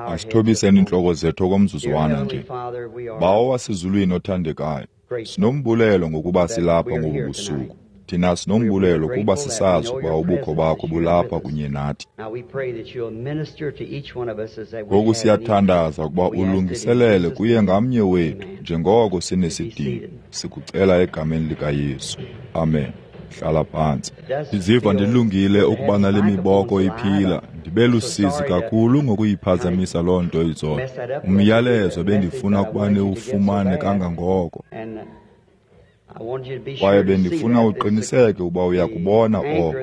Asithobiseni iintloko zethu okomzuzwana nje. Bawo wasezulwini othandekayo, sinombulelo ngokuba silapha ngobu busuku. Thina sinombulelo kuba sisazi ukuba ubukho bakho bulapha kunye nathi. Ngoku siyathandaza ukuba ulungiselele kuye ngamnye wethu njengoko sinesidingo. Sikucela egameni likaYesu. Amen. Hlala phantsi. Ndiziva ndilungile ukuba nale miboko iphila. Ndibe lusizi kakhulu ngokuyiphazamisa loo nto izolo. Umyalezo bendifuna ukuba niwufumane kangangoko. Kwaye bendifuna uqiniseke ukuba uyakubona oko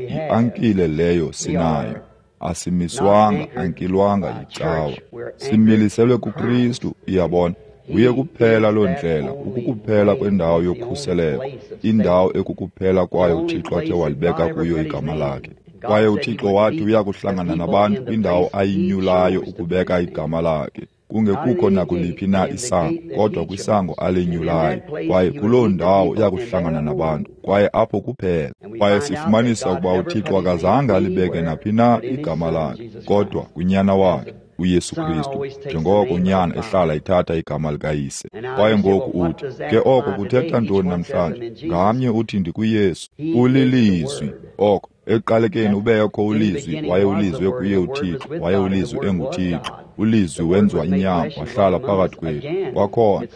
i-ankile leyo sinayo. Asimiswanga, ankilwanga yicawa. Similiselwe kuKristu, uyabona. Nguye kuphela loo ndlela, ukukuphela kwendawo yokhuseleko, indawo ekukuphela kwayo uThixo athe walibeka kuyo igama lakhe. Kwaye uThixo wathi uya kuhlangana nabantu kwindawo ayinyulayo ukubeka igama lakhe, kungekukho nakuliphi na isango, kodwa kwisango alinyulayo. Kwaye kuloo ndawo uya kuhlangana nabantu, kwaye apho kuphela. Kwaye sifumanisa ukuba uThixo akazange alibeke naphi na igama lakhe, kodwa kuNyana wakhe, uYesu Kristu, njengoko unyana ehlala ithatha igama likayise. Kwaye ngoku uthi, ke oko kuthetha ntoni namhlanje? Ngamnye uthi ndikuYesu. Ulilizwi. Oko ekuqalekeni ubekho uLizwi, waye uLizwi ekuye uThixo, waye uLizwi enguThixo. ULizwi wenziwa inyama, wahlala phakathi kwethu. Kwakhona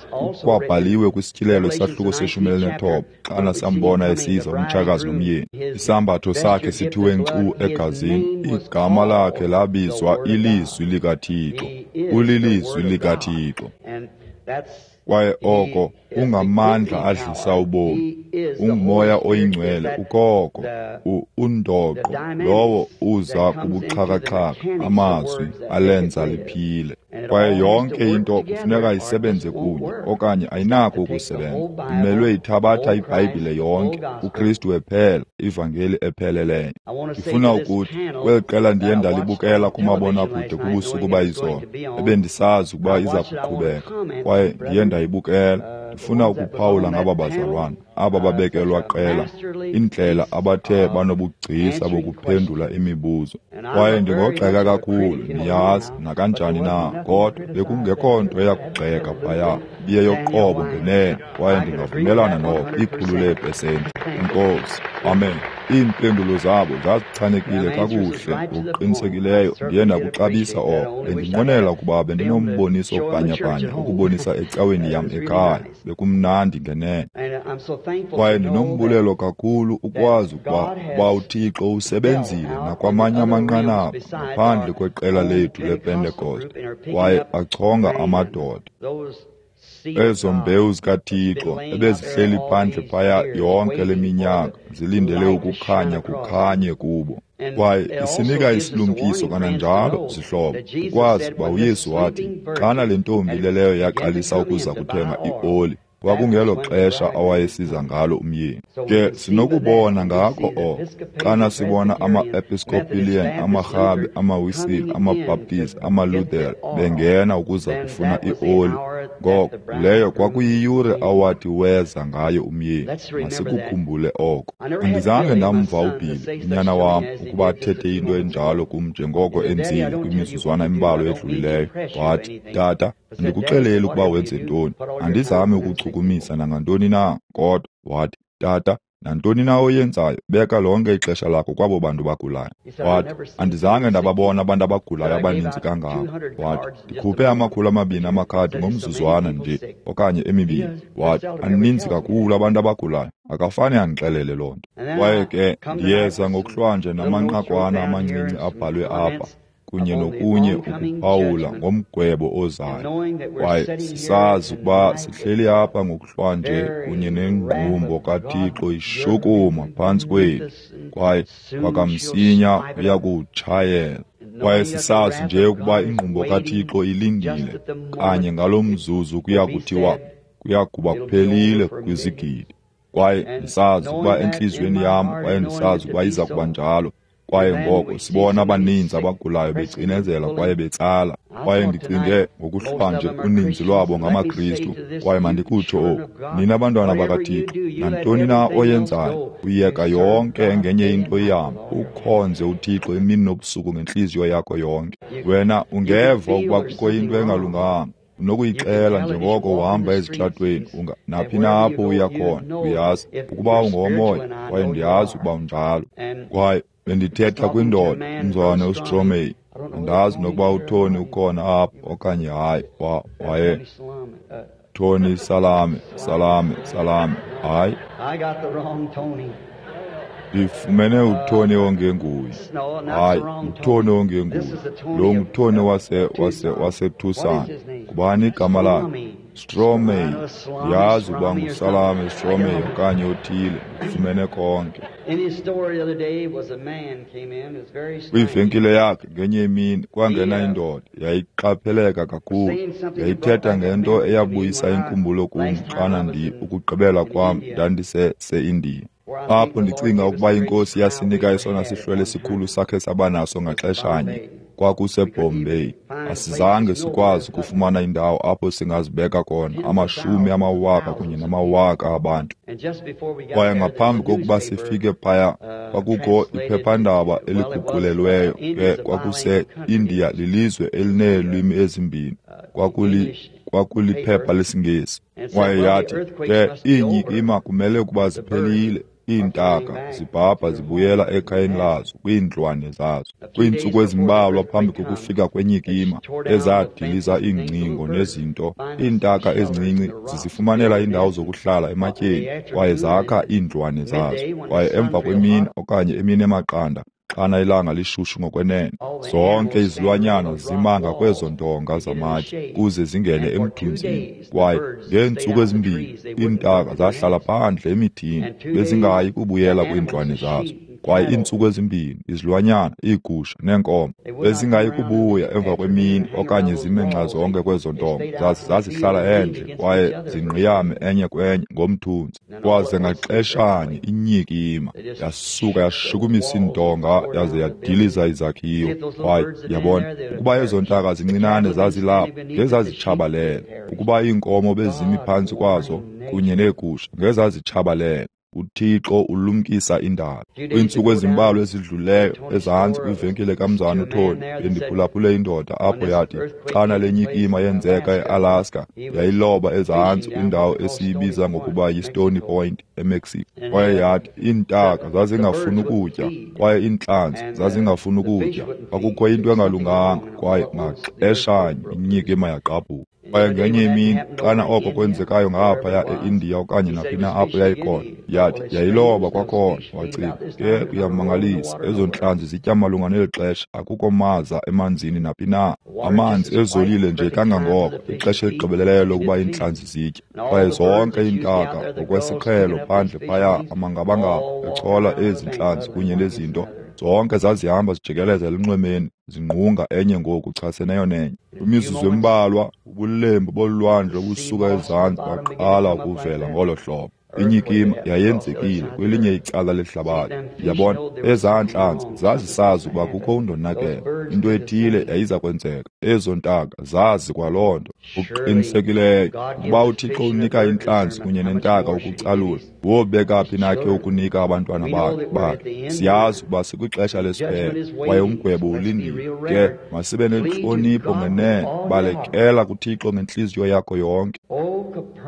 kwabhaliwe kwisityhilelo isahluko se-19, xana sambona esiza umtshakazi nomyeni. Isambatho sakhe sithiwe nkcu egazini, igama lakhe labizwa iLizwi likaThixo. UliLizwi likaThixo. Kwaye oko ungamandla adlisa ubomi, ungumoya oyingcwele ukoko, undoqo lowo uza kubuxhakaxhaka, amazwi alenza liphile. Kwaye yonke into kufuneka isebenze kunye, okanye ayinako ukusebenza. Imelwe ithabatha iBhayibhile yonke, uKristu ephela, ivangeli epheleleyo. Ndifuna ukuthi kweli qela ndiye ndalibukela kumabonakude kubusuku bayizolo, ebendisazi ukuba iza kuqhubeka, kwaye ndiye ndayibukela. Ndifuna ukuphawula ngaba bazalwana, aba babekelwa qela, indlela abathe banobugcisa bokuphendula imibuzo. Kwaye ndingogxeka kakhulu, niyazi, nakanjani na, kodwa bekungekho nto eyakugxeka phaya, ibiyeyoqobo ngenene, kwaye ndingavumelana noko 100 leepesenti. Enkosi. Amen. Iimpendulo zabo zazichanekile kakuhle ngokuqinisekileyo. Ndiye ndakuxabisa oko. Bendinqwenela ukuba bendinomboniso bhanyabhanya ukubonisa ecaweni yam ekhaya. Bekumnandi ngenene. Kwaye ndinombulelo kakhulu ukwazi ukuba uThixo usebenzile nakwamanye amanqanaba ngaphandle kweqela lethu lePentekoste, kwaye achonga amadoda. Ezo mbewu zikaThixo ebezihleli phandle phaya yonke le minyaka zilindele ukukhanya kukhanye kubo. Kwaye isinika isilumkiso kananjalo, zihlobo, ukwazi ukuba uYesu wathi xana le ntombi leleyo yaqalisa ukuza kuthenga ioli, kwakungelo xesha awayesiza ngalo umyeni. Ke sinokubona ngako oko xana sibona ama-Episcopalian, amaRhabe, amaWisile, amaBaptist, amaLuthere bengena ukuza kufuna ioli, ngoko leyo kwakuyiyure awathi weza ngayo umyeni. Masikukhumbule oko. Andizange ndamva uBilly, unyana wam, ukuba athethe into enjalo kum njengoko enzile kwimizuzwana embalwa edlulileyo. Wathi, Tata, andikuxeleli ukuba wenze ntoni, andizami ukuchukumisa nangantoni na, kodwa wathi, Tata, nantoni na oyenzayo, beka lonke ixesha lakho kwabo bantu bagulayo. Wathi, andizange ndababona abantu abagulayo abaninzi kangako. Wathi, ndikhuphe 200 amakhadi ngomzuzwana nje okanye emibini. Wathi, aninzi kakhulu abantu abagulayo, akafane andixelele loo nto. Kwaye ke ndiyeza ngokuhlwanje namanqakwana amancinci abhalwe apha, kunye nokunye ukuphawula ngomgwebo ozayo. Kwaye sisazi ukuba sihleli apha ngokuhlwanje kunye nengqumbo kaThixo ishukuma phantsi kwethu, kwaye kwakamsinya uya kuwutshayela. Kwaye sisazi nje ukuba ingqumbo kaThixo ilindile kanye ngalo mzuzu kuya kuthiwa kuya kuba kuphelile kwizigidi. Kwaye ndisazi ukuba entliziyweni yam, kwaye ndisazi ukuba iza kuba njalo. Kwaye ngoko sibona abaninzi abagulayo becinezela kwaye betsala. Kwaye ndicinge ngokuhlwanje uninzi lwabo ngamaKristu, kwaye mandikutsho oku, nina bantwana bakaThixo, nantoni na oyenzayo, uyeka yonke ngenye into ihambe, ukhonze uThixo imini nobusuku ngentliziyo yakho yonke. Wena ungeva ukuba kukho into engalunganga, unokuyixela njengoko uhamba ezitratweni, naphi na apho uya khona, uyazi ukuba ungowomoya, kwaye ndiyazi ukuba unjalo. Kwaye bendithetha kwindoda, umzalwane uStromey, andazi nokuba uTony ukhona apho okanye hayi. Waye Tony Salame, Salame, Salame, hayi. Ndifumene uTony ongenguye. Hayi, uTony ongenguye. Lo nguTony waseTucson. Ngubani igama lakhe? Stromey. Ndiyazi ukuba nguSalame Stromey okanye othile. Ndifumene konke. Kwivenkile yakhe ngenye imini kwangena indoda, yayiqapheleka kakhulu. Yayithetha ngento eyabuyisa inkumbulo kum xana ukugqibela kwam ndandise-India. Apho ndicinga ukuba iNkosi yasinika esona sihlwele sikhulu sakhe sabanaso ngaxeshanye, kwakuseBombay. Asizange sikwazi ukufumana indawo apho singazibeka khona amashumi amawaka kunye namawaka abantu. Kwaye ngaphambi kokuba sifike phaya, kwakukho iphephandaba eliguqulelweyo, ke kwakuse-India lilizwe elineelwimi ezimbini, kwakuliphepha lesiNgesi. Kwaye yathi, ke iinyikima kumele ukuba ziphelile, iintaka zibhabha zibuyela ekhayeni lazo kwiindlwane zazo. Kwiintsuku ezimbalwa phambi kokufika kwenyikima ezadiliza iingcingo nezinto, iintaka ezincinci zizifumanela iindawo zokuhlala ematyeni kwaye zakha iindlwane zazo. Kwaye emva kwemini okanye emini emaqanda, xana ilanga lishushu ngokwenene, zonke izilwanyana zima ngakwezo ndonga zamatye kuze zingene emthunzini. Kwaye ngeentsuku ezimbini iintaka zahlala phandle emithini, bezingayi kubuyela kwiindlwane zazo. Kwaye iintsuku ezimbini izilwanyana, iigusha neenkomo bezingayi kubuya emva kwemini okanye zime nxa zonke kwezo ntonga. Zazihlala endle kwaye zingqiyame enye kwenye ngomthunzi. Kwaze ngaxeshanye inyikima yasuka yashukumisa iintonga yaze yadiliza izakhiwo. Kwaye yabona ukuba ezo ntaka zincinane zazilapho ngezazitshabalele, ukuba iinkomo bezimi phantsi kwazo kunye neegusha ngezazitshabalele. uThixo ulumkisa indalo. Kwiintsuku ezimbalwa ezidluleyo ezantsi kwivenkile kamzana uTony, bendiphulaphule indoda apho yathi xana le nyikima yenzeka eAlaska, yayiloba ezantsi kwindawo esiyibiza ngokuba yiStony Point eMexico. Kwaye yathi iintaka zazingafuni ukutya kwaye iintlanzi zazingafuni ukutya. Kwakukho into engalunganga kwaye ngaxeshanye inyikima yagqabhuka. Kwaye ngenye imini xana oko kwenzekayo ngaphaya eIndiya okanye naphi na apho yayikhona, yathi yayiloba kwakhona. Wacinga, ke kuyamangalisa, ezo ntlanzi zitya malunga neli xesha, akukho maza emanzini naphi na, amanzi ezolile nje kangangoko, ixesha eligqibeleleyo lokuba iintlanzi zitye. Kwaye zonke iintaka ngokwesiqhelo phandle phaya amangabangaba echola ezi ntlanzi kunye nezinto, zonke zazihamba zijikeleza elunxwemeni zingqunga enye ngoku chaseneyo nenye. Kwimizuzu embalwa ubulembu bolwandle obusuka ezantsi baqala ukuvela ngolo hlobo. Inyikima yayenzekile kwelinye icala lehlabathi. Yabona, ezaa ntlanzi zazisazi ukuba kukho undonakele, into ethile yayiza kwenzeka. Ezo ntaka zazi kwaloo nto. Ngokuqinisekileyo ukuba uThixo unika intlanzi kunye nentaka ukucalula, wobeka phi na ke ukunika abantwana bakhe? Siyazi ukuba sikwixesha lesiphelo kwaye umgwebo ulindile. Ke masibe nentlonipho ngenene, balekela kuThixo ngentliziyo yakho yonke.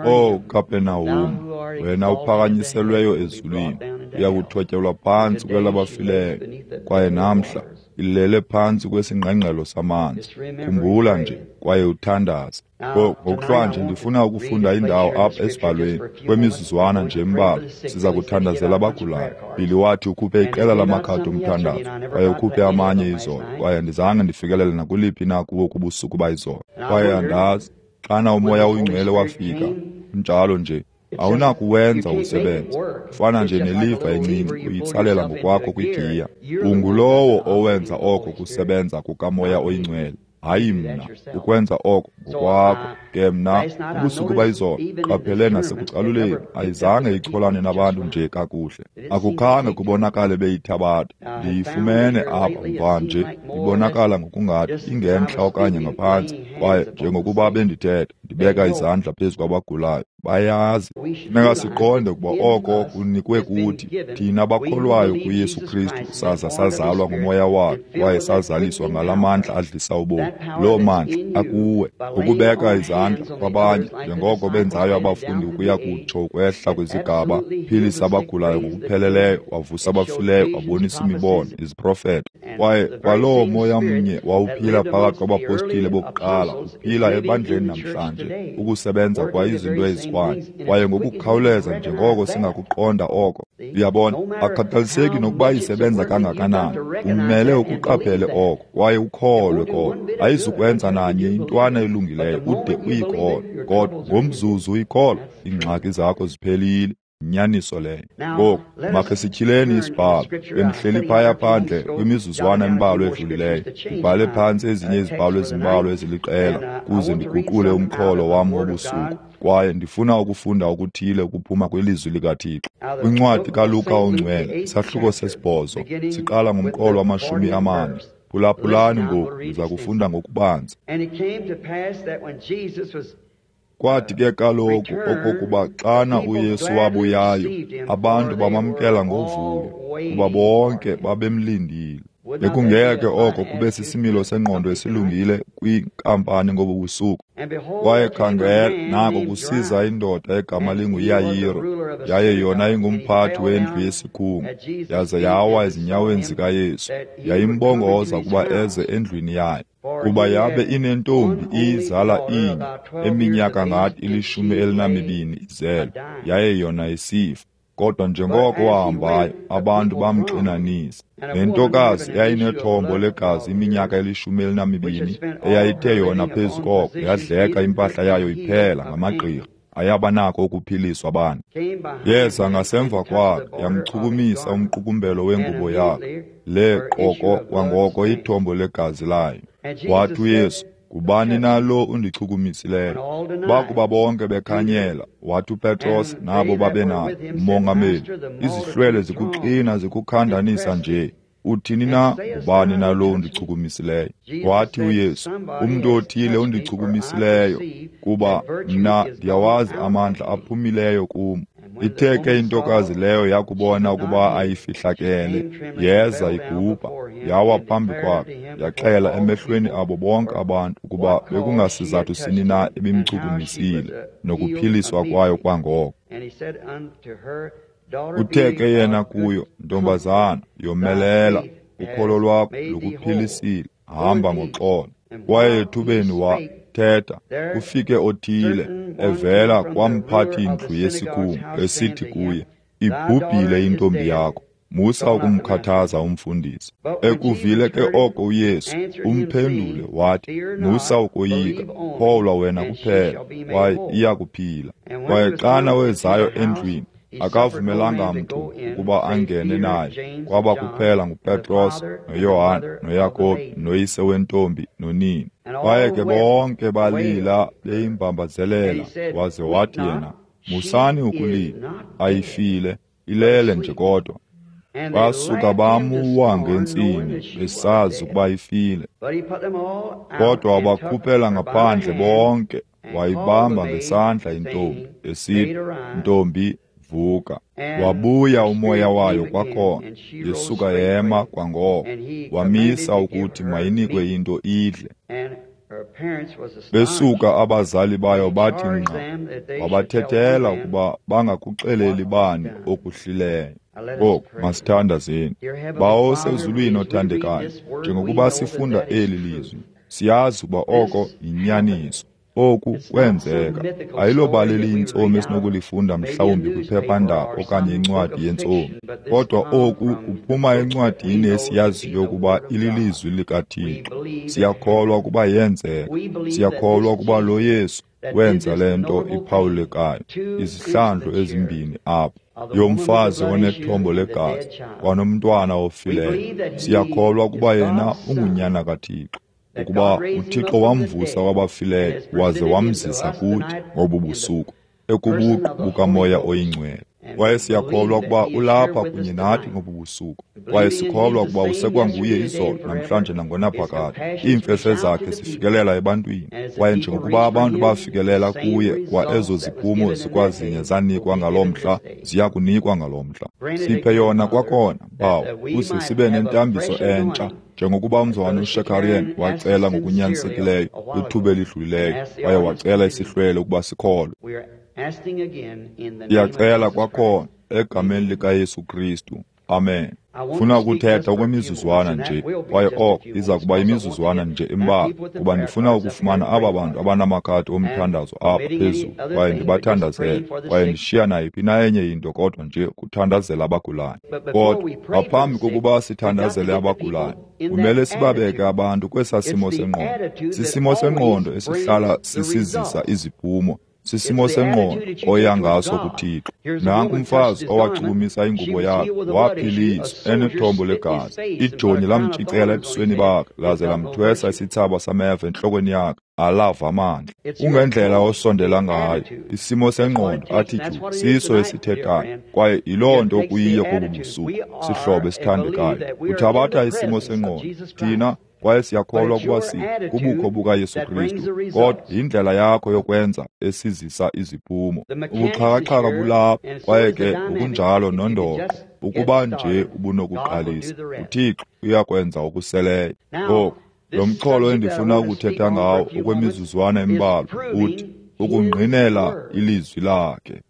Oh Kapenahum, wena uphakanyiselweyo ezulwini, uya kuthotyelwa phantsi kwelabafileyo, kwaye namhla ilele phantsi kwesingqengqelo samanzi. Khumbula nje kwaye uthandaze. Ngokuhlwanje ndifuna ukufunda indawo apha esibhalweni kwemizuzwana nje embalwa. Siza kuthandazela abagulayo. Billy wathi ukhuphe iqela lamakhadi omthandazo kwaye ukhuphe amanye izolo, kwaye andizange ndifikelele nakuliphi na kuwo kubusuku bayizolo. Kwaye andazi xana uMoya oyiNgcwele wafika, njalo nje awunakuwenza usebenze. Ufana nje neliva encinci uyitsalela ngokwakho kwigiya. Ungulowo owenza oko kusebenza kukaMoya oyiNgcwele, Hayi mna, ukwenza oko ngokwakho. Ke mna, ubusuku bayizolo, qaphele nasekucaluleni, ayizange icholane nabantu nje kakuhle. Akukhange kubonakale beyithabatha. Ndiyifumene apha mvanje, ibonakala ngokungathi ingentla okanye ngaphantsi. Kwaye njengokuba bendithetha, ndibeka izandla phezu kwabagulayo, bayazi. Funeka siqonde ukuba oko kunikwe kuthi, thina bakholwayo kuYesu Kristu, saza sazalwa nguMoya wakhe, kwaye sazaliswa ngala mandla adlisa ubomi. Loo mandla akuwe ngokubeka izandla kwabanye, njengoko benzayo abafundi ukuya kutsho ukwehla kwizigaba, philisa abagulayo ngokupheleleyo, wavusa abafileyo, wabonisa imibono, iziprofeto. Kwaye kwaloo moya mnye wawuphila phakathi kwabapostile bokuqala uphila ebandleni namhlanje, ukusebenza kwa izinto ezifanayo. Kwaye ngokukhawuleza njengoko singakuqonda oko, uyabona, akukhathaliseki nokuba isebenza kangakanani, umele ukuqaphele oko kwaye ukholwe koko. Ayizukwenza nanye intwana elungileyo ude uyikholwe, kodwa ngomzuzu uyikholwa, iingxaki zakho ziphelile. Inyaniso leyo. Ngoku makhe sityhileni isibhalo. Bendihleli phaya phandle kwimizuzwana embalwa edlulileyo, ndibhale phantsi ezinye izibhalo ezimbalwa eziliqela kuze ndiguqule umxholo wam wobusuku. Kwaye ndifuna ukufunda okuthile ukuphuma kwilizwi likaThixo. Kwincwadi kaLuka oNgcwele, isahluko 8, siqala ngomqolo wama-40. Phulaphulani ngoku, ndiza kufunda ngokubanzi. Kwathi ke kaloku okokuba xana uYesu wabuyayo, abantu bamamkela ngovuyo, kuba bonke babemlindile. Bekungeke oko kube sisimilo sengqondo esilungile kwinkampani ngobu busuku. Kwaye khangela, nako kusiza indoda egama linguYayiro, yaye yona ingumphathi wendlu yesikhungu, yaza yawa ezinyaweni zikaYesu, yayimbongoza ukuba eze endlwini yayo, kuba yabe inentombi iyizala inye, eminyaka ngathi 12 izelwe, yaye yona isifa. Kodwa njengoko wahambayo, abantu bamxinanisa. Nentokazi yayinethombo legazi iminyaka 12, eyayithe yona phezu koko yadleka impahla yayo iphela ngamagqirha, ayabanako ukuphiliswa abantu. Yeza ngasemva kwakhe, yamchukumisa umqukumbelo wengubo yakhe, le qoko kwangoko ithombo legazi layo. Wathi uYesu, ngubani na lo undichukumisileyo? Bakuba bonke bekhanyela, wathi uPetros nabo babenaye, Mongameli, izihlwele zikuxina zikukhandanisa nje. Uthini na, ngubani na lo undichukumisileyo? Wathi uYesu, umntu othile undichukumisileyo, kuba mna ndiyawazi amandla aphumileyo kum. Ithe ke intokazi leyo yakubona ukuba ayifihlakele, yeza igubha, yawa phambi kwakhe, yaxela emehlweni abo bonke abantu ukuba bekungasizathu sini na ebimchukumisile, nokuphiliswa kwayo kwangoko. Uthe ke yena kuyo, ntombazana, yomelela, ukholo lwakho lukuphilisile, hamba ngoxolo. Kwaye ethubeni wathetha, kufike othile evela kwamphathi-ndlu yesikhungu, esithi kuye, ibhubhile intombi yakho, musa ukumkhathaza umfundisi. Ekuvile ke oko uYesu, umphendule wathi, musa ukoyika, kholwa wena kuphela, kwaye iyakuphila. Kwaye xana wezayo endlwini, akavumelanga mntu ukuba angene naye, kwaba kuphela nguPetros noYohane noYakobi noyise wentombi nonina. Kwaye ke bonke balila beyimbambazelela, waze wathi yena, musani ukulila, ayifile, ilele nje kodwa. Basuka bamuwa ngentsini, besazi ukuba ifile. Kodwa wabakhuphela ngaphandle bonke, wayibamba ngesandla intombi, esithi, ntombi, vuka. Wabuya umoya wayo kwakhona, yesuka yema kwangoko. Wamisa ukuthi mayinikwe into idle. Besuka abazali bayo bathi nqa, wabathethela ukuba bangakuxeleli bani okuhlileyo. Ngoku masithandazeni. Bawo osezulwini othandekayo, njengokuba sifunda eli lizwi, siyazi ukuba oko yinyaniso. Oku kwenzeka. Ayilobali eliyintsomi esinokulifunda mhlawumbi kwiphephandaba okanye incwadi yentsomi, kodwa oku kuphuma encwadini esiyaziyo ukuba ililizwi likaThixo. Siyakholwa ukuba yenzeka. Siyakholwa ukuba lo Yesu wenza le nto iphawulekayo izihlandlo ezimbini apha, yomfazi onethombo legazi kwanomntwana ofileyo. Siyakholwa ukuba yena ungunyana kaThixo. ukuba uThixo wamvusa kwabafileyo waze wamzisa kuthi ngobu busuku, ekubuqu bukaMoya oyiNgcwele. Kwaye siyakholwa ukuba ulapha kunye nathi ngobu busuku. Kwaye sikholwa ukuba usekwanguye izolo, namhlanje nangonaphakade. Iimfefe zakhe zifikelela ebantwini. Kwaye njengokuba abantu bafikelela kuye, kwa ezo ziphumo zikwazinye zanikwa ngaloo mhla, ziya kunikwa ngaloo mhla. Siphe yona kwakhona, Bawo, ukuze sibe nentambiso entsha, njengokuba umzalwana uShakarian wacela ngokunyanisekileyo kwithuba elidlulileyo, waye wacela isihlwele ukuba sikholwe. Siyacela kwakhona egameni likaYesu Kristu. Amen. Funa ukuthetha okwemizuzwana nje, kwaye oko iza kuba imizuzwana nje embalwa, kuba ndifuna ukufumana aba bantu abanamakhadi omthandazo apha phezulu, kwaye ndibathandazele, kwaye ndishiya nayiphi na enye into kodwa nje kuthandazela abagulayo. Kodwa ngaphambi kokuba sithandazele abagulayo, kumele sibabeke abantu kwesaa simo sengqondo. Sisimo sengqondo esihlala sisizisa iziphumo. Sisimo sengqondo oya ngaso kuThixo. Nanku umfazi owachukumisa ingubo yakhe, waphiliswa enethombo legazi. Ijoni lamtshicela ebusweni bakhe, laze lamthwesa isithsaba sameva entlokweni yakhe, alava amandla. Kungendlela osondela ngayo, isimo sengqondo, attitude, siso esithethayo, kwaye yiloo nto kuyiyo kobu busuku, sihlobo esithandekayo. Uthabatha isimo sengqondo, thina kwaye siyakholwa ukuba kubukho bukaYesu Kristu, kodwa yindlela yakho yokwenza esizisa iziphumo. Ubuxhakaxhaka bulapha, kwaye ke ngokunjalo nondoqo. Ukuba nje ubunokuqalisa, uThixo uyakwenza okuseleyo. Ngoku, lo mxholo endifuna ukuthetha ngawo okwemizuzwana embalwa uthi ukungqinela ilizwi lakhe.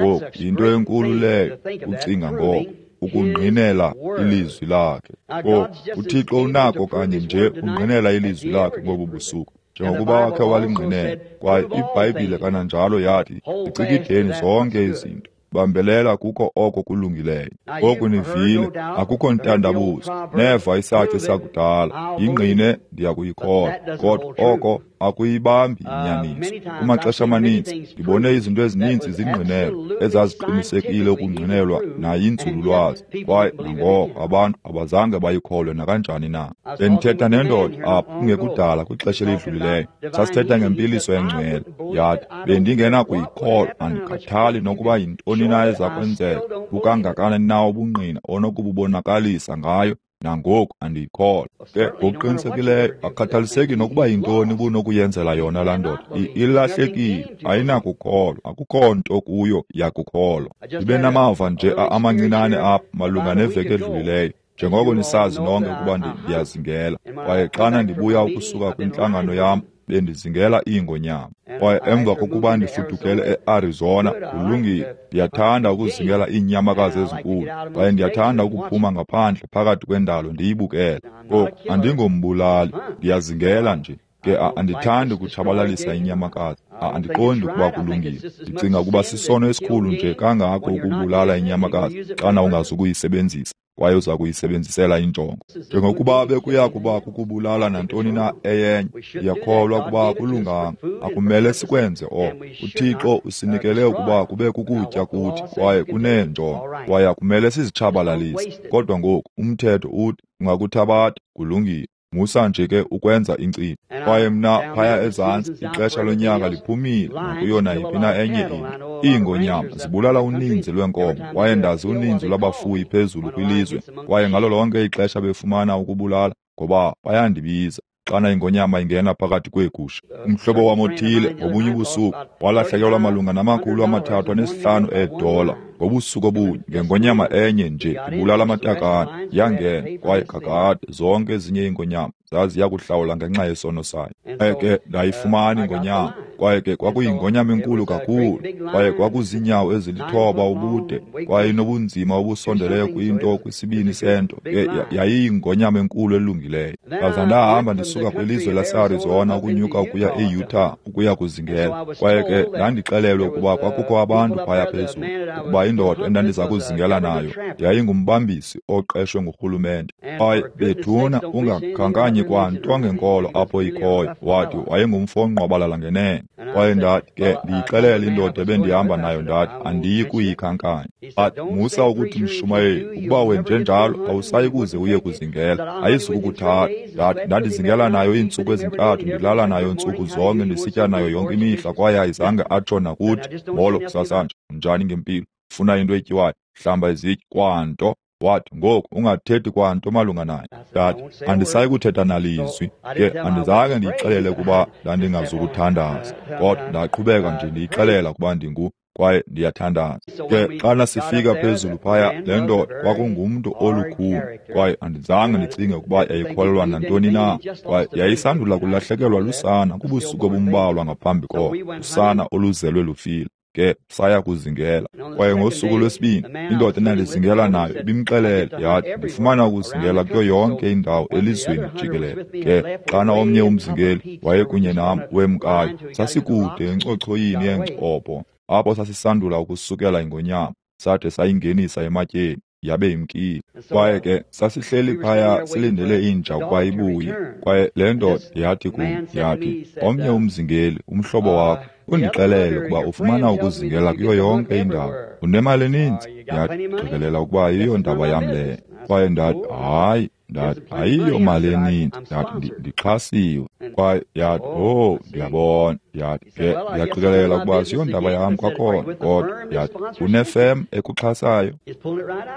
Ngoku, yinto enkulu leyo ucinga ngoko, ukungqinela ilizwi lakhe. Ngoku, uThixo unako kanye nje ukungqinela ilizwi lakhe ngobu busuku, njengokuba wakhe walingqinela. Kwaye iBhayibhile kananjalo yathi, zicikideni zonke izinto, bambelela kuko oko kulungileyo. Ngoku nivile, akukho ntandabuzo, neva isaci sakudala, yingqine ndiyakuyikholwa, kodwa oko akuyibambi inyaniso. Kumaxesha amaninzi ndibone izinto ezininzi zingqinelwa, ezaziqinisekile ukungqinelwa nayinzululwazi, kwaye nangoko abantu abazange bayikholwe nakanjani na. Bendithetha nendoda apha kungekudala kwixesha elidlulileyo, sasithetha ngempiliso engcwele. Yathi, bendingenakuyikholwa, andikhathali nokuba yintoni na eza kwenzeka, bukangakanani na ubungqina onokububonakalisa ngayo, nangoku andiyikholwa. Ke ngokuqinisekileyo akukhathaliseki nokuba yintoni ubunokuyenzela yona laa ndoda, ilahlekile, ayinakukholwa, akukho nto kuyo yakukholwa. Ndibe namava nje amancinane apha malunga neveki edlulileyo, njengoko nisazi nonke ukuba ndiyazingela. Kwaye xana ndibuya ukusuka kwintlangano yam, bendizingela iingonyama. Kwaye emva kokuba ndifudukele e-Arizona, kulungile, ndiyathanda ukuzingela iinyamakazi ezinkulu, kwaye ndiyathanda ukuphuma ngaphandle phakathi kwendalo ndiyibukele. Ngoku, andingombulali, ndiyazingela nje. Ke andithandi ukutshabalalisa inyamakazi, andiqondi ukuba kulungile. Ndicinga ukuba sisono esikhulu nje kangako ukubulala inyamakazi xana ungazukuyisebenzisa, kwaye uza kuyisebenzisela injongo. Njengokuba bekuya kuba kukubulala nantoni na eyenye, ndiyakholwa ukuba kulunganga, akumele sikwenze oko. uThixo usinikele ukuba kube kukutya kuthi, kwaye kuneenjongo, kwaye akumele sizitshabalalise. Kodwa ngoku umthetho uthi ungakuthabatha, kulungile. Musa nje ke ukwenza inkcitho. Kwaye mna phaya ezantsi, ixesha lonyaka liphumile nakuyo nayiphi na enye into. Iingonyama zibulala uninzi lwenkomo, kwaye ndazi uninzi lwabafuyi phezulu kwilizwe, kwaye ngalo lonke ixesha befumana ukubulala, ngoba bayandibiza xana ingonyama ingena phakathi kweegusha. Umhlobo wam othile ngobunye ubusuku walahlekelwa malunga na-305 eedola ngobusuku obunye ngengonyama enye nje ibulala amatakane. Yangena, kwaye kakade zonke ezinye iingonyama zaziya kuhlawula ngenxa yesono sayo. Kwaye ke ndayifumana ingonyama, kwaye ke kwakuyingonyama enkulu kakhulu, kwaye kwakuziinyawo ezilithoba ubude, kwaye inobunzima obusondeleyo kwinto kwisibini sento. Ke yayiyingonyama enkulu elungileyo. Ndaza ndahamba ndisuka kwilizwe laseArizona ukunyuka ukuya eUtah ukuya kuzingela. Kwaye ke ndandixelelwe ukuba kwakukho abantu phaya phezulu, ukuba indoda endandiza kuzingela nayo yayingumbambisi oqeshwe ngurhulumente. Kwaye bethuna ungakhankanye kwanto ngenkolo apho ikhoyo, wathi wayengumfo ongqwabalala ngenene. Kwaye ndathi ke ndiyixelele indoda ebendihamba nayo, ndathi andiyi kuyikhankanya. Athi, musa ukuthi mshumayeli, ukuba wenjenjalo awusayi kuze uye kuzingela, ayizukukuthatha. Ndathi ndandizingela nayo iintsuku ezintathu, ndilala nayo ntsuku zonke, ndisitya nayo yonke imihla, kwaye ayizange atsho nakuthi molo kusasanje, unjani ngempilo, ufuna into etyiwayo, hlamba izitya, kwanto. Wathi, ngoku ungathethi kwanto malunga naye. Ndathi andisayi kuthetha nalizwi. Ke andizange ndiyixelele kuba ndandingazukuthandaza, kodwa ndaqhubeka nje ndiyixelela kuba ndingu kwaye ndiyathandaza. Ke xana sifika phezulu phaya, le ndoda kwakungumntu olukhulu, kwaye andizange ndicinge ukuba yayikholelwa nantoni na. Kwaye yayisandula kulahlekelwa lusana kubusuku obumbalwa ngaphambi koko, usana oluzelwe lufile. Ke saya kuzingela. Kwaye ngosuku lwesibini indoda endandizingela nayo ibimxelele, yathi ndifumana ukuzingela kuyo yonke indawo elizweni jikelele. Ke xana omnye umzingeli wayekunye nam wemkayo, sasikude encochoyini yeencopho apho sasisandula ukusukela ingonyama, sade sayingenisa ematyeni, yabe imkile. Kwaye ke sasihleli phaya silindele inja ukuba ibuye. Kwaye le ndoda yathi kum, yathi omnye umzingeli, umhlobo wakho, undixelele ukuba ufumana ukuzingela kuyo yonke indawo, unemali eninzi. Yathi qikelela ukuba ayiyo ndaba yam leyo. Kwaye ndathi hayi, ndathi ayiyo mali eninzi, ndathi ndixhasiwe. Kwaye yathi, oh, ndiyabona. Yathi ke ndiyaqikelela ukuba siyondaba yam kwakhona, kodwa yathi unefem ekuxhasayo.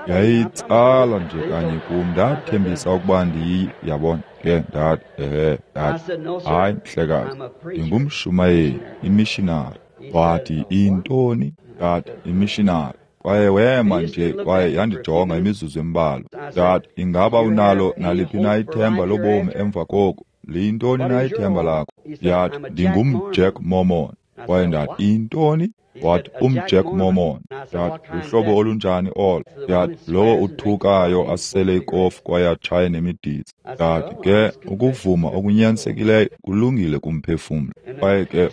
Yayitsala nje kanye kum, ndathembisa ukuba ndiyi, yabona. Ke ndathi ehe, ndathi hayi mhlekazi, ndingumshumayeli, imishinari. Wathi intoni? Ndathi imishinari. Kwaye wema nje kwaye yandijonga imizuzu embalwa. Ndathi ingaba unalo naliphi na ithemba lobomi emva koko? Liyintoni na ithemba lakho? Yathi ndingumJack Mormon. Kwaye ndathi intoni? Wathi umJack Mormon. Ndathi luhlobo olunjani olo? Yathi lowo uthukayo asele ikofu kwaye atshaye nemidiza. Ndathi ke ukuvuma okunyanisekileyo kulungile kumphefumlo. Kwaye ke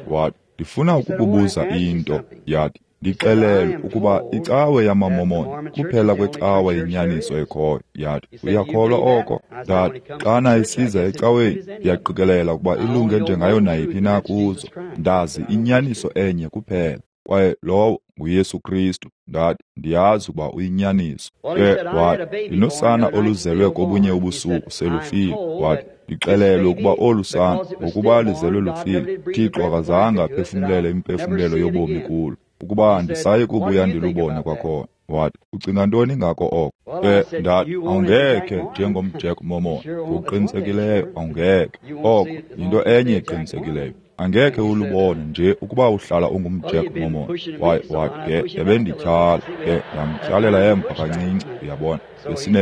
wathi ndifuna ukukubuza into. Yathi ndixelelwe ukuba icawe yamaMormon kuphela kwecawe yenyaniso ekhoyo. Yathi uyakholwa oko? Ndathi xana isiza ecaweni ndiyaqikelela ukuba ilunge njengayo nayiphi na kuzo. Ndazi inyaniso enye kuphela, kwaye lowo nguYesu Kristu. Ndathi ndiyazi ukuba uyinyaniso. Ke wathi ndinosana oluzelwe kobunye ubusuku selufile. Wathi ndixelelwe ukuba olu sana ngokuba lizelwe lufile, Thixo akazange aphefumlele imphefumlelo yobomi kulo, ukuba andisayi kubuya ndilubone kwakhona. Wathi ucinga ntoni ngako oko? Ke ndathi awungekhe njengomJack Mormon, ngokuqinisekileyo awungekhe. Oko yinto enye eqinisekileyo, angekhe ulubone nje ukuba uhlala ungumJack Mormon. Waye wathi ke ebendityhala, ke ndamtyhalela emva kancinci, uyabona.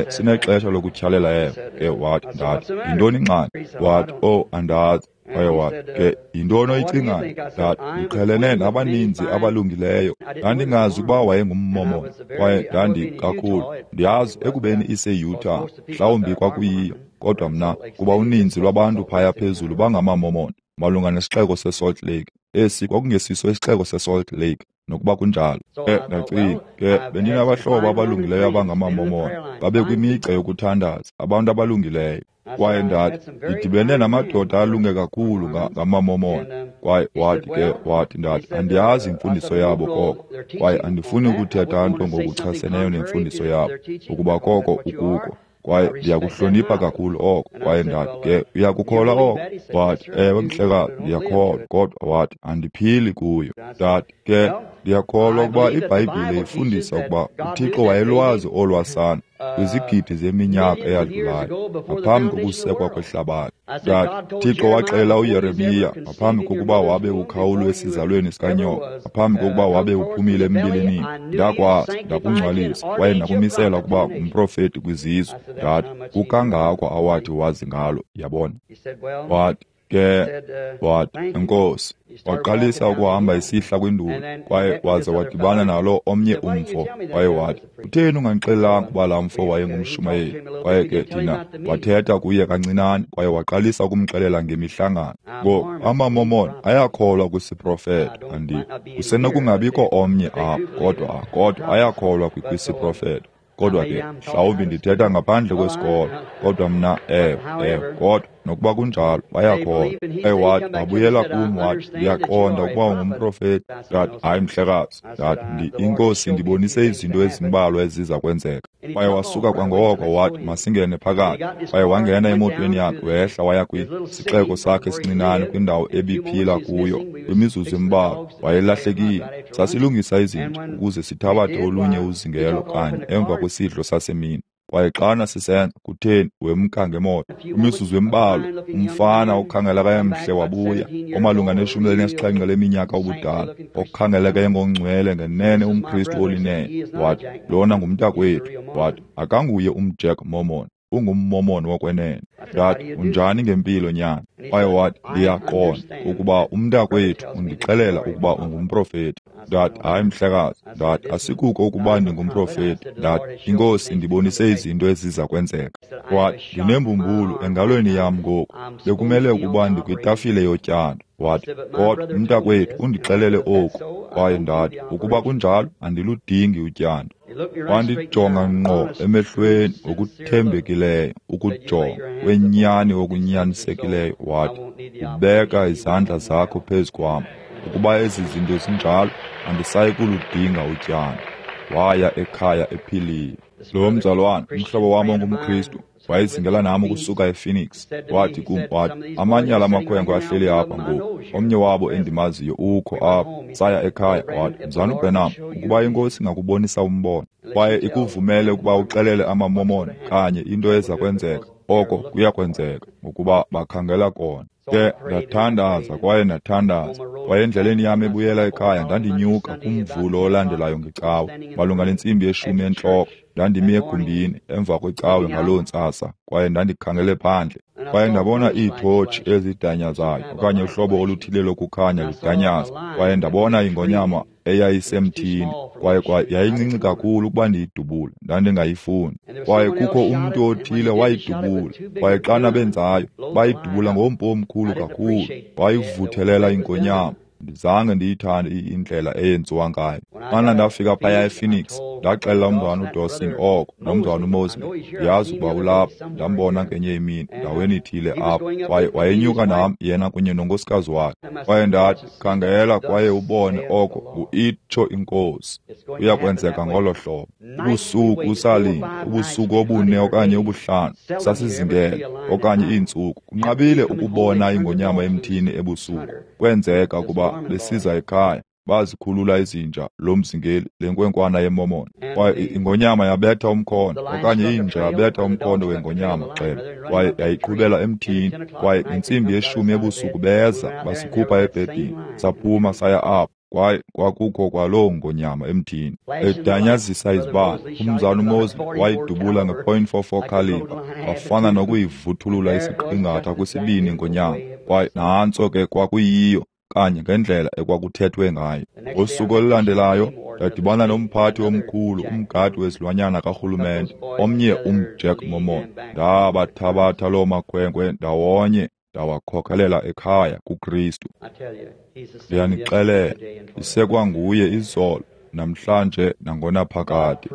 Sinexesha lokutyhalela emva. Ke wathi ndathi yintoni ingxaki? Wathi oh andazi. Kwaye wathi ke yintoni oyicingayo? Ndathi ndiqhelene nabaninzi abalungileyo. Ndandingazi ukuba wayengummormon, kwaye ndandikakhulu ndiyazi ekubeni ise-Utah, mhlawumbi kwakuyiyo, kodwa mna kuba uninzi lwabantu phaya phezulu bangamamormon malunga nesixeko seSalt Lake. Esi kwakungesiso isixeko seSalt Lake, nokuba kunjalo. Ke ndacinga ke bendinabahlobo abalungileyo abangamamormon, babekwimigca yokuthandaza, abantu abalungileyo. Kwaye ndathi ndidibene namadoda alunge kakhulu ngamamormon. Kwaye wathi ke wathi ndathi andiyazi imfundiso yabo koko, kwaye andifuni ukuthetha nto ngokuchaseneyo nemfundiso yabo, ukuba koko ukuko. Kwaye ndiyakuhlonipha kakhulu oko. Kwaye ndathi ke uyakukholwa oko? Wathi ewe mhlekazi, ndiyakholwa, kodwa wathi andiphili kuyo. Ndathi ke ndiyakholwa ukuba iBhayibhile ifundisa ukuba uThixo wayelwazi olwasana kwizigidi zeminyaka eyadlulayo ngaphambi kokusekwa kwehlabathi. Ndathi Thixo waxelela uYeremiya ngaphambi kokuba wabe ukhawulwe esizalweni sikanyoko, ngaphambi kokuba wabe uphumile embilinini, ndakwazi, ndakungcwalisa kwaye ndakumisela ukuba ngumprofeti kwizizwe. Ndathi kukangako awathi wazi ngalo, yabona. Wathi ke wathi enkosi. Waqalisa ukuhamba isihla kwinduli, kwaye waze wadibana nalo omnye umfo. Kwaye wathi utheni ungandixelelanga ukuba laa mfo wayengumshumayeli? Kwaye ke thina wathetha kuye kancinane, kwaye waqalisa ukumxelela ngemihlangano. Ngoku amaMormon ayakholwa kwisiprofeto, kusenokungabikho omnye apha, kodwa ayakholwa kwisiprofeto. Kodwa ke mhlawumbi ndithetha ngaphandle kwesikolo, kodwa mna ewe, kodwa Nokuba kunjalo, bayakholwa. Wathi, wabuyela kum wathi, ndiyaqonda ukuba ungumprofeti. Ndathi, hayi mhlekazi. Ndathi, iNkosi indibonise izinto ezimbalwa eziza kwenzeka. Kwaye wasuka kwangoko wathi, masingene phakathi. Kwaye wangena emotweni yakhe, wehla waya kwisixeko sakhe esincinane kwindawo ebiphila kuyo. Kwimizuzu embalwa wayelahlekile. Sasilungisa izinto ukuze sithabathe olunye uzingelo kanye emva kwesidlo sasemini. Kwaye xana sisenza, kutheni, wemka ngemoto. Kwimizuzu embalwa umfana okhangeleka emhle wabuya, omalunga ne-17 leminyaka ubudala, okhangeleka engongcwele ngenene umKristu olinene. Wathi, lona ngumntakwethu. Wathi, akanguye umJack Mormon, ungummormon wokwenene. Ndathi, unjani ngempilo nyana? Kwaye wathi, ndiyaqonda ukuba umntakwethu undixelela ukuba ungumprofeti. Ndathi, hayi mhlekazi. Ndathi, asikuko ukuba ndingumprofeti. Ndathi, iNkosi indibonise izinto eziza kwenzeka. Wathi, ndinembumbulu engalweni yam ngoku, bekumele ukuba ndikwitafile yotyando. Wathi, kodwa umntakwethu undixelele oku. Kwaye ndathi, ukuba kunjalo, andiludingi utyando. Wandijonga ngqo emehlweni ngokuthembekileyo, ukujonga kwenyani okunyanisekileyo. Wathi, ubeka izandla zakho phezu kwam. Ukuba ezi zinto zinjalo, andisayi kuludinga utyando. Waya ekhaya ephilile. Lo mzalwana, umhlobo wam ongumKristu, wayezingela nam ukusuka ePhoenix. Wathi kum, wathi, amanye ala makhwenkwe ahleli apha ngoku, omnye wabo endimaziyo ukho apha. Saya ekhaya. Wathi, Mzalwana uBranham, ukuba iNkosi ingakubonisa umbono kwaye ikuvumele ukuba uxelele amaMormon kanye into eza kwenzeka, oko kuyakwenzeka, ngokuba bakhangela kona. Ke ndathandaza kwaye ndathandaza. Kwaye endleleni yam ebuyela ekhaya ndandinyuka kumvulo olandelayo ngecawe, malunga nentsimbi yeshumi entloko. Ndandimi egumbini emva kwecawe ngaloo ntsasa, kwaye ndandikhangele phandle. Kwaye ndabona iithotshi ezidanyazayo okanye uhlobo oluthile lokukhanya ludanyaza. Kwaye ndabona ingonyama eyayisemthini, kwaye yayincinci kakhulu ukuba ndiyidubule, ndandingayifuni. Kwaye kukho umntu othile wayidubula, kwaye xana benzayo, bayidubula ngompu omkhulu kakhulu, wayivuthelela ingonyama. Ndizange ndiyithande indlela eyenziwa ngayo. Xana ndafika phaya ePhoenix, ndaxelela umzalwana uDawson oko nomzalwana uMosley. Ndiyazi ukuba ulapha, ndambona ngenye imini ndaweni ithile apha. Kwaye wayenyuka nam, yena kunye nonkosikazi wakhe. Kwaye ndathi, khangela kwaye ubone oko ngu-itsho iNkosi. Kuyakwenzeka ngolo hlobo. Ubusuku usalinda, ubusuku obune okanye obuhlanu, sasizingela, okanye iintsuku. Kunqabile ukubona ingonyama emthini ebusuku. Kwenzeka ukuba besiza ekhaya, bazikhulula izinja lomzingeli lenkwenkwana yeMormon. Kwaye ingonyama yabetha umkhondo, okanye inja yabetha umkhondo wengonyama gxebe, kwaye yayiqhubela emthini. Kwaye ngentsimbi yeshumi ebusuku beza basikhupha ebhedini, saphuma saya apho. Kwaye kwakukho kwaloo ngonyama emthini edanyazisa izibane. Umzalwana uMosley wayidubula nge-.44 caliber, wafana nokuyivuthulula isiqingatha kwisibini ingonyama. Kwaye nantso ke kwakuyiyo kanye ngendlela ekwakuthethwe ngayo. Ngosuku olulandelayo ndadibana nomphathi omkhulu, umgadi wezilwanyana karhulumente, omnye umJack Mormon. Ndabathabatha loo makhwenkwe ndawonye, ndawakhokhelela ekhaya kuKristu. Ndiyanixelela, isekwanguye izolo, namhlanje nangonaphakade.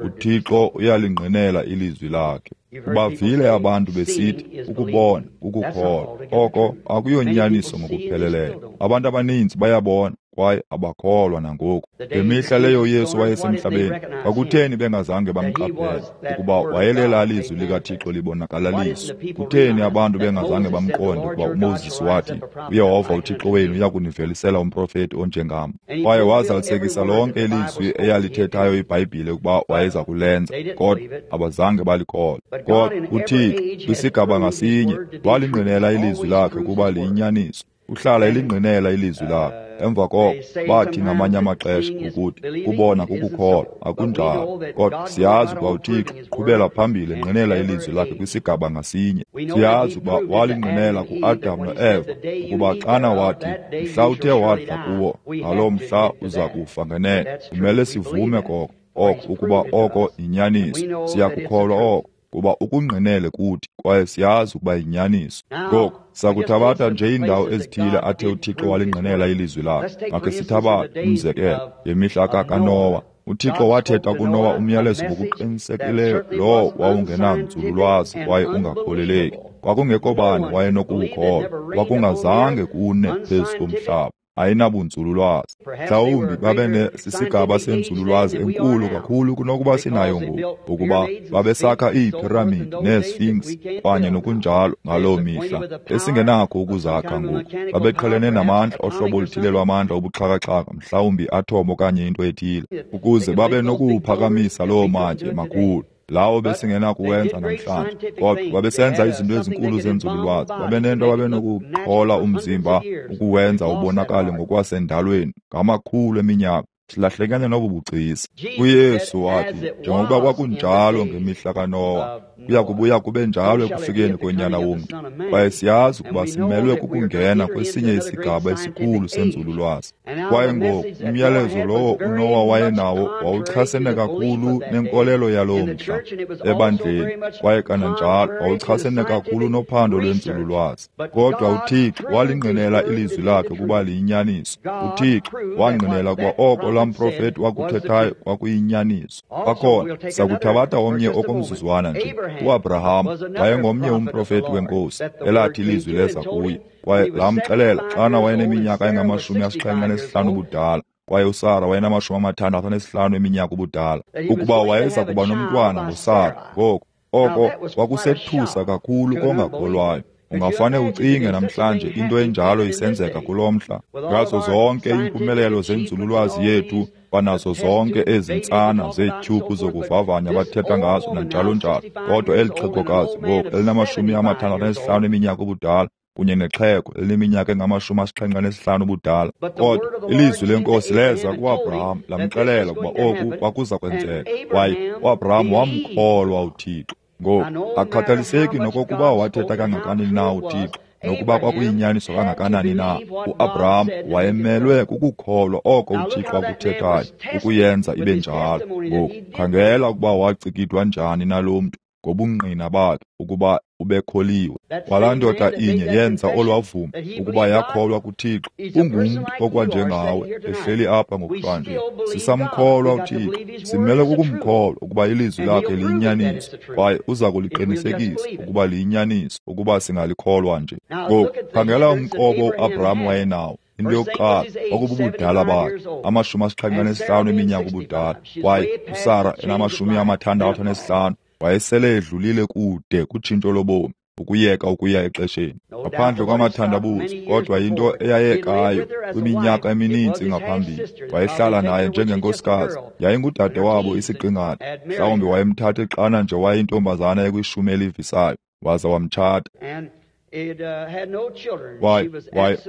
uThixo uyalingqinela ilizwi lakhe. Ubavile abantu besithi ukubona kukukholwa. Oko akuyonyaniso ngokupheleleyo. Abantu abaninzi bayabona kwaye abakholwa nangoku. Ngemihla leyo uYesu wayesemhlabeni, kwakutheni bengazange bamqaphele ukuba wayelela lizwi likaThixo libonakalaliswa? Kutheni abantu bengazange bamqonde ukuba uMoses wathi, uYehova uThixo wenu uyakunivelisela umprofeti onjengam? Kwaye wazalisekisa lonke ilizwi eyalithethayo iBhayibhile ukuba wayeza kulenza, kodwa abazange balikholwe. Kodwa uThixo kwisigaba ngasinye walingqinela ilizwi lakhe ukuba liyinyaniso. Uhlala elingqinela ilizwi lakhe. Emva koko bathi ngamanye amaxesha ukuthi kubona kukukholwa, akunjalo. Kodwa siyazi ukuba uThixo uqhubela phambili engqinela ilizwi lakhe kwisigaba ngasinye. Siyazi ukuba walingqinela kuAdam noEva ukuba xana wathi mhla uthe wadla kuwo, ngaloo mhla uza kufa ngenene. Kumele sivume koko oko ukuba oko yinyaniso. Siyakukholwa oko kuba ukungqinele kuthi, kwaye siyazi ukuba yinyaniso. Ngoku sakuthabatha nje iindawo ezithile athe uThixo walingqinela ilizwi lakhe. Makhe sithabathe umzekelo ngemihla kaNowa. UThixo wathetha kuNowa umyalezo ngokuqinisekileyo lowo wawungenanzululwazi kwaye ungakholeleki. Kwakungekho bani wayenokuwukholwa, kwakungazange kune phezu komhlaba. Ayinabunzululwazi. Mhlawumbi babe sisigaba senzululwazi enkulu kakhulu kunokuba sinayo ngoku, ukuba babesakha iiphiramidi neesphinx kanye nokunjalo ngaloo mihla esingenakho ukuzakha ngoku. Babeqhelene namandla ohlobo oluthile lwamandla obuxhakaxhaka, mhlawumbi atom okanye into ethile, ukuze babe nokuwuphakamisa loo matye makhulu lawo besingenakuwenza namhlanje. Kodwa babesenza izinto ezinkulu zenzululwazi, babenento ababenokuqhola umzimba ukuwenza ubonakale ngokwasendalweni ngamakhulu eminyaka. Silahlekene nobu bugcisa. UYesu wathi, njengokuba kwakunjalo ngemihla kaNowa, kuya kubuya kube njalo ekufikeni koNyana womntu. Kwaye siyazi ukuba simelwe kukungena kwesinye isigaba esikhulu senzululwazi. Kwaye ngoku umyalezo lowo uNowa wayenawo wawuchasene kakhulu nenkolelo yaloo mhla ebandleni, kwaye kananjalo wawuchasene kakhulu nophando lwenzululwazi. Kodwa uThixo walingqinela ilizwi lakhe ukuba liyinyaniso. UThixo wangqinela ukuba oko laa mprofeti wakuthethayo kwakuyinyaniso. Kwakhona sakuthabatha omnye okomzuzwana nje. UAbraham wayengomnye umprofeti wenkosi elathi ilizwi leza kuye, kwaye lamxelela xana wayeneminyaka engama-75 ubudala, kwaye uSara wayenama-65 eminyaka ubudala, ukuba wayeza kuba nomntwana ngoSara. Ngoku oko kwakusethusa kakhulu kongakholwayo. Ungafane ucinge namhlanje into enjalo isenzeka kulo mhla, ngazo zonke iimpumelelo zenzululwazi yethu, kwanazo zonke ezi ntsana zeetyhubhu zokuvavanya bathetha ngazo nanjalo njalo. Kodwa eli xhegokazi ngoku elinama-65 eminyaka ubudala kunye nexhego elineminyaka engama-75 ubudala. Kodwa ilizwi lenkosi leza kuAbraham lamxelela ukuba oku kwakuza kwenzeka, kwaye uAbraham wamkholwa uThixo. Ngoku akukhathaliseki nokokuba wathetha kangakanani na uThixo, nokuba kwakuyinyaniso kangakanani na, uAbraham wayemelwe kukukholwa oko uThixo akuthethayo ukuyenza ibe njalo. Ngoku khangela ukuba wacikidwa njani nalo mntu ngobungqina bakhe ukuba ubekholiwe. Kwalaa ndoda inye yenza olwavumo ukuba yakholwa kuThixo. Ungumntu okwanjengawe ehleli apha ngokuhlanje. Sisamkholwa uThixo, simele kukumkholwa ukuba ilizwi lakhe liyinyaniso, kwaye uza kuliqinisekisa ukuba liyinyaniso ukuba singalikholwa nje. Ngoku khangela umqobo uAbraham wayenawo. Into yokuqala kwakububudala bakhe, 75 eminyaka ubudala, kwaye uSara enama-65. Wayesele edlulile kude kutshintsho lobomi, ukuyeka ukuya exesheni, ngaphandle kwamathandabuzo. Kodwa yinto eyayekayo kwiminyaka emininzi ngaphambili. Wayehlala naye njengenkosikazi, yayingudade wabo isiqingatha. Mhlawumbi wayemthathe xana nje wayeyintombazana ekwishumi elivisayo, waza wamtshata.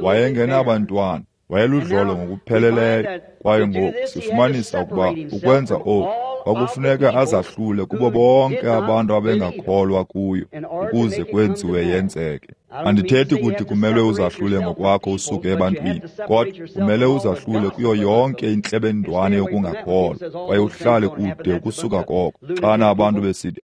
Wayengenabantwana, wayeludlolo ngokupheleleyo. Kwaye ngoku sifumanisa ukuba ukwenza oku kwakufuneka azahlule kubo bonke abantu abengakholwa kuyo ukuze kwenziwe yenzeke. Andithethi kuthi kumele uzahlule ngokwakho usuke ebantwini, kodwa kumele uzahlule kuyo yonke intlebendwane yokungakholwa, kwaye uhlale kude ukusuka koko. Xana abantu besithi,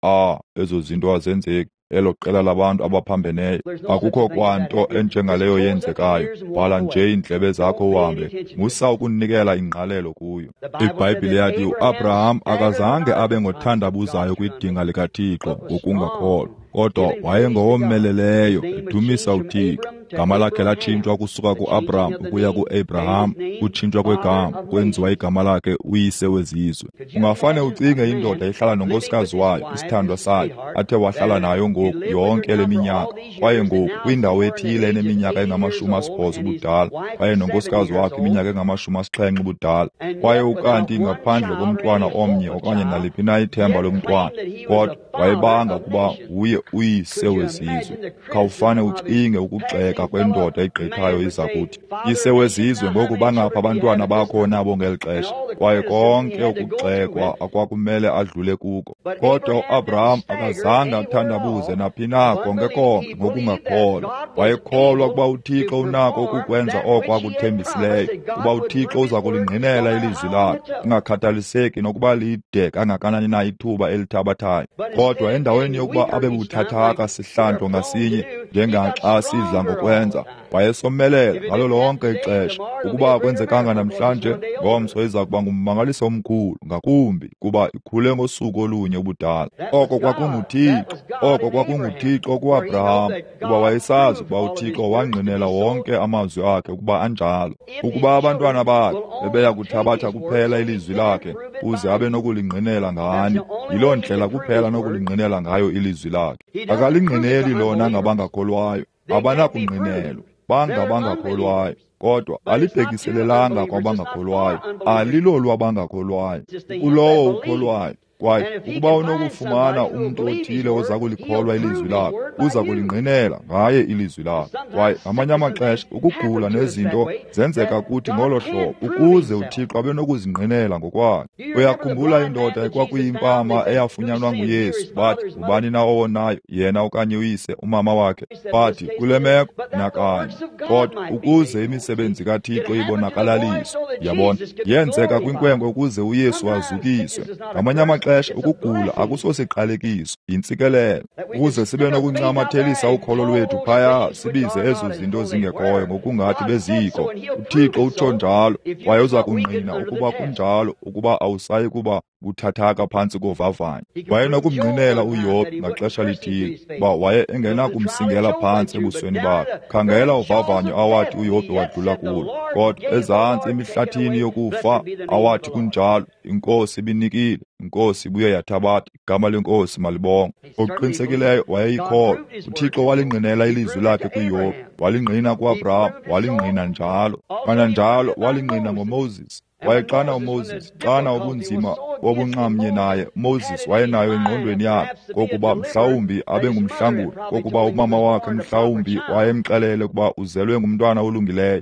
ezo zinto azenzeki, elo qela labantu abaphambeneyo, akukho kwanto enjengaleyo yenzekayo. Vala nje iindlebe zakho uhambe, musa ukunikela ingqalelo kuyo. IBhayibhile yathi uAbraham akazange abe ngothandabuzayo kwidinga likaThixo ngokungakholwa, kodwa wayengowomeleleyo edumisa uThixo. Gama lakhe latshintshwa kusuka kuAbraham ukuya kuAbraham, kutshintshwa kwegama kwenziwa igama lakhe uyise wezizwe. Ungafane ucinge indoda ihlala nonkosikazi wayo, isithandwa sayo, athe wahlala nayo ngoku yonke le minyaka, kwaye ngoku kwindawo ethile eneminyaka engama-80 ubudala, kwaye nonkosikazi wakhe iminyaka engama-70 ubudala, kwaye ukanti ngaphandle komntwana omnye okanye naliphi na ithemba lomntwana, kodwa wayebanga ukuba nguye uyise wezizwe. Khawufane ucinge ukugxeka kwendoda egqithayo iza kuthi, yise wezizwe, ngoku bangapha abantwana bakho nabo ngeli xesha. Kwaye konke ukugxekwa akwakumele adlule kuko. Kodwa uAbraham akazange athandabuze naphi na konke konke ngokungakholwa. Wayekholwa ukuba uThixo unako ukukwenza oko akuthembisileyo, ukuba uThixo uza kulingqinela ilizwi lakhe, kungakhathaliseki nokuba lide kangakanani na ithuba elithabathayo. Kodwa endaweni yokuba abe buthathaka sihlandlo ngasinye njengaxa sidla ngokwenza, wayesomelela ngalo lonke ixesha. Ukuba akwenzekanga namhlanje, ngomso iza kuba ngummangaliso omkhulu ngakumbi kuba ikhule ngosuku olunye ubudala. Oko kwakunguThixo, oko kwakunguThixo kuAbraham, kuba wayesazi ukuba uThixo wangqinela wonke amazwi akhe ukuba anjalo. Ukuba abantwana bakhe bebeya kuthabatha kuphela ilizwi lakhe uze abe nokulingqinela ngani, yiloo ndlela kuphela nokulingqinela ngayo ilizwi lakhe. Akalingqineli lona ngabangakholwayo, abanakungqinelwa, bangabangakholwayo. Kodwa alibhekiselelanga kwabangakholwayo, alilolwabangakholwayo, kulowo ukholwayo. Kwaye ukuba unokufumana umntu othile oza kulikholwa ilizwi lakhe, uza kulingqinela ngaye ilizwi lakhe. Kwaye ngamanye amaxesha ukugula nezinto zenzeka kuthi ngolo hlobo ukuze uThixo abe nokuzingqinela ngokwakhe. Uyakhumbula indoda ekwakuyimpama eyafunyanwa nguYesu, bathi ngubani na owonayo, yena okanye uyise, umama wakhe? Bathi kule meko nakanye. Kodwa ukuze imisebenzi kaThixo ibonakalaliswe, yabona, yenzeka kwinkwenkwe ukuze uYesu azukiswe. Ngamanye amaxesha ukugula akusosiqalekiso, yintsikelelo, ukuze sibe nokuncamathelisa ukholo lwethu phaya, sibize ezo zinto zingekhoyo ngokungathi bezikho. uThixo utsho njalo, kwaye uza kungqina ukuba kunjalo, ukuba awusayi kuba buthathaka phantsi kovavanyo. Wayenokumngqinela uYobhi ngaxesha lithile uba waye engenakumsingela phantsi ebusweni bakhe. Khangela uvavanyo awathi uYobhi wadlula kulo, kodwa ezantsi emihlathini yokufa awathi kunjalo, iNkosi ibinikile, iNkosi ibuye yathabatha, igama leNkosi malibongwe. Ngokuqinisekileyo wayeyikholwa. uThixo walingqinela ilizwi lakhe kuYobhi, walingqina kuAbraham, walingqina njalo. Kananjalo walingqina ngoMoses. Kwaye xana uMoses, xana ubunzima bobunxamnye naye, uMoses wayenayo engqondweni yakhe kokuba mhlawumbi abe ngumhlanguli, kokuba umama wakhe mhlawumbi wayemxelele ukuba uzelwe ngumntwana olungileyo.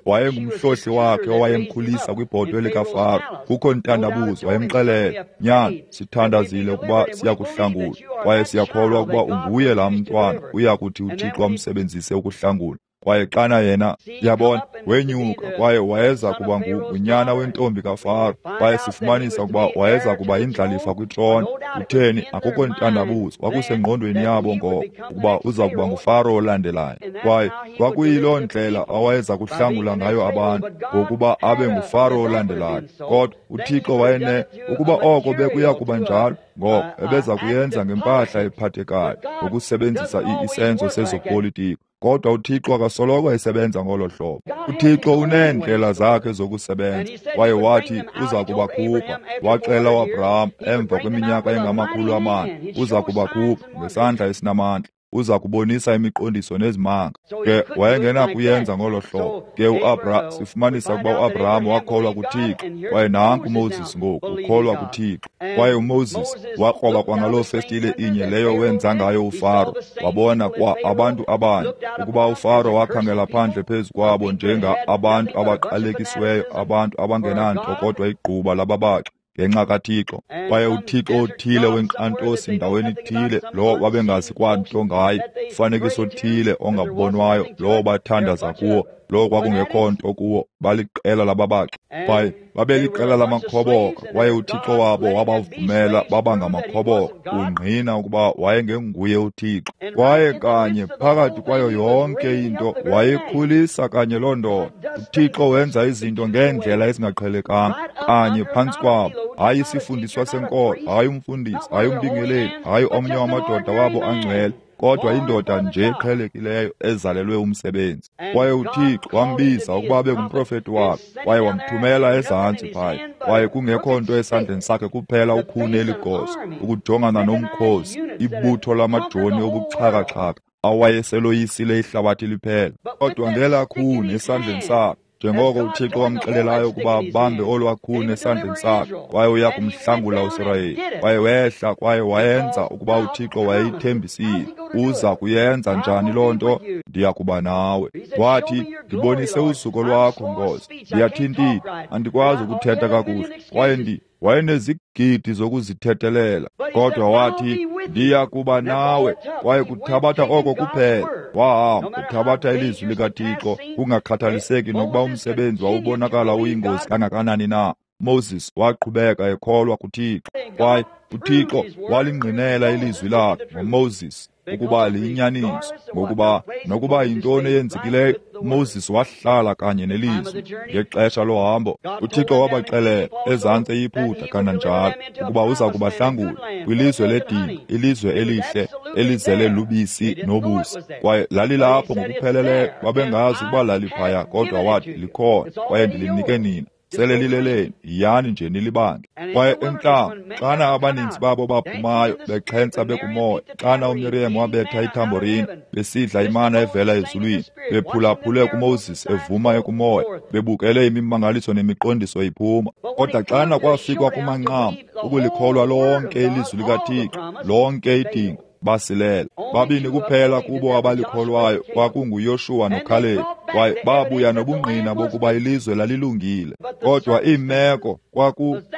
Wayengumhlohli wakhe owayemkhulisa kwibhotwe likaFaro. Kukho ntandabuzo, wayemxelele, nyana, sithandazile ukuba siyakuhlangula, kwaye siyakholwa ukuba unguye laa mntwana uya kuthi uThixo amsebenzise ukuhlangula. Kwaye xana yena, yabona, wenyuka kwaye wayeza kuba ngunyana wentombi kaFaro, kwaye sifumanisa ukuba wayeza kuba yindlalifa kwitrone. Kutheni? Akukho ntandabuzo, kwakusengqondweni yabo ngoko ukuba uza kuba nguFaro olandelayo. Kwaye kwakuyiloo ndlela awayeza kuhlangula ngayo abantu, ngokuba abe nguFaro olandelayo. Kodwa uThixo wayene ukuba oko bekuya kuba njalo, ngoko ebeza kuyenza ngempahla ephathekayo, ngokusebenzisa isenzo sezopolitiko. Kodwa uThixo akasoloko esebenza ngolo hlobo. uThixo uneendlela zakhe zokusebenza, kwaye wathi uza kubakhupha. Waxela uAbraham emva kweminyaka engama-400, uza kubakhupha ngesandla esinamandla, uza kubonisa imiqondiso nezimanga. Ke wayengenakuyenza ngolo hlobo. Ke uAbraham, sifumanisa ukuba uAbraham wakholwa kuThixo, kwaye nanku uMoses ngoku ukholwa kuThixo. Kwaye uMoses wakroba kwangaloo festile inye leyo wenza ngayo uFaro, wabona kwa abantu abanye, ukuba uFaro wakhangela phandle phezu kwabo njenga abantu abaqalekisiweyo, abantu abangenanto kodwa igquba lababaxi ngenxa kaThixo. Kwaye uThixo othile wenkqantosi ndaweni ithile, lo wabengazi kwanto ngaye, umfanekiso othile ongabonwayo, lo bathandaza kuwo, lo kwakungekho nto kuwo, baliqela lababaxi. Kwaye babeliqela lamakhoboka, kwaye uThixo wabo wabavumela baba ngamakhoboka, ungqina ukuba wayengenguye uThixo. Kwaye kanye phakathi kwayo yonke into wayekhulisa kanye loo ndoda. uThixo wenza izinto ngeendlela ezingaqhelekanga kanye phantsi kwabo. Hayi isifundiswa senkolo, hayi umfundisi, hayi umbingeleli, hayi omnye wamadoda wabo angcwele, kodwa indoda nje eqhelekileyo ezalelwe umsebenzi. Kwaye uThixo wambiza ukuba abe ngumprofeti wakhe, kwaye wamthumela ezantsi phaya. Kwaye kungekho nto esandleni sakhe kuphela ukhuni eligoso, ukujongana nomkhosi, ibutho lamajoni obuxhakaxhaka awayeseloyisile ihlabathi liphela. Kodwa ngelaa khuni esandleni sakhe, njengoko uThixo wamxelelayo ukuba abambe olwaa khuni esandleni sakhe, kwaye uya kumhlangula uSirayeli. Kwaye wehla kwaye wayenza ukuba uThixo wayeyithembisile. Uza kuyenza njani loo nto? Ndiya kuba nawe. Wathi, ndibonise uzuko lwakho, Nkosi. Ndiyathintitha, andikwazi ukuthetha kakuhle. Kwaye wayenezigidi zokuzithethelela, kodwa wathi, ndiya kuba nawe. Kwaye kuthabatha oko kuphela. Wahamba kuthabatha ilizwi likaThixo, kungakhathaliseki nokuba umsebenzi wawubonakala uyingozi kangakanani na. Moses waqhubeka ekholwa kuThixo. Kwaye UThixo walingqinela ilizwi lakhe ngoMoses ukuba liyinyaniso, ngokuba nokuba yintoni eyenzekileyo, uMoses wahlala kanye nelizwi. Ngexesha lohambo, uThixo wabaxelela ezantsi eYiputa kananjalo ukuba uza kubahlangula kwilizwe ledinga, ilizwe elihle elizele lubisi nobusi. Kwaye lalilapho ngokupheleleyo, babengazi ukuba laliphaya, kodwa wathi likhona, kwaye ndilinike nina. Sele lileleni, yiyani nje nilibange. Kwaye entlango, xana abaninzi babo baphumayo bexhentsa bekumoya, xana uMiriam wabetha ithamborini, besidla imana evela ezulwini, bephulaphule kuMoses evuma ekumoya, bebukele imimangaliso nemiqondiso iphuma. Kodwa xana kwafikwa kumanqam, ukulikholwa lonke ilizwi likaThixo, lonke idinga, basilela. Babini kuphela kubo abalikholwayo, kwakunguYoshuwa noKhalebi, kwaye babuya nobungqina bokuba ilizwe lalilungile. Kodwa iimeko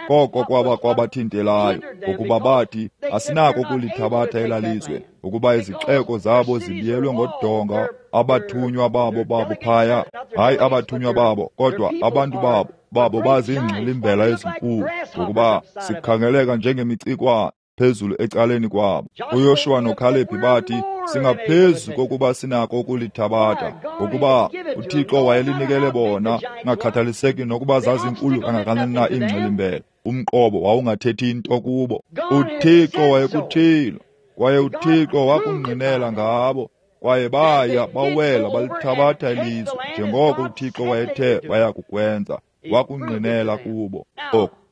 koko kwaba kwabathintelayo, ngokuba bathi asinako ukulithabatha elaa lizwe, ukuba izixeko zabo zibiyelwe ngodonga, abathunywa babo phaya, hayi abathunywa babo, kodwa abantu babo baziingxilimbela ezinkulu, ngokuba sikhangeleka njengemicikwana phezulu ecaleni kwabo. uYoshuwa noKhalebi bathi singaphezu kokuba sinako ukulithabatha, ngokuba uThixo wayelinikele bona, ngakhathaliseki nokuba zazinkulu kangakanani na iingxilimbela. Umqobo wawungathethi into kubo. UThixo wayekuthilo, kwaye uThixo wakungqinela ngabo, kwaye baya bawela balithabatha ilizwe njengoko uThixo wayethe baya kukwenza. Wakungqinela kubo.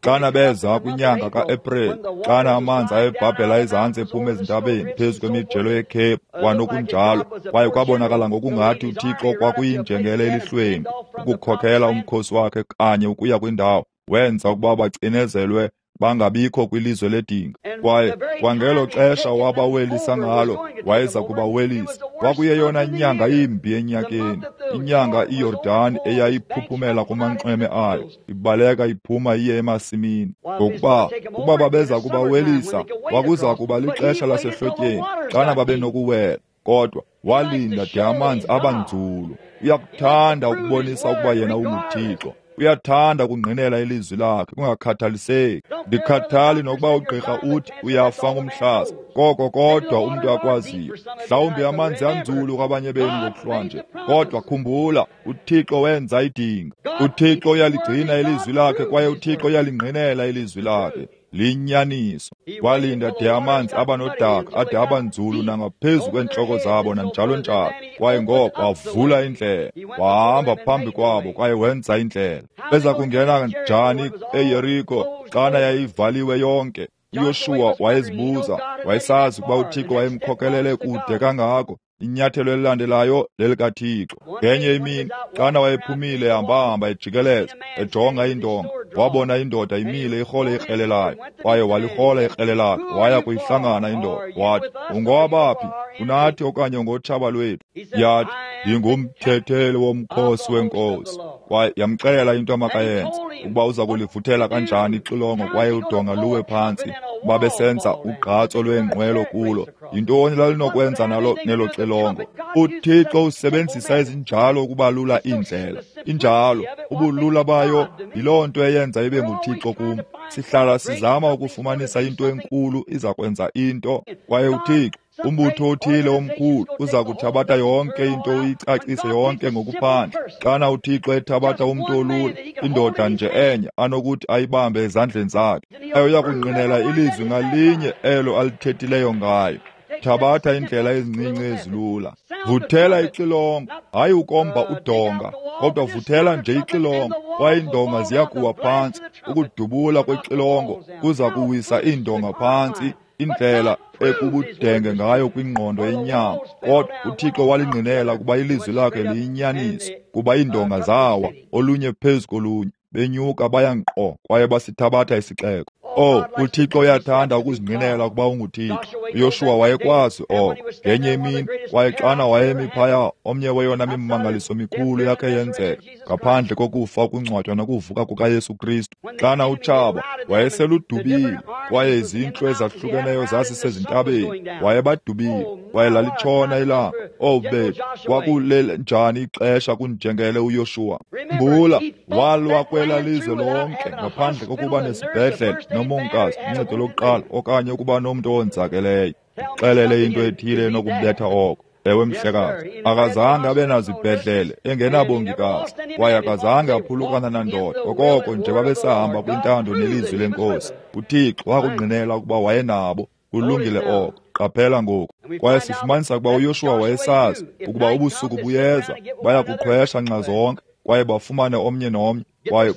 Xana beza kwinyanga kaEpreli, xana amanzi ayebhabhela ezantsi ephuma ezintabeni phezu kwemijelo yeCape kwanokunjalo, kwaye kwabonakala ngokungathi uThixo kwakuyinjengele elihlweni ukukhokela umkhosi wakhe kanye ukuya kwindawo, wenza ukuba bacinezelwe bangabikho kwilizwe ledinga. Kwaye kwangelo xesha wabawelisa ngalo, wayeza kubawelisa. Kwakuyeyona nyanga imbi enyakeni, inyanga iYordani eyayiphuphumela kumanxweme ayo, ibaleka iphuma iye emasimini. Ngokuba ukuba babeza kubawelisa, kwakuza kuba lixesha lasehlotyeni xana babenokuwela. Kodwa walinda de amanzi abanzulu. Uyakuthanda ukubonisa ukuba yena unguThixo. Uyathanda ukungqinela ilizwi lakhe kungakhathaliseki. Ndikhathali nokuba ugqirha uthi uyafa ngumhlaza, koko kodwa umntu akwaziyo. Mhlawumbi amanzi anzulu kwabanye benu ngokuhlwanje, kodwa khumbula, uThixo wenza idinga. UThixo uyaligcina ilizwi lakhe, kwaye uThixo uyalingqinela ilizwi lakhe. Liyinyaniso. Walinda de amanzi abanodaka ade abanzulu nangaphezu kweentloko zabo nanjalo njalo. Kwaye ngoko wavula indlela, wahamba phambi kwabo kwaye wenza indlela. Beza kungena njani eYeriko xana yayivaliwe yonke? uYoshuwa wayezibuza, wayesazi ukuba uThixo wayemkhokelele kude kangako. Inyathelo elilandelayo lelikaThixo. Ngenye imini xana wayephumile ehambahamba ejikeleza ejonga iindonga, wabona indoda imile irhole ikrele layo, kwaye walirhola ikrele lakhe, waya kuyihlangana indoda. Wathi, ungowabaphi? Unathi okanye ungotshaba lwethu? Yathi, ndingumthetheli womkhosi wenkosi. Kwaye yamxelela into amakayenze, ukuba uza kulivuthela kanjani ixilongo kwaye udonga luwe phantsi. Babesenza ugqatso lweenqwelo kulo. Yintoni lalinokwenza nalo nelo xilongo? UThixo usebenzisa ezinjalo ukubalula iindlela. Injalo, ubulula bayo yiloo nto eyenza ibe nguThixo kum. Sihlala sizama ukufumanisa into enkulu iza kwenza into, kwaye uThixo, umbutho othile omkhulu, uza kuthabatha yonke into uyicacise yonke ngokuphandle. Xana uThixo ethabatha umntu olula, indoda nje enye anokuthi ayibambe ezandleni zakhe, kwaye uya kungqinela ilizwi ngalinye elo alithethileyo ngayo. Thabatha iindlela ezincinci ezilula. Vuthela ixilongo, hayi ukomba udonga, kodwa vuthela nje ixilongo, kwaye iindonga ziya kuwa phantsi. Ukudubula kwexilongo kuza kuwisa iindonga phantsi, indlela ekubudenge ngayo kwingqondo yenyama. Kodwa uThixo walingqinela kuba ilizwi lakhe liyinyaniso, kuba iindonga zawa olunye phezu kolunye, benyuka baya nkqo kwaye basithabatha isixeko. Oh, uThixo uyathanda ukuzingqinela ukuba unguThixo. uYoshuwa wayekwazi oko. Ngenye imini, kwaye xana wayemi phaya, omnye weyona mimangaliso mikhulu yakhe yenzeka, ngaphandle kokufa, ukungcwatywa nokuvuka kukaYesu Kristu. Xana utshaba wayeseludubile, kwaye izintlu ezahlukeneyo zasisezintabeni, wayebadubile, kwaye lalitshona ilanga. Oh bethu, kwakulele njani ixesha kunjengele uYoshuwa. Mbula, walwa kwela lizwe lonke ngaphandle kokuba nesibhedlele nomongikazi, uncedo lokuqala, okanye ukuba nomntu owonzakeleyo. Xelele into ethile enokubetha oko. Ewe mhlekazi, akazange abe nazibhedlele engenabongikazi, kwaye akazange aphulukana nandoda, okoko nje babesahamba kwintando nelizwi lenkosi. UThixo wakungqinela ukuba wayenabo. Kulungile oko. Qaphela ngoku. Kwaye sifumanisa ukuba uYoshuwa wayesazi ukuba ubusuku buyeza, baya kuqhwesha nxa zonke, kwaye bafumane omnye nomnye,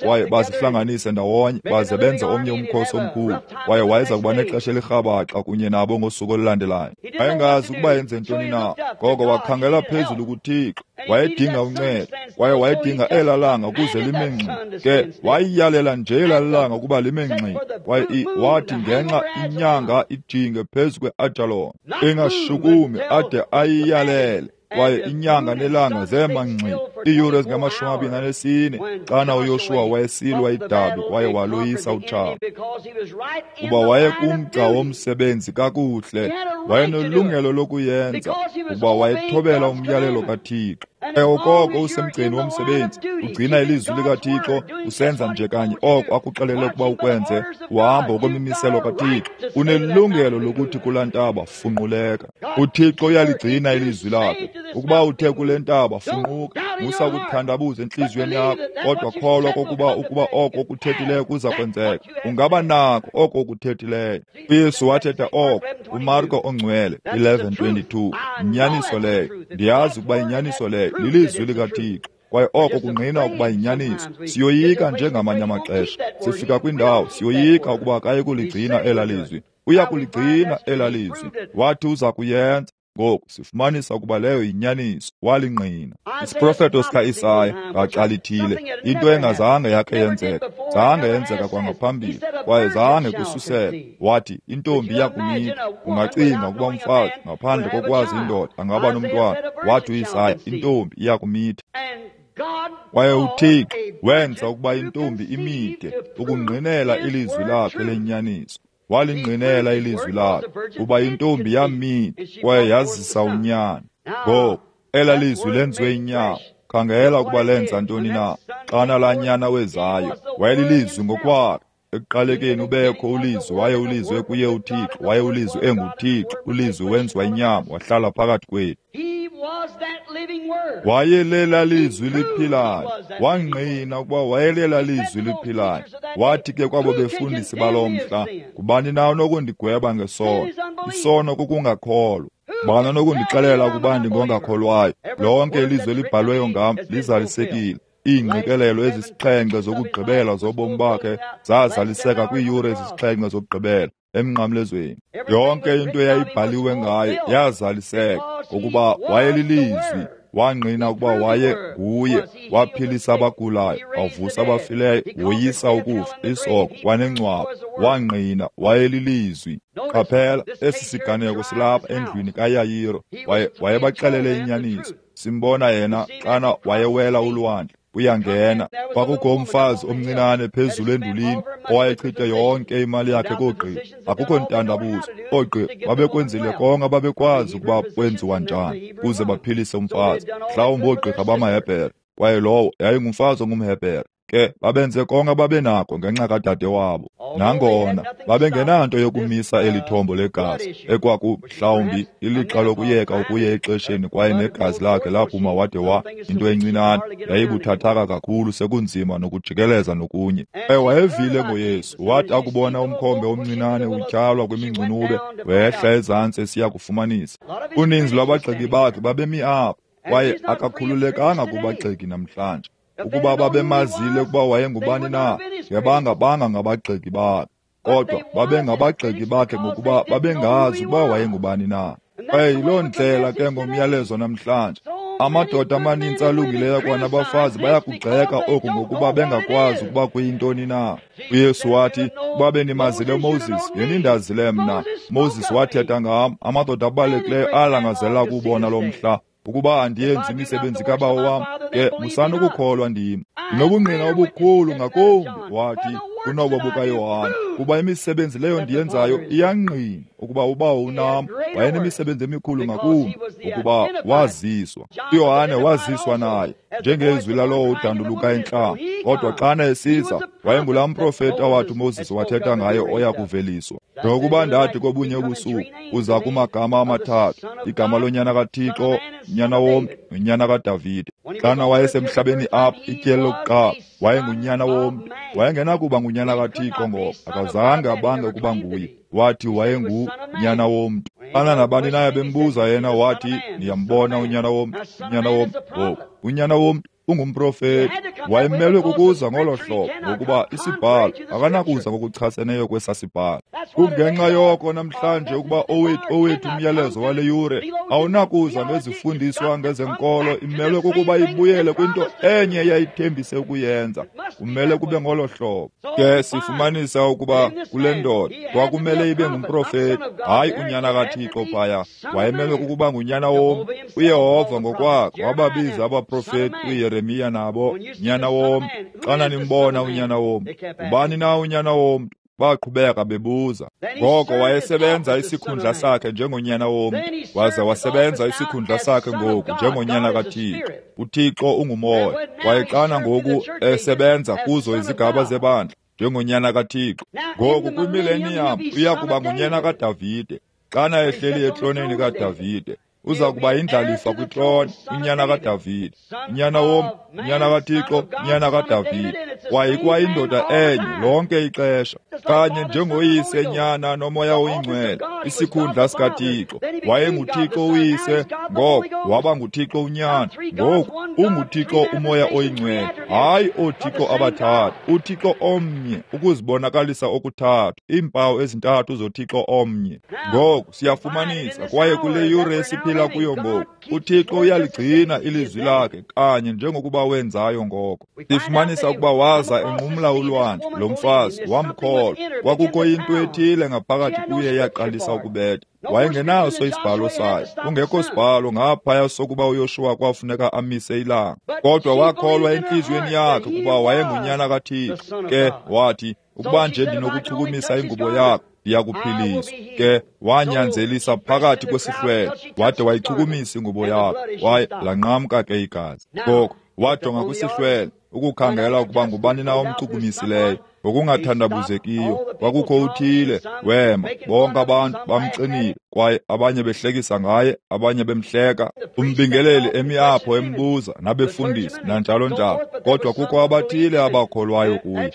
kwaye bazihlanganise ndawonye, baze benze omnye umkhosi omkhulu. Kwaye wayeza kuba nexesha elirhabaxa kunye nabo ngosuku olulandelayo. Wayengazi ukuba yenze ntoni na, ngoko wakhangela phezulu kuThixo. Wayedinga uncedo, kwaye wayedinga elaa langa ukuze lime ngxi. Ke wayiyalela nje elaa langa ukuba lime ngxi, kwaye wathi ngenxa inyanga ijinge phezu kwe-Ajalon, ingashukumi ade ayiyalele. Kwaye inyanga nelanga zema ngxi iiyure ezingama-24 xana uYoshuwa wayesilwa idabi kwaye waloyisa utshaba. Kuba wayekumgca womsebenzi kakuhle, wayenelungelo lokuyenza, kuba wayethobela umyalelo kaThixo. Okoko usemgceni womsebenzi, ugcina ilizwi likaThixo, usenza nje kanye oko akuxelele ukuba ukwenze, uhamba ngokwemimiselo kaThixo. Unelungelo lokuthi kulaa ntaba funquleka. UThixo uyaligcina ilizwi lakhe. Ukuba uthe kule ntaba funquka, musa ukuthandabuza entliziyweni yakho, kodwa kholwa kokuba ukuba oko ukuthethileyo kuza kwenzeka. Ungaba nako oko ukuthethileyo. uYesu wathetha oko kuMarko ongcwele 11:22. Inyaniso leyo. Ndiyazi ukuba inyaniso leyo lilizwi likaThixo, kwaye oko kungqina ukuba yinyaniso. Siyoyika njengamanye amaxesha. Sifika kwindawo siyoyika ukuba akayi kuligcina elaa lizwi. Uya kuligcina elaa lizwi. Wathi uza kuyenza. Ngoku sifumanisa ukuba leyo yinyaniso. Walingqina. Isiprofeto sikaIsaya ngaxa lithile, into engazange yakhe yenzeka, zange yenzeka kwangaphambili, kwaye zange kususela. Wathi intombi iyakumitha. Ungacinga ukuba umfazi ngaphandle kokwazi indoda angaba nomntwana. Wathi uIsaya intombi iyakumitha. Kwaye uThixo wenza ukuba intombi imithe ukungqinela ilizwi lakhe lenyaniso. Walingqinela ilizwi lakhe kuba intombi yamitha kwaye yazisa unyana. Ngoku ela lizwi lenziwe inyama. Khangela ukuba lenza ntoni na. Xana laa nyana wezayo, wayelilizwi ngokwakhe. Ekuqalekeni ubekho ulizwi, waye ulizwi kuye uThixo, waye ulizwi enguThixo. Ulizwi wenziwa inyama, wahlala phakathi kwethu. Wayelela lizwi liphilayo. Wangqina ukuba wayelela lizwi liphilayo. Wathi ke kwabo befundisi baloo mhla, ngubani na onokundigweba ngesono? Isono kukungakholwa. Ngubani onokundixelela ukuba ndingongakholwayo? Lonke ilizwi elibhalweyo ngam lizalisekile. Iingqikelelo ezisixhenxe zokugqibela zobomi bakhe zazaliseka kwiiyure ezisixhenxe zokugqibela emnqamlezweni. Yonke into eyayibhaliwe ngaye yazaliseka, ngokuba wayelilizwi. Wangqina ukuba waye nguye. Waphilisa abagulayo, wavusa abafileyo, woyisa ukufa, isoko kwanengcwaba. Wangqina wayelilizwi. Qaphela, esi siganeko silapha endlwini kaYayiro. Wayebaxelele inyaniso. Simbona yena xana wayewela ulwandle. Uyangena. Kwakukho umfazi omncinane phezulu endulini owayechithe yonke imali yakhe koogqirha. Akukho ntandabuzo, oogqirha babekwenzile konke ababekwazi ukuba kwenziwa njani ukuze baphilise umfazi. Mhlawumbi oogqirha bamaHebhere, kwaye lowo yayingumfazi ongumHebhere. Ke babenze konke ababenako ngenxa kadade wabo. Nangona babengenanto yokumisa eli thombo legazi, ekwaku mhlawumbi ilixa lokuyeka ukuya exesheni, kwaye negazi lakhe laphuma wade wa into encinane yayibuthathaka kakhulu, sekunzima nokujikeleza nokunye. Kwaye wayevile ngoYesu. Wathi akubona umkhombe omncinane utyhalwa kwimingcunube, wehla ezantsi esiya kufumanisa. Uninzi lwabagxeki bakhe babemi apho, kwaye akakhululekanga kubagxeki namhlanje. Ukuba babemazile ukuba wayengubani na, ngebanga ngabagxeki bakhe. Kodwa babengabagxeki bakhe ngokuba babengazi ukuba wayengubani na. Kwaye yiloo ndlela ke ngomyalezo namhlanje. Amadoda amanintsi alungileyo kwanabafazi bayakugxeka oku ngokuba bengakwazi ukuba kuyintoni na. uYesu wathi, ukuba benimazile uMoses, ngenindazile mna. Moses wathetha ngam. Amadoda abalulekileyo alangazela ukubona lo mhla. Ukuba andiyenzi imisebenzi kabawo wam, ke musani ukukholwa ndim. Ndinobungqina obukhulu ngakumbi, wathi, kunobo bukaYohane. Kuba imisebenzi leyo ndiyenzayo iyangqina ukuba uBawo unam. Wayenemisebenzi emikhulu ngakumbi ukuba waziswa. UYohane waziswa naye njengezwi lalowo udanduluka entlango. Kodwa xana esiza, wayengulaa mprofeti awathi uMoses wathetha ngaye oya kuveliswa. Njengokuba ndathi kobunye ubusuku, uza kumagama amathathu, igama lonyana kaThixo, nyana womntu, nonyana kaDavide. Xana wayesemhlabeni apha ityeli lokuqala, wayengunyana womntu. Wayengenakuba ngunyana kaThixo ngoko, akazange abange ukuba nguye. Wathi wayengunyana womntu. Xana nabani naye bembuza yena, wathi, niyambona unyana womntu, unyana womntu. Ngoku unyana womntu ungumprofeti. Wayemelwe kukuza ngolo hlobo, ngokuba isibhalo akanakuza ngokuchaseneyo kwesa sibhalo. Kungenxa yoko namhlanje ukuba owethu umyalezo wale yure awunakuza ngezifundiswa ngezenkolo, imelwe kukuba ibuyele kwinto enye eyayithembise ukuyenza. Kumele kube ngolo hlobo. Ke sifumanisa ukuba kule ndoda kwakumele ibe ngumprofeti, hayi unyana kaThixo phaya. Wayemelwe kukuba ngunyana womntu. uYehova ngokwakhe wababiza abaprofeti uYeremiya nabo, nyana womntu. Xana nimbona unyana womntu, ubani na unyana womntu? Baqhubeka bebuza. Ngoko wayesebenza isikhundla sakhe njengonyana womntu, waza wasebenza isikhundla sakhe ngoku njengonyana kaThixo. uThixo ungumoya. Kwaye xana ngoku esebenza kuzo izigaba zebandla njengonyana kaThixo, ngoku kwimileniyam uya kuba ngunyana kaDavide. Xana ehleli etroneni kaDavide, uza kuba yindlalifa kwitrone, unyana kaDavide, unyana womntu, unyana kaThixo, unyana kaDavide. Kwaye ikwayindoda enye lonke ixesha, kanye njengoYise, Nyana noMoya oyiNgcwele, isikhundla sikaThixo. WayenguThixo uYise, ngoko waba nguThixo uNyana, ngoku unguThixo uMoya oyiNgcwele. Hayi ooThixo abathathu, uThixo omnye, ukuzibonakalisa okuthathu, iimpawu ezintathu zoThixo omnye. Ngoku siyafumanisa, kwaye kule yure esiphila kuyo ngoku, uThixo uyaligcina ilizwi lakhe kanye njengokuba wenzayo ngoko. Sifumanisa ukuba waza enqumla ulwandle, lo mfazi wamkholwa. Kwakukho into ethile ngaphakathi kuye eyaqalisa ukubetha. Wayengenaso isibhalo sayo, kungekho sibhalo ngaphaya sokuba uYoshuwa kwafuneka amise ilanga. Kodwa wakholwa entliziyweni yakhe ukuba wayengunyana kaThixo. Ke wathi, ukuba nje ndinokuchukumisa ingubo yakhe, ndiyakuphiliswa. Ke wanyanzelisa phakathi kwesihlwele, wade wayichukumisa ingubo yakhe, kwaye lanqamka ke igazi. Ngoko wajonga kwisihlwele ukukhangela ukuba ngubani na omchukumisileyo. Ngokungathandabuzekiyo kwakukho uthile wema, bonke abantu bamxinile, kwaye abanye behlekisa ngaye, abanye bemhleka. Umbingeleli emi apho embuza, nabefundisi nanjalo njalo. Kodwa kukho abathile abakholwayo kuye.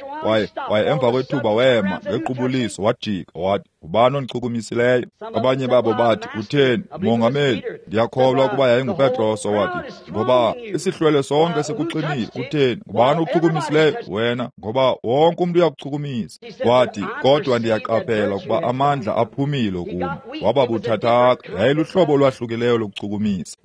Kwaye emva kwethuba wema ngequbuliso, wajika wathi, ngubani ondichukumisileyo? Abanye babo bathi, utheni, Mongameli? Ndiyakholwa ukuba yayinguPetros owathi, ngoba isihlwele sonke sikuxinile. Utheni, ngubani okuchukumisileyo? Wena, ngoba wonke umntu uyakuchukumisa. Wathi, kodwa ndiyaqaphela ukuba amandla aphumile kum. Waba buthathaka. Yayiluhlobo olwahlukileyo lokuchukumisa.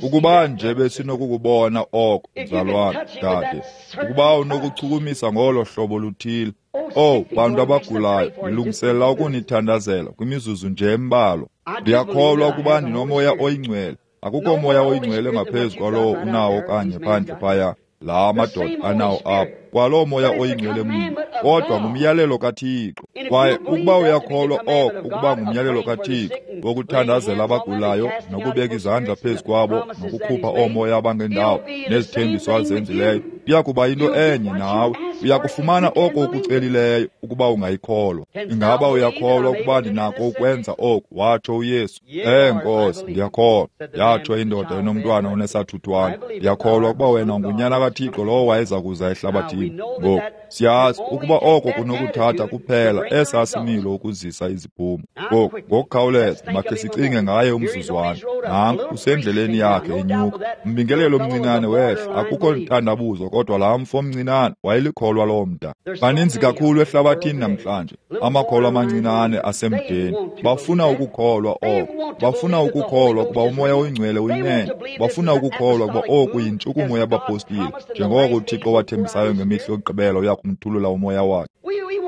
Ukuba nje besinokukubona oko, mzalwana, dade, ukuba unokuchukumisa ngolo hlobo luthile. Oh, bantu abagulayo, ndilungiselela ukunithandazela kwimizuzu nje embalwa. Ndiyakholwa ukuba ndinoMoya oyiNgcwele. Akukho moya oyingcwele ngaphezu kwalowo unawo kanye phandle phaya, la madoda anawo apha, kwaloo moya oyingcwele mnye, kodwa ngumyalelo kaThixo. Kwaye ukuba uyakholwa oko ukuba ngumyalelo kaThixo wokuthandazela abagulayo nokubeka izandla phezu kwabo nokukhupha oomoya abangendawo nezithembiso azenzileyo, iya kuba yinto enye nawe. Uyakufumana oko ukucelileyo ukuba ungayikholwa. Ingaba uyakholwa ukuba ndinako ukwenza oku? Watsho uYesu. Nkosi, ndiyakholwa, yatsho indoda enomntwana onesathuthwane. Ndiyakholwa ukuba wena ungunyana kaThixo lowo wayeza kuza ehlabathini. Ngoku siyazi ukuba oko kunokuthatha kuphela esaa similo ukuzisa iziphumo. Ngoku ngokukhawuleza makhe sicinge ngaye umzuzwana. Nanku usendleleni yakhe enyuka. Umbingelelo omncinane wehla, akukho ntandabuzo, kodwa laa mfo omncinane wayelikholwa loo mda. Baninzi kakhulu ehlabathini namhlanje amakholwa amancinane asemdeni. Bafuna ukukholwa oko, bafuna ukukholwa ukuba uMoya oyiNgcwele uyinene, bafuna ukukholwa ukuba oku yintshukumo yabapostile, njengoko uThixo wathembisayo ngemihla yokugqibela uya kumthulula uMoya wakhe.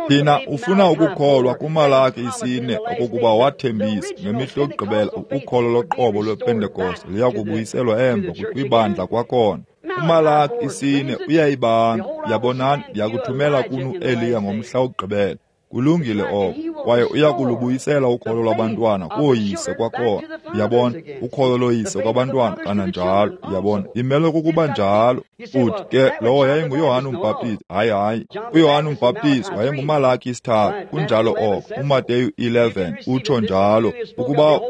Thina ufuna ukukholwa kuMalaki 4 okokuba wathembisa ngemihla yokugqibela ukholo loqobo lwePentekoste liya kubuyiselwa emva kwibandla kwakhona. UMalaki 4 uyayibanga, yabonani, ndiyakuthumela kuni uEliya ngomhla wokugqibela. Kulungile oko. Kwaye uyakulubuyisela ukholo lwabantwana kooyise kwakhona. Uyabona, ukholo loyise kwabantwana kananjalo. Uyabona, imele kukuba njalo. Uthi ke lowo yayinguYohane uMbhaptizi. Hayi, hayi, uYohane uMbhaptizi wayenguMalaki 3. Kunjalo oko. UMateyu 11 utsho njalo. Ukuba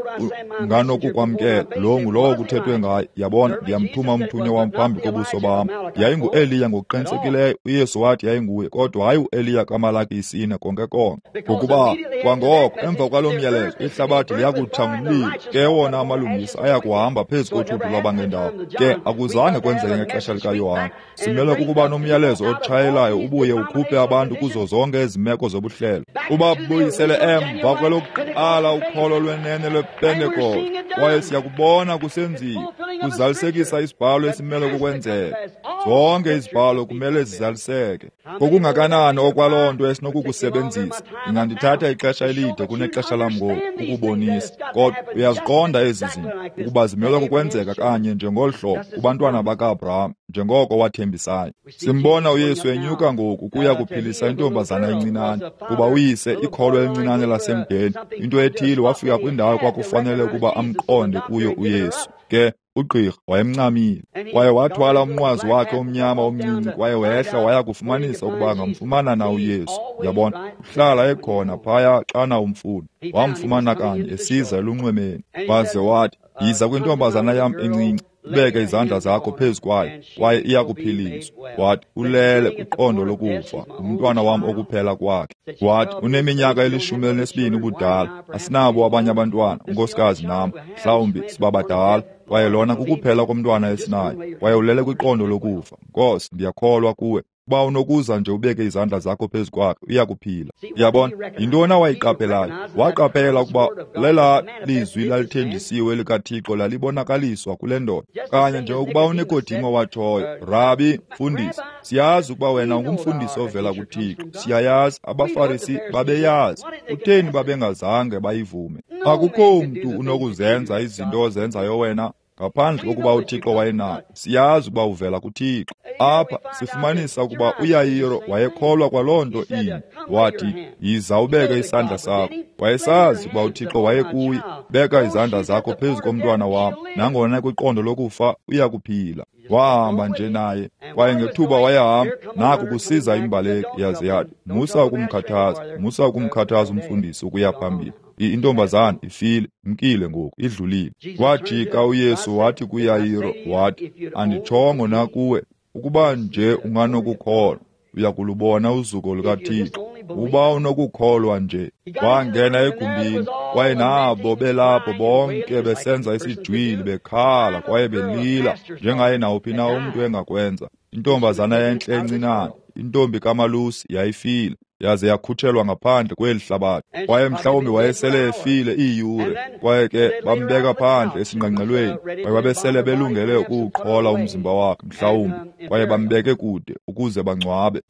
unganokukwamkela, lo ngulowo kuthethwe ngaye. Yabona, ndiyamthuma umthunywa wam phambi kobuso bam. YayinguEliya ngokuqinisekileyo. uYesu wathi yayinguye, kodwa hayi uEliya kaMalaki 4 konke konke. Ngokuba kwangoko emva kwalo myalezo ihlabathi liyakutsha ngumlilo, ke wona amalungisa ayakuhamba phezu kothuthu lwabangendawo. Ke akuzange kwenzeke ngexesha likaYohane. Simele kukuba nomyalezo otshayelayo ubuye ukhuphe abantu kuzo zonke ezi meko zobuhlelo, ubabuyisele emva kwelokuqala ukholo lwenene lwePentekoste. Kwaye siyakubona kusenziwa, kuzalisekisa isibhalo esimele kukwenzeka. Zonke izibhalo kumele zizaliseke. Ngokungakanani okwaloo nto esinokukusebenzisa, ingandithatha ixesha elide kunexesha lam ngoku ukubonisa, kodwa uyaziqonda ezi zinto ukuba zimelwe kukwenzeka kanye njengolu hlobo kubantwana baka-Abraham, njengoko wathembisayo. Simbona uYesu enyuka ngoku kuya kuphilisa intombazana encinane, kuba uyise, ikholwa elincinane lasemdeni, into ethile, wafika kwindawo kwakufanele ukuba amqonde kuyo uYesu. Ke ugqirha wayemncamile, kwaye wathwala umnqwazi wakhe omnyama omncinci, kwaye wehla waya kufumanisa ukuba angamfumana na uYesu. Uyabona, uhlala ekhona phaya xana umfuna. Wamfumana kanye esiza elunxwemeni, waze wathi, yiza kwintombazana yam encinci, ubeke izandla zakho phezu kwayo, kwaye iyakuphiliswa. Wathi, ulele kwiqondo lokufa, ngumntwana wam okuphela kwakhe. Wathi, uneminyaka 12 ubudala, asinabo abanye abantwana, unkosikazi nam, mhlawumbi sibabadala, kwaye lona kukuphela komntwana esinayo, kwaye ulele kwiqondo lokufa. Nkosi, ndiyakholwa kuwe. Uba unokuza nje ubeke izandla zakho phezu kwakhe, uyakuphila. Uyabona, yintoni awayiqaphelayo? Waqaphela ukuba lela lizwi lalithenjisiwe likaThixo lalibonakaliswa kule ndoda. Kanye njengokuba uNikodimo watshoyo, Rabi, mfundisi, siyazi ukuba wena ungumfundisi ovela kuThixo. Siyayazi, abaFarisi babeyazi. Kutheni babengazange bayivume? Akukho mntu unokuzenza izinto ozenzayo wena ngaphandle kokuba uThixo wayenayo. Siyazi ukuba uvela kuThixo. Apha sifumanisa ukuba uYayiro wayekholwa kwaloo nto inye. Wathi, yiza ubeke isandla sakho. Wayesazi ukuba uThixo wayekuye. Beka izandla zakho phezu komntwana wam, nangona kwiqondo lokufa uyakuphila. Wahamba nje naye, kwaye ngethuba wayehamba, naku kusiza imbaleki, yaze yathi, musa ukumkhathaza, musa ukumkhathaza umfundisi ukuya phambili. Intombazana ifile, mkile ngoku, idlulile. Wajika uYesu wathi kuYayiro, wathi, anditshongo na kuwe, ukuba nje unganokukholwa, uyakulubona uzuko lukaThixo. Uba unokukholwa nje. Wangena egumbini, kwaye nabo belapho bonke besenza isijwili, bekhala kwaye belila njengaye nawuphi na umntu engakwenza. Intombazana entle encinane, intombi kaMalusi, yayifile, yaze yakhutshelwa ngaphandle kweli hlabathi. Kwaye mhlawumbi wayesele efile iiyure, kwaye ke bambeka phandle esingqengqelweni, kwaye babesele belungele ukuwuqhola umzimba wakhe mhlawumbi, kwaye bambeke kude ukuze bangcwabe.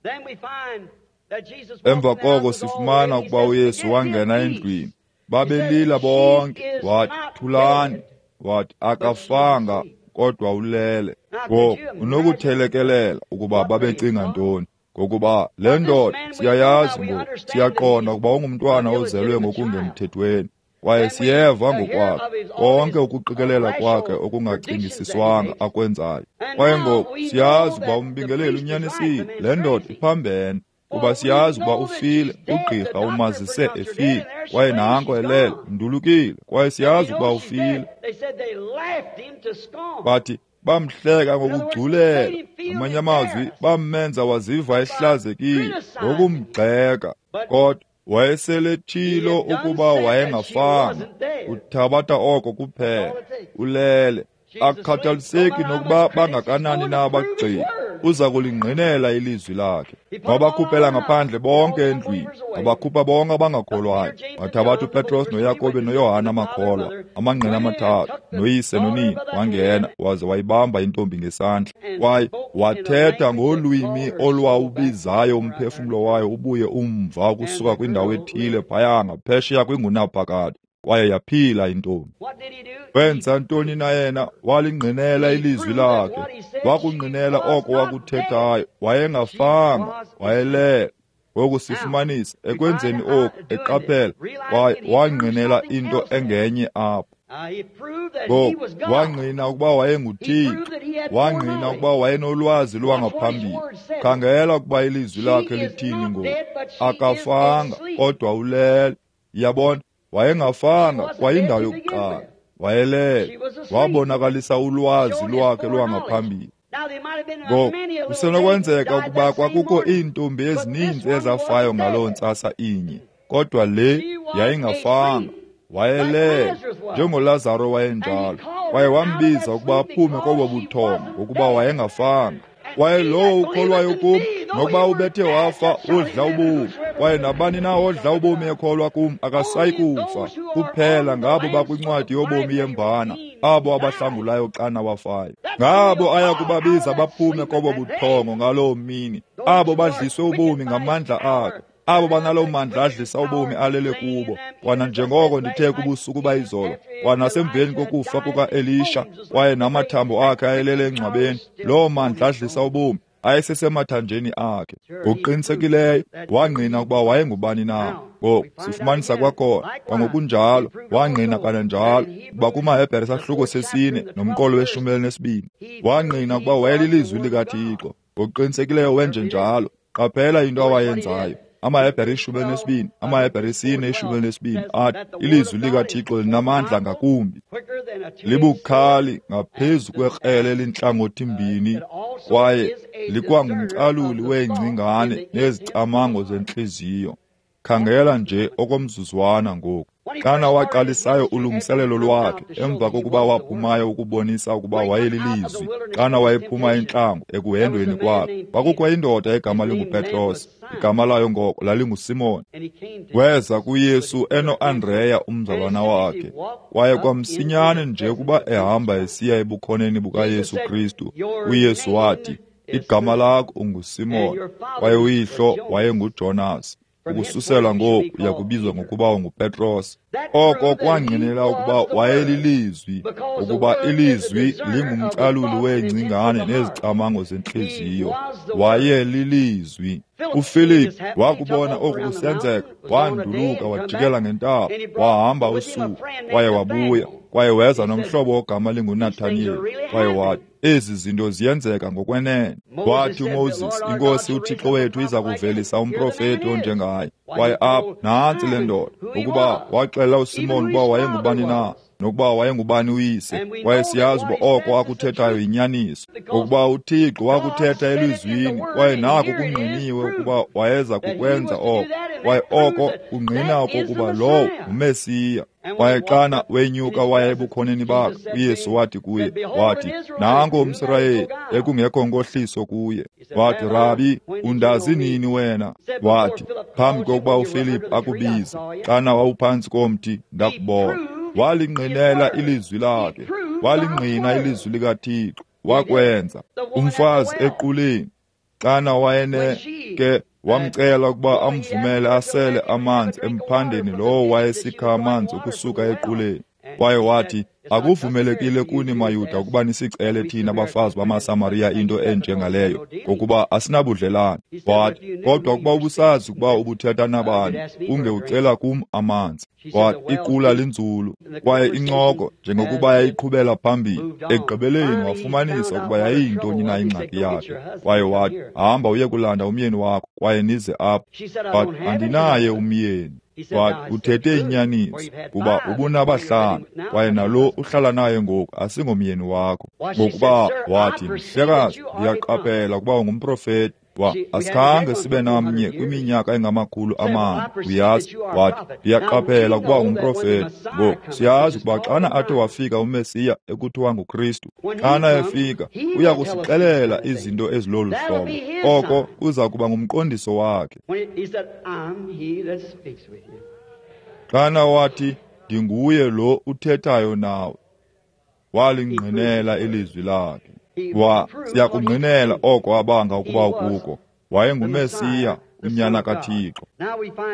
Emva koko sifumana ukuba uYesu wangena endlwini. Babelila bonke. Wathi, thulani. Wathi, akafanga kodwa ulele. Ngoku unokuthelekelela ukuba babecinga ntoni, ngokuba le ndoda siyayazi ngoku, siyaqonda ukuba ungumntwana ozelwe ngokungemthethweni, kwaye siyeva ngokwakhe konke ukuqikelela kwakhe okungacingisiswanga akwenzayo. Kwaye ngoku siyazi ukuba umbingeleli unyanisile, le ndoda iphambene, kuba siyazi ukuba ufile, ugqirha umazise efile, kwaye nanko elele, undulukile, kwaye siyazi ukuba ufile. Bathi bamhleka ngokugculela, ngamanye amazwi bamenza waziva ehlazekile ngokumgxeka, kodwa wayeselethilo ukuba wayengafanga. Uthabatha oko kuphela, ulele. Akukhathaliseki nokuba bangakanani na abagxeki, uza kulingqinela ilizwi lakhe. Wabakhuphela ngaphandle bonke endlwini, wabakhupha bonke abangakholwayo. Wathabatha uPetros noYakobe noYohane amakholwa, amangqina amathathu, noyise nonina. Wangena waze wayibamba intombi ngesandla, kwaye wathetha ngolwimi olwawubizayo umphefumlo wayo ubuye umva ukusuka kwindawo ethile phaya ngaphesheya kwingunaphakade. Kwaye yaphila intombi. Wenza ntoni na yena? Walingqinela ilizwi lakhe, wakungqinela oko wakuthethayo. Wayengafanga, wayelele. Ngoku sifumanisa ekwenzeni oku, eqaphela, kwaye wangqinela into engenye apho. Ngoku wangqina ukuba wayenguThixo, wangqina ukuba wayenolwazi lwangaphambili. Khangela ukuba ilizwi lakhe lithini ngoku. Akafanga, kodwa ulele. Yabona, wayengafanga kwayindawo yokuqala, wayelele. Wabonakalisa ulwazi lwakhe lwangaphambili. Ngoku kusenokwenzeka ukuba kwakukho iintombi ezininzi ezafayo ngaloo ntsasa inye, kodwa le yayingafanga. Wayelele njengoLazaro wayenjalo, kwaye wambiza ukuba aphume kobo buthongo ngokuba wayengafanga. Kwaye lowo ukholwayo kum, nokuba ubethe wafa, udla ubomi. Kwaye nabani na odla ubomi ekholwa kum akasayi kufa. Kuphela ngabo bakwincwadi yobomi yemvana, abo abahlangulayo xana wafayo. Ngabo aya kubabiza baphume kobo buthongo ngaloo mini, abo badliswe ubomi ngamandla akhe, abo banaloo mandla adlisa ubomi alele kubo. Kwananjengoko ndithe kubusuku bayizolo, kwanasemveni kokufa kuka-Elisha, kwaye namathambo akhe ayelele engcwabeni, loo mandla adlisa ubomi ayesesemathanjeni akhe. Ngokuqinisekileyo wangqina ukuba wayengubani na. Ngoku sifumanisa kwakhona, kwangokunjalo wangqina kananjalo ukuba kumaHebhere sahluko 4 nomqolo we-12 wangqina ukuba wayelilizwi likaThixo. Ngokuqinisekileyo wenje njalo. Qaphela into awayenzayo. AmaHebhere 12, amaHebhere 4:12 athi ilizwi likaThixo linamandla ngakumbi, libukhali ngaphezu kwekrele elintlangothi-mbini, kwaye likwangumcaluli weengcingane nezicamango zentliziyo. Khangela nje okomzuzwana ngoku. Xana waqalisayo ulungiselelo lwakhe emva kokuba waphumayo ukubonisa ukuba wayelilizwi, xana wayephuma entlango ekuhendweni kwakhe, kwakukho indoda egama linguPetros, igama layo ngoko lalinguSimon. Weza kuYesu enoAndreya umzalwana wakhe, kwaye kwamsinyane nje ukuba ehamba esiya ebukhoneni bukaYesu Kristu, uYesu wathi, igama lakho unguSimon, kwaye uyihlo wayenguJonas. Ukususela ngoku uya kubizwa ngokuba unguPetros. Oko kwangqinela ukuba wayelilizwi, ukuba ilizwi lingumcaluli weengcingane nezicamango zentliziyo. Wayelilizwi. uFilip wakubona oku kusenzeka, wanduluka wajikela ngentaba, wahamba usuku, kwaye wabuya, kwaye weza nomhlobo ogama linguNathaniyeli, kwaye wathi, ezi zinto ziyenzeka ngokwenene. Wathi uMoses, iNkosi uThixo wethu iza kuvelisa umprofeti onjengaye. Kwaye apha nantsi le ndoda, ukuba waxelela uSimon ukuba wayengubani na, nokuba wayengubani uyise. Kwaye siyazi uba oko akuthethayo yinyaniso, ngokuba uThixo wakuthetha elizwini, kwaye nako kungqiniwe ukuba wayeza kukwenza oko. Kwaye oko kungqina okokuba lowo nguMesiya. Kwaye xana wenyuka waya ebukhoneni bakhe, uYesu wathi kuye, wathi, nanko umSirayeli ekungekho nkohliso kuye. Wathi, Rabi, undazi nini wena? Wathi, phambi kokuba uFilip akubize, xana wawuphantsi komthi, ndakubona. Walingqinela ilizwi lakhe, walingqina ilizwi likaThixo, wakwenza. Umfazi equleni, xana wayeneke wamcela ukuba amvumele asele amanzi emphandeni lowo wayesikha amanzi ukusuka equleni. Kwaye wathi, akuvumelekile kuni maYuda ukuba nisicele thina bafazi bamaSamariya into enjengaleyo, ngokuba asinabudlelane. Wathi, kodwa ukuba ubusazi ukuba ubuthetha nabani, ungewucela kum amanzi. Wathi, iqula linzulu, kwaye incoko njengokuba yayiqhubela phambili. Ekugqibeleni wafumanisa ukuba yayiyintoni na ingxaki yakhe. Kwaye wathi, hamba uye kulanda umyeni wakho, kwaye nize apha. Wathi, andinaye umyeni. Wathi, uthethe inyaniso, kuba ubunabahlanu, kwaye nalo uhlala naye ngoku asingomyeni wakho. Ngokuba wathi, mhlekazi, ndiyaqaphela ukuba ungumprofeti. Asikhange sibe namnye kwiminyaka engama-400, uyazi. Wathi, ndiyaqaphela ukuba ungumprofeti. Ngoku siyazi ukuba xana athe wafika uMesiya ekuthiwa nguKristu, xana efika uya kusixelela izinto ezilolu hlobo. Oko kuza kuba ngumqondiso wakhe. Xana wathi, ndinguye lo uthethayo nawe, walingqinela ilizwi lakhe. Siyakungqinela oko abanga ukuba ukuko. WayenguMesiya, unyana kaThixo.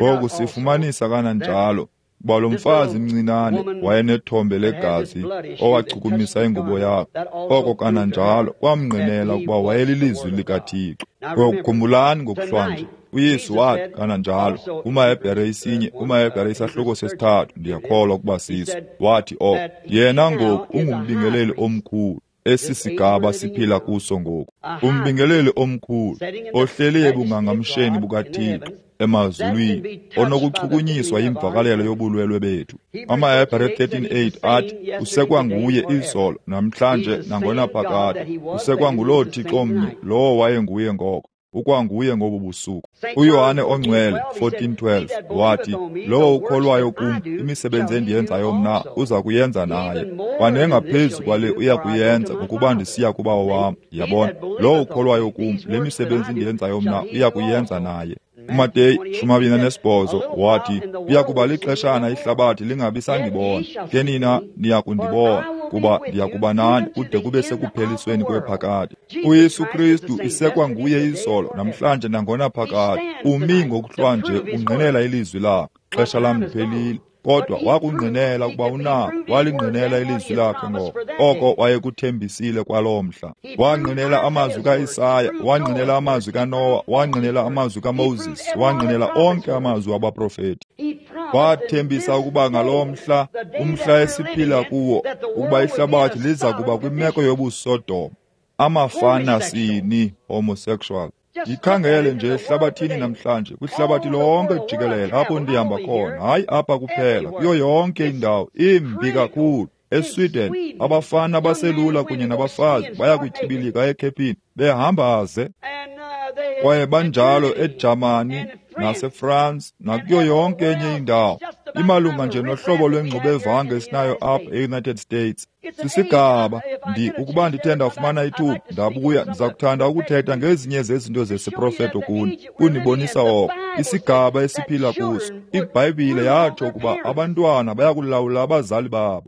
Ngoku sifumanisa kananjalo Kuba lo mfazi mncinane wayenethombe legazi owachukumisa ingubo yakhe, oko kananjalo kwamngqinela ukuba wayelilizwi likaThixo. Ngoku khumbulani ngokuhlwanje, uYesu wathi kananjalo kumaHebhere 1, kumaHebhere isahluko 3, ndiyakholwa ukuba siso, wathi oko yena ngoku ungumbingeleli omkhulu. Esi sigaba siphila kuso ngoku, umbingeleli omkhulu ohleli ebungangamsheni bukaThixo emazulwini, onokuchukunyiswa yimvakalelo yobulwelwe bethu. AmaHebhere 13:8 athi usekwanguye izolo, namhlanje, nangonaphakade. Usekwanguloo Thixo mnye lowo wayenguye ngoko, ukwanguye ngobu busuku. UYohane oNgcwele 14:12 wathi, lowo ukholwayo kum, imisebenzi endiyenzayo mna uza kuyenza naye, kwanengaphezu kwale uya kuyenza, ngokuba ndisiya kuBawo wam. Yabona, lowo ukholwayo kum, le misebenzi endiyenzayo mna uya kuyenza naye. UMateyu 28 wathi, kuya kuba lixeshana ihlabathi lingabi sandibona, ke nina niya kundibona, kuba ndiya kuba nani kude kube sekuphelisweni kwephakade. UYesu Kristu isekwanguye izolo, namhlanje, nangonaphakade. Umi ngokuhlwanje ungqinela ilizwi lakhe. Xesha lam liphelile, kodwa wakungqinela ukuba unako, walingqinela ilizwi lakhe ngoko oko wayekuthembisile kwaloo mhla. Wangqinela amazwi kaIsaya, wangqinela amazwi kaNowa, wangqinela amazwi kaMoses, wangqinela onke amazwi wabaprofeti. Wathembisa ukuba ngaloo mhla, umhla esiphila kuwo, ukuba ihlabathi liza kuba kwimeko yobuSodoma, amafana sini, homosexual. Yikhangele nje ehlabathini namhlanje, kwihlabathi lonke jikelele apho ndihamba khona, hayi apha kuphela, kuyo yonke indawo, imbi kakhulu. ESweden, abafana abaselula kunye nabafazi baya kutyibilika ekhephini behamba ze. Kwaye banjalo eJamani naseFrance nakuyo yonke enye indawo. Imalunga nje nohlobo lwengxubevange esinayo apha e-United States. Sisigaba, ukuba ndithe ndafumana ithuba ndabuya, ndiza kuthanda ukuthetha ngezinye zezinto zesiprofeto kuni, kunibonisa oko isigaba esiphila kuso. IBhayibhile yatsho ukuba abantwana bayakulawula abazali babo.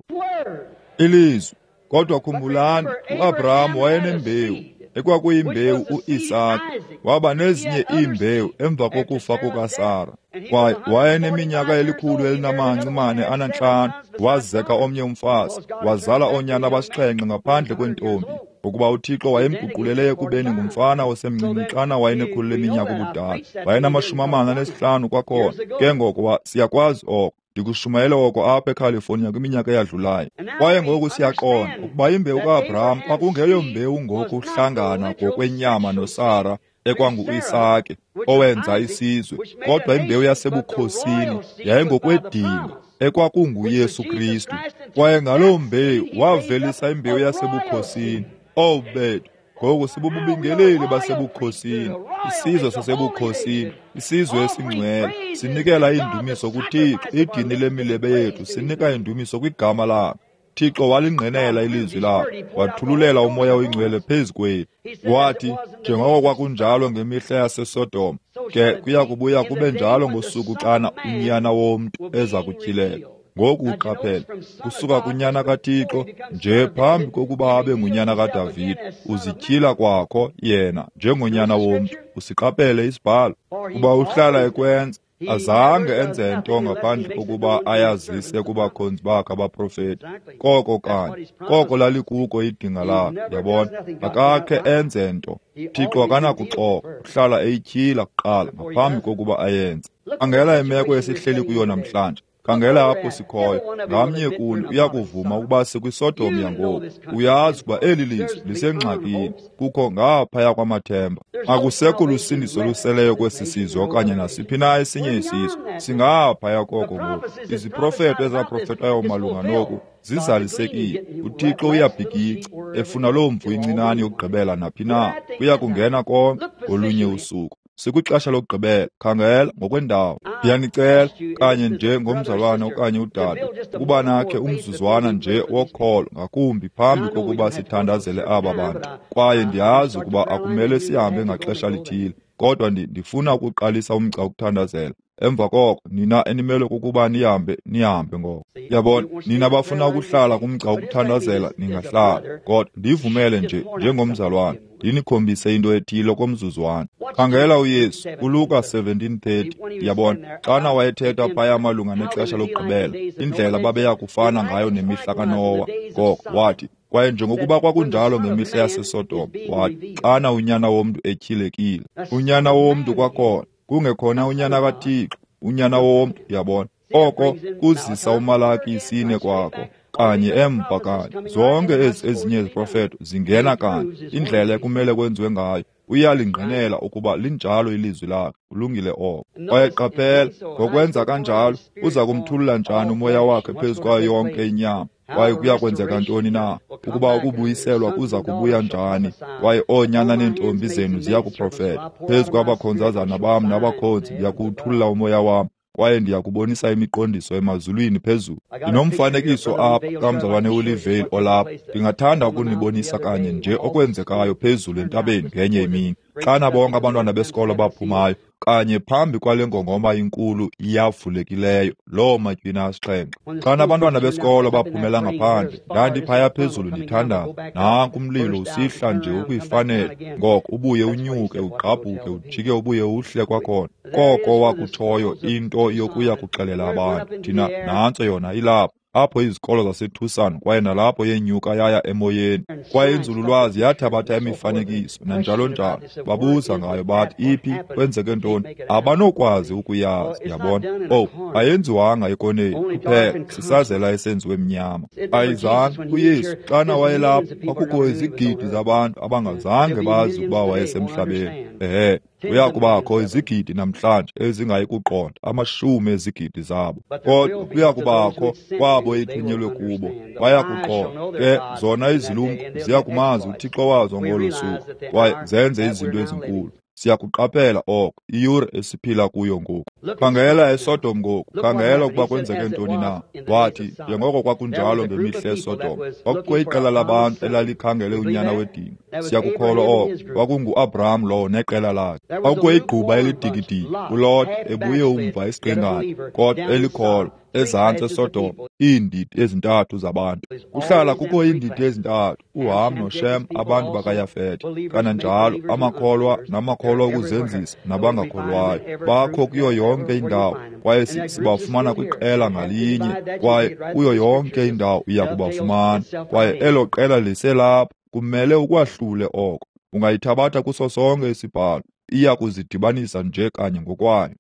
Ilizwi. Kodwa khumbulani, uAbraham wayenembewu, ekwakuyimbewu uIsaka. Waba nezinye iimbewu emva kokufa kukaSara. Kwaye wayeneminyaka 145 wazeka omnye umfazi, wazala oonyana abasixhenxe ngaphandle kwentombi, ngokuba uThixo wayemguqulele ekubeni ngumfana osemncinci xana wayenekhulu leminyaka ubudala. Wayenama-45 kwakhona. Ke ngoko siyakwazi oko. Ndikushumayele oko apha eCalifornia kwiminyaka eyadlulayo. Kwaye ngoku siyaqonda ukuba imbewu kaAbraham kwakungeyombewu ngokuhlangana ngokwenyama noSara, ekwanguIsake, owenza isizwe, kodwa imbewu yasebukhosini yayingokwedinga, ekwakunguYesu Kristu. Kwaye ngaloo mbewu wavelisa imbewu yasebukhosini. Owu bethu, ngoku sibububingeleli basebukhosini, isizwe sasebukhosini, isizwe esingcwele. Sinikela indumiso kuThixo, idini lemilebe yethu, sinika indumiso kwigama lakhe. Thixo walingqinela ilizwi lakhe, wathululela uMoya oyiNgcwele phezu kwethu. Wathi, njengoko kwakunjalo ngemihla yaseSodoma, ke kuya kubuya kube njalo ngosuku xana uNyana woMntu eza kutyhileka. Ngoku uqaphele, kusuka kunyana kaThixo nje phambi kokuba abe ngunyana kaDavide, uzityhila kwakho yena njengonyana womntu. Usiqaphele isibhalo, kuba uhlala ekwenza. Azange enze nto ngaphandle kokuba ayazise kubakhonzi bakhe abaprofeti. Koko kanye, koko lalikuko idinga lakhe. Yabona, akakhe enze nto. Thixo akanakuxoka, uhlala eyityhila kuqala ngaphambi kokuba ayenze. Khangela imeko esihleli kuyo namhlanje. Khangela apho sikhoyo. Ngamnye kuni uyakuvuma ukuba sikwiSodom yangoku. Uyazi ukuba eli lizwe lisengxakini, kukho ngaphaya kwamathemba. Akusekho lusindiso luseleyo kwesi sizwe okanye nasiphi na esinye isizwe. Singaphaya koko ngoku. Iziprofeto ezaprofetwayo malunga noku zizalisekile. UThixo uyabhikica, efuna loo mvu incinane yokugqibela naphi na. Kuya kungena konke ngolunye usuku. Sikwixesha lokugqibela, khangela ngokwendawo. Ndiyanicela kanye nje ngomzalwane okanye udade ukuba nakhe umzuzwana nje wokholo ngakumbi phambi kokuba sithandazele aba bantu. Kwaye ndiyazi ukuba akumele sihambe ngaxesha lithile, Kodwa ndifuna ukuqalisa umgca wokuthandazela. Emva koko nina enimele kukuba nihambe, nihambe ngoko. Yabona, nina bafuna ukuhlala kumgca wokuthandazela ningahlala, kodwa ndivumele nje njengomzalwane ndinikhombise into ethile komzuzwana. Khangela uYesu kuLuka 17:30. Yabona, xana wayethetha phaya malunga nexesha lokugqibela, indlela babeya kufana ngayo nemihla kaNowa. Ngoko wathi, kwaye njengokuba kwakunjalo ngemihla yaseSodom, wathi, xana uNyana womntu etyhilekile. UNyana womntu kwakhona, kungekhona uNyana kaThixo, uNyana womntu. Yabona, oko kuzisa uMalaki 4 kwakho kanye emva kanye. Zonke ezi ezinye iziprofeto zingena kanye indlela ekumele kwenziwe ngayo. Uyalingqinela ukuba linjalo ilizwi lakhe. Kulungile oko. Kwaye qaphela, ngokwenza kanjalo uza kumthulula njani umoya wakhe phezu kwayo yonke inyama? Kwaye kuya kwenzeka ntoni na? Ukuba ukubuyiselwa kuza kubuya njani? Kwaye oonyana neentombi zenu ziya kuprofeta. Phezu kwabakhonzazana bam nabakhonzi ndiya kuwuthulula umoya wam, kwaye ndiya kubonisa imiqondiso emazulwini phezulu. Ndinomfanekiso apha kamzalwane uLivale olapha. Ndingathanda ukunibonisa kanye nje okwenzekayo phezulu entabeni ngenye imini, xana bonke abantwana besikolo baphumayo kanye phambi kwale ngongoma inkulu yavulekileyo, loo matywina asixhenxe. Xana abantwana besikolo baphumela ngaphandle, ndandiphaya phezulu ndithandaza. Nanku umlilo usihla nje ukuyifanele, ngoko ubuye unyuke, ugqabhuke, ujike ubuye uhle kwakhona. Koko wakutshoyo into yokuya kuxelela abantu. Thina nantso yona ilapha, apho izikolo zaseTucson, kwaye nalapho yenyuka yaya emoyeni. Kwaye inzululwazi yathabatha imifanekiso nanjalo njalo. Babuza ngayo bathi, iphi, kwenzeke ntoni? Abanokwazi ukuyazi, yabona. Oh, ayenziwanga ekoneni kuphela, sisazela esenziwe mnyama. Ayizange. UYesu xana wayelapha, kwakukho izigidi zabantu abangazange bazi ukuba wayesemhlabeni. Ehe, kuya kubakho izigidi namhlanje ezingayi kuqonda, amashumi ezigidi zabo. Kodwa kuya kubakho kwabo ethunyelwe kubo, baya kuqonda. Ke zona izilumko ziya kumazi uThixo wazo ngolo suku, kwaye zenze izinto ezinkulu. Siyakuqaphela oko, iyure esiphila kuyo ngoku. Khangela eSodom ngoku, khangela ukuba kwenzeke ntoni na. Wathi, njengoko kwakunjalo ngemihla eSodom, kwakukho iqela labantu elalikhangele unyana wedinga. Siyakukholwa oko, kwakunguAbraham lowo neqela lakhe. Kwakukho igquba elidikidiki, uLot ebuye umva esiqingatha, kodwa elikholwa, ezantsi eSodom, iindidi ezintathu zabantu. Kuhlala kukho iindidi ezintathu, uHam noShem, abantu bakaYafete. Kananjalo amakholwa namakholwa okuzenzisa nabangakholwayo bakho kuyo yonke indawo, kwaye sibafumana kwiqela ngalinye, kwaye kuyo yonke indawo uya kubafumana. Kwaye elo qela liselapha, kumele ukwahlule oko. Ungayithabatha kuso sonke isibhalo, iya kuzidibanisa nje kanye ngokwayo.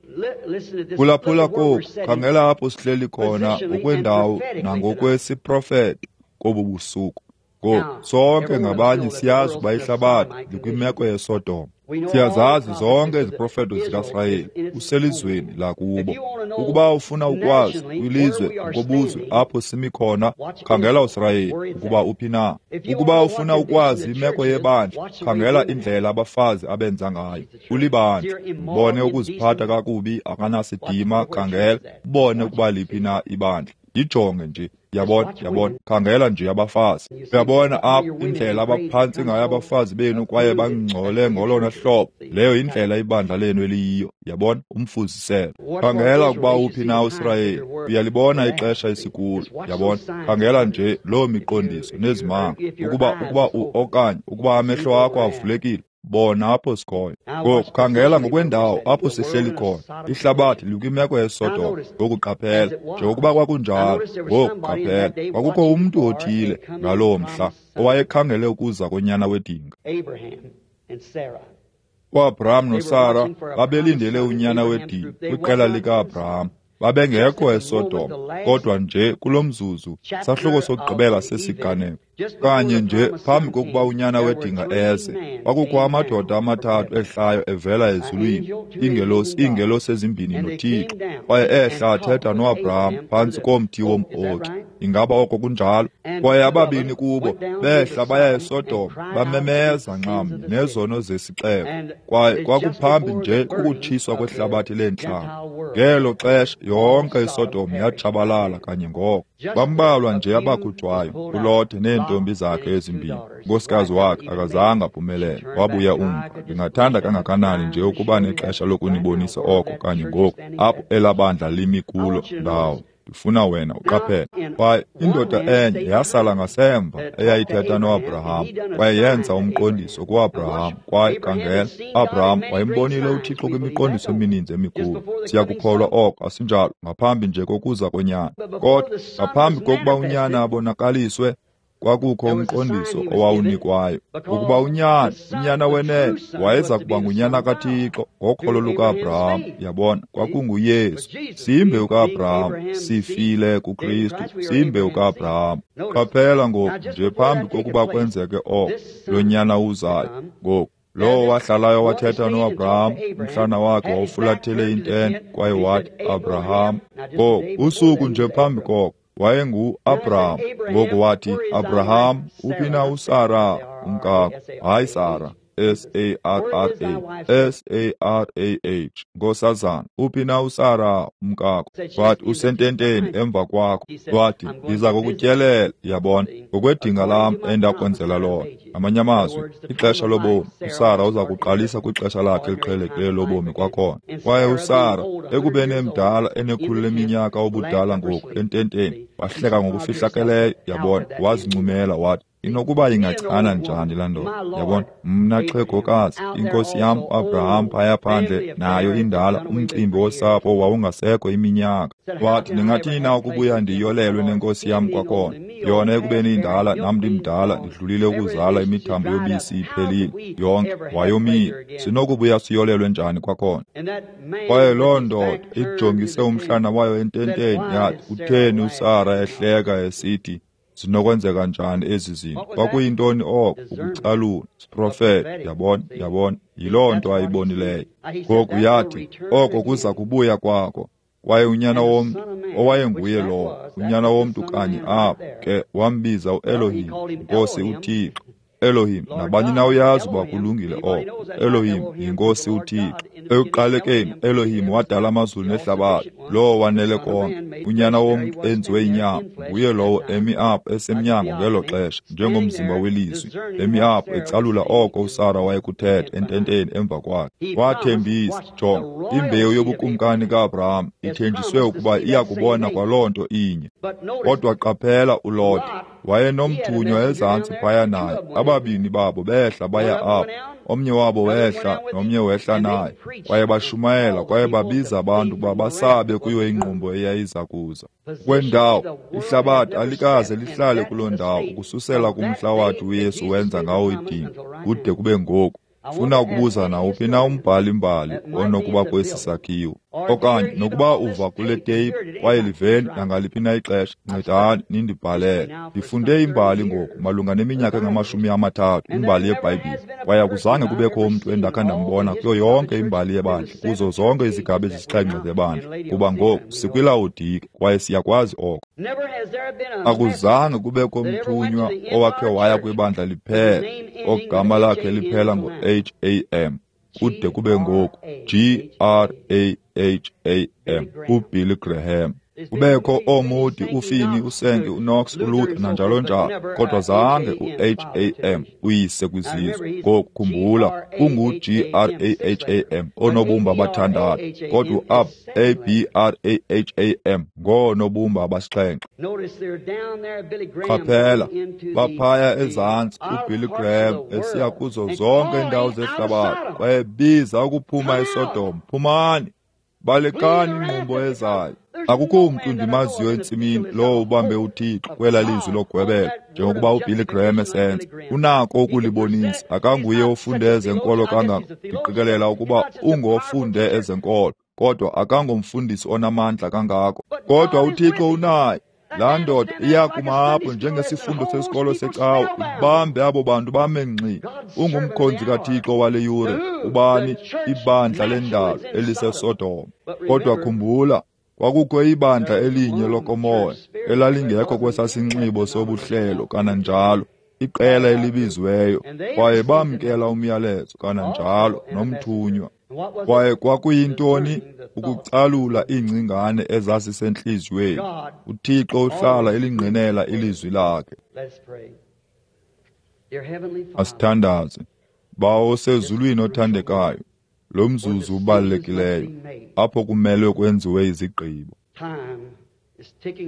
Phulaphula koku, khangela apho sihleli khona ngokwendawo nangokwesiprofeto kobu busuku. Ngoku sonke ngabanye siyazi ukuba ihlabathi likwimeko yeSodom. Siyazazi zonke iziprofeto zikaSirayeli, uselizweni lakubo. Ukuba ufuna ukwazi kwilizwe ngobuzwe apho simi khona, khangela uSirayeli ukuba uphi na. Ukuba ufuna ukwazi imeko yebandla, khangela indlela abafazi abenza ngayo. Ulibandla, ubone ukuziphatha kakubi, akanasidima, khangela, ubone ukuba liphi na ibandla. Yijonge nje. Yabona, yabona, khangela nje abafazi. Uyabona apho indlela abaphantsi ngayo abafazi benu kwaye bangcole ngolona hlobo. Leyo yindlela ibandla lenu eliyiyo. Yabona, umfuziselo. Khangela ukuba uphi na uSirayeli. Uyalibona ixesha esikulo. Yabona, khangela nje loo miqondiso nezimanga. Ukuba okanye ukuba amehlo akho avulekile, bona apho sikhoyo. Ngoku khangela ngokwendawo apho sihleli khona. Ihlabathi likwimeko yeSodom. Ngoku qaphela, njengokuba kwakunjalo. Ngoku qaphela, kwakukho umntu othile ngaloo mhla owayekhangele ukuza konyana wedinga. UAbraham noSara babelindele unyana wedinga kwiqela likaAbraham. Babengekho eSodom, kodwa nje kulo mzuzu, sahluko sokugqibela sesiganeko. Kanye nje phambi kokuba unyana wedinga eze, kwakukho amadoda amathathu ehlayo evela ezulwini, iingelosi ezimbini noThixo, kwaye ehla athetha noAbraham phantsi komthi wom-oki. Ingaba oko kunjalo? Kwaye ababini kubo behla baya eSodom, bamemeza nxamnye nezono zesixeko. Kwaye kwakuphambi nje kokutshiswa kwehlabathi leentlanga. Ngelo xesha yonke iSodom yatshabalala kanye ngoko. Bambalwa nje abakhutshwayo, uLote neentombi zakhe ezimbini. Unkosikazi wakhe akazange aphumelele, wabuya umva. Ndingathanda kangakanani nje ukuba nexesha lokunibonisa oko kanye ngoku, apho elaa bandla limi kulo ndawo. Ndifuna wena uqaphele. Kwaye indoda enye yasala ngasemva eyayithetha noAbraham, kwaye yenza umqondiso kuAbraham. Kwaye khangela, Abraham wayembonile uThixo kwimiqondiso emininzi emikhulu. Siyakukholwa oko, asinjalo? Ngaphambi nje kokuza konyana. Kodwa ngaphambi kokuba unyana abonakaliswe, kwakukho umqondiso owawunikwayo ukuba unyana wenene wayeza kuba ngunyana kaThixo ngokholo lukaAbraham. Yabona, kwakunguYesu. Siyimbewu kaAbraham, sifile kuKristu, siyimbewu kaAbraham. Qaphela ngoku nje phambi kokuba kwenzeke oko, lo nyana uzayo ngoku. Lowo wahlalayo wathetha noAbraham, umhlana wakhe wawufulathele intente, kwaye wathi, Abraham. Ngoku usuku nje phambi koko wayengu-Abraham. Ngoku wathi, Abraham, uphi na uSara umkakho? Hayi Sara, S-A-R-R-A, S-A-R-A-H, nkosazana, uphi na uSara umkakho? Wathi, usententeni emva kwakho. Wathi, ndiza kukutyelela, yabona, ngokwedinga lam endakwenzela lona. Ngamanye amazwi, ixesha lobomi, uSara uza kuqalisa kwixesha lakhe eliqhelekileyo lobomi kwakhona. Kwaye uSara, ekubeni emdala, enekhulu leminyaka obudala ngoku, ententeni, wahleka ngokufihlakeleyo, yabona, wazincumela wathi, inokuba ingachana njani laa ndoda? Yabona, mna xhegokazi, inkosi yam uAbraham phaya phandle nayo indala, umcimbi wosapho wawungasekho iminyaka. Wathi, ndingathini na ukubuya ndiyolelwe nenkosi yam kwakhona? Yona ekubeni indala, nam ndimdala, ndidlulile ukuzala, imithambo yobisi iphelile yonke, wayomile. Sinokubuya siyolelwe njani kwakhona? Kwaye loo ndoda ijongise umhlana wayo ententeni yathi, kutheni uSara ehleka esithi, zinokwenzeka njani ezi zinto? Kwakuyintoni oko? Ukucalula, siprofeto. Yabona, yabona, yiloo nto ayibonileyo. Ngoku yathi, oko kuza kubuya kwako. Kwaye unyana womntu, owayenguye lowo, unyana womntu kanye apho ke, wambiza uElohim, Nkosi uThixo. Elohim, nabani na uyazi uba kulungile oko. Elohim yinkosi uThixo. Ekuqalekeni Elohim wadala amazulu nehlabathi, lowo wanele konke. Unyana womntu enziwe inyama, nguye lowo emi apho esemnyango ngelo xesha, njengomzimba welizwi, emi apho ecalula oko uSara wayekuthetha ententeni emva kwakhe. Wathembisa, jonga, imbewu yobukumkani kaAbraham ithenjiswe ukuba iya kubona kwaloo nto inye. Kodwa qaphela uLote, wayenomthunywa ezantsi phaya naye. Ababini babo behla baya apho, omnye wabo wehla nomnye wehla naye, kwaye bashumayela kwaye babiza abantu ukuba basabe kuyo ingqumbo eyayiza kuza. Kwendawo, ihlabathi alikaze lihlale kuloo ndawo ukususela kumhla wathi uYesu wenza ngawo idinga kude kube ngoku. Funa ukubuza nawuphi na umbhali-mbali onokuba kwesi sakhiwo, okanye nokuba uva kule teyipu kwaye liveni nangaliphi na ixesha, ncedani nindibhalele. Ndifunde imbali ngoku malunga neminyaka engama-30, imbali yeBhayibhile, kwaye akuzange kubekho umntu endakha ndambona kuyo yonke imbali yebandla, kuzo zonke izigaba ezisixhenxe zebandla, kuba ngoku sikwiLawodike kwaye siyakwazi oko. Akuzange kubekho mthunywa owakhe waya kwibandla liphela, ogama lakhe liphela ngo-H-A-M, kude kube ngoku G-R-A-H-A-M, uBilly Graham. Kubekho ooMoody, uFinney, uSankey, uKnox, uLuther nanjalo njalo, kodwa zange u-H-A-M uyise kwizizwe. Ngoku khumbula, kungu-G-R-A-H-A-M oonobumba abathandathu, kodwa u-A-B-R-A-H-A-M ngoonobumba abasixhenxe. Qaphela, baphaya ezantsi uBilly Graham esiya kuzo zonke iindawo zehlabathi, kwaye biza ukuphuma eSodom, phumani, balekani ingqumbo ezayo. Akukho mntu ndimaziyo entsimini lowo ubambe uThixo kwela lizwi logwebela, njengokuba uBilly Graham esenza. Unako ukulibonisa, akanguye ofunde ezenkolo kangako. Ndiqikelela ukuba ungofunde ezenkolo, kodwa akangomfundisi onamandla kangako. Kodwa uThixo unaye. Laa ndoda iyakuma apho njengesifundo sesikolo secawa, ibambe abo bantu bame ngxi. Ungumkhonzi kaThixo wale yure, ubani? Ibandla lendalo eliseSodom. Kodwa khumbula, Kwakukho ibandla elinye lokomoya elalingekho kwesasinxibo sobuhlelo kananjalo, iqela elibiziweyo, kwaye bamkela umyalezo kananjalo nomthunywa. Kwaye kwakuyintoni? Ukucalula iingcingane ezasisentliziyweni. UThixo uhlala elingqinela ilizwi lakhe. Asithandaze. Bawo osezulwini othandekayo, lo mzuzu ubalulekileyo apho kumelwe kwenziwe izigqibo.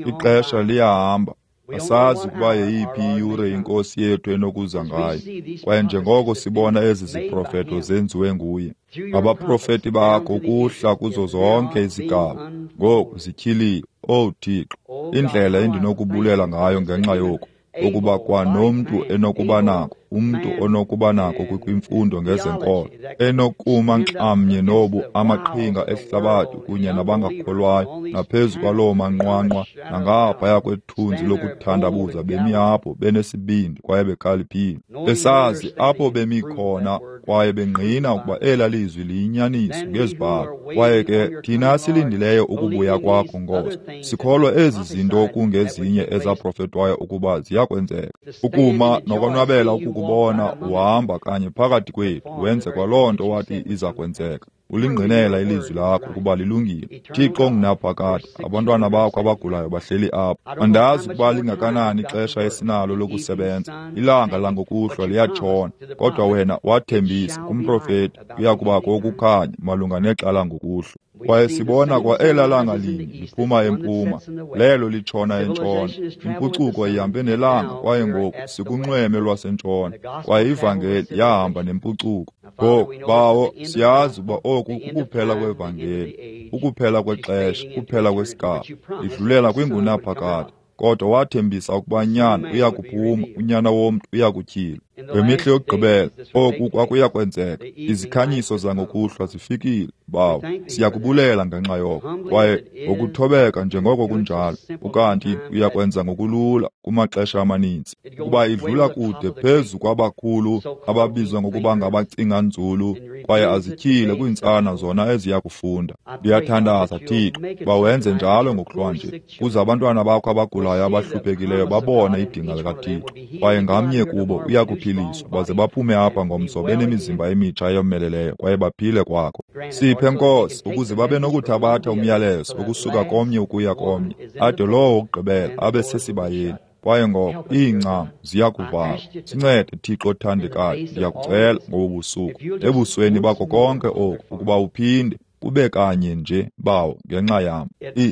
Ixesha liyahamba, asazi ukuba yeyiphi iyure inkosi yethu enokuza ngayo. Kwaye njengoko sibona ezi ziprofeto zenziwe nguye ngabaprofeti bakho ukuhla kuzo zonke izigaba, ngoku zityhiliwe. Owu Thixo, indlela endinokubulela ngayo ngenxa yoku, ukuba kwanomntu enokuba nako, umntu onokuba nako kwimfundo ngezenkolo, enokuma nxamnye nobu amaqhinga ehlabathi kunye nabangakholwayo, naphezu kwaloo manqwanqwa nangaphaya kwethunzi lokuthandabuza, bemi apho benesibindi kwaye bekhaliphile, besazi apho bemi khona kwaye bengqina ukuba ela lizwi liyinyaniso ngezibhalo. Kwaye ke thina silindileyo ukubuya kwakho, Nkosi, sikholwa ezi zinto kungezinye ezaprofetwayo ukuba ziyakwenzeka. Ukuma nokonwabela ukukubona uhamba kanye phakathi kwethu, wenze kwaloo nto wathi iza kwenzeka. Ulingqinela ilizwi lakho ukuba lilungile. Thixo ongunaphakade, abantwana bakho abagulayo bahleli apha. Andazi ukuba lingakanani ixesha esinalo lokusebenza. Ilanga langokuhlwa liyatshona, kodwa wena wathembisa kumprofeti kuya kubakho ukukhanya malunga nexa langokuhlwa. Kwaye sibona kwa ela langa linye liphuma empuma, lelo litshona entshona. Impucuko ihambe nelanga, kwaye ngoku sikunxweme lwasentshona, kwaye ivangeli yahamba nempucuko. Ngoku, Bawo, siyazi ukuba oku kukuphela kwevangeli, ukuphela kwexesha, kuphela kwesigaba, idlulela kwingunaphakade. Kodwa wathembisa ukuba nyana uya kuphuma, unyana womntu uya kutyhilwa. Ngemihla yokugqibela oku kwakuya kwenzeka. Izikhanyiso zangokuhlwa zifikile, Bawo. Siyakubulela ngenxa yoko. Kwaye ngokuthobeka njengoko kunjalo, ukanti uyakwenza ngokulula kumaxesha amaninzi, ukuba idlula kude phezu kwabakhulu ababizwa ngokuba ngabacinga nzulu, kwaye azityhile kwiintsana zona eziya kufunda. Ndiyathandaza, Thixo, uba wenze njalo ngokuhlwanje, kuze abantwana bakho abagulayo abahluphekileyo babone idinga likaThixo, kwaye ngamnye kubo uya kuphiliswa, baze baphume apha ngomso benemizimba emitsha eyomeleleyo kwaye baphile kwakho. Siphe, Nkosi, ukuze babe nokuthabatha umyalezo ukusuka komnye ukuya komnye, ade lowo wokugqibela abe sesibayeni. Kwaye ngoko iincam ziya kuvalwa. Sincede, Thixo othandekayo, ndiyakucela ngobu busuku, ebusweni bakho konke oku, ukuba uphinde kube kanye nje, Bawo, ngenxa yam.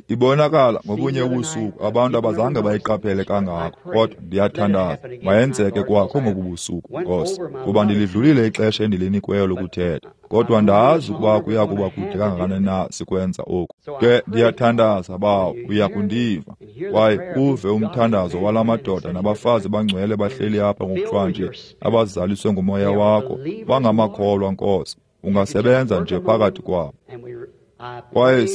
Ibonakala ngobunye ubusuku abantu abazange bayiqaphele kangako, kodwa ndiyathandaza mayenzeke kwakho ngobu busuku, Nkosi, kuba ndilidlulile ixesha endilinikweyo lokuthetha. Kodwa ndazi ukuba kuya kuba kude kangakanani na sikwenza oku. Ke ndiyathandaza, Bawo, uya kundiva kwaye uve umthandazo wala madoda nabafazi bangcwele bahleli apha ngokuhlwanje, abazaliswe ngumoya wakho, bangamakholwa, Nkosi. Ungasebenza nje phakathi kwabo. Kwaye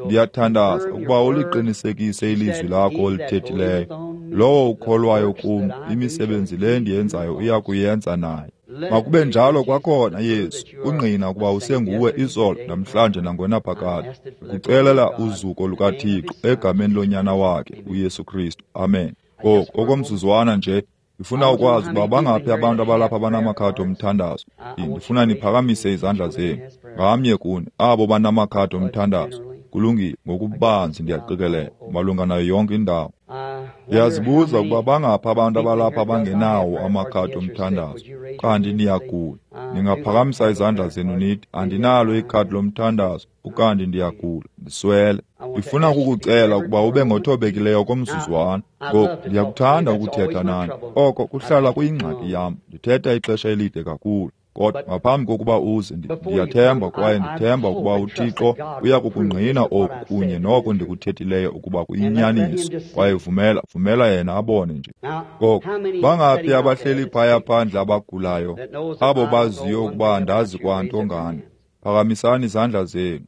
ndiyathandaza ukuba uliqinisekise ilizwi lakho olithethileyo. Lowo ukholwayo kum, imisebenzi le ndiyenzayo uya kuyenza naye. Makube njalo kwakhona, Yesu, ungqina ukuba usenguwe izolo, namhlanje nangonaphakade. Ndikucelela uzuko lukaThixo egameni lonyana wakhe, uYesu Kristu. Amen. Ngoku okomzuzwana nje, ndifuna ukwazi ukuba bangaphi abantu abalapha banamakhadi omthandazo. Ndifuna niphakamise izandla zenu, ngamnye kuni, abo banamakhadi omthandazo. Kulungile, ngokubanzi ndiyaqikelela, malunga nayo yonke indawo. Ndiyazibuza ukuba bangaphi abantu abalapha abangenawo amakhadi omthandazo, kanti niyagula. Ningaphakamisa izandla zenu nithi, andinalo ikhadi lomthandazo, ukanti ndiyagula, ndiswele. Ndifuna ukukucela ukuba ube ngothobekileyo komzuzwana. Ngoku ndiyakuthanda ukuthetha nani. Oko kuhlala kuyingxaki yam. Ndithetha ixesha elide kakhulu. Kodwa ngaphambi kokuba uze, ndiyathemba kwaye ndithemba ukuba uThixo uya kukungqina oku kunye noko ndikuthethileyo ukuba kuyinyaniso. Kwaye vumela yena abone nje. Ngoku, bangaphi abahleli phaya phandle abagulayo, abo baziyo ukuba andazi kwanto ngani? Phakamisani izandla zenu.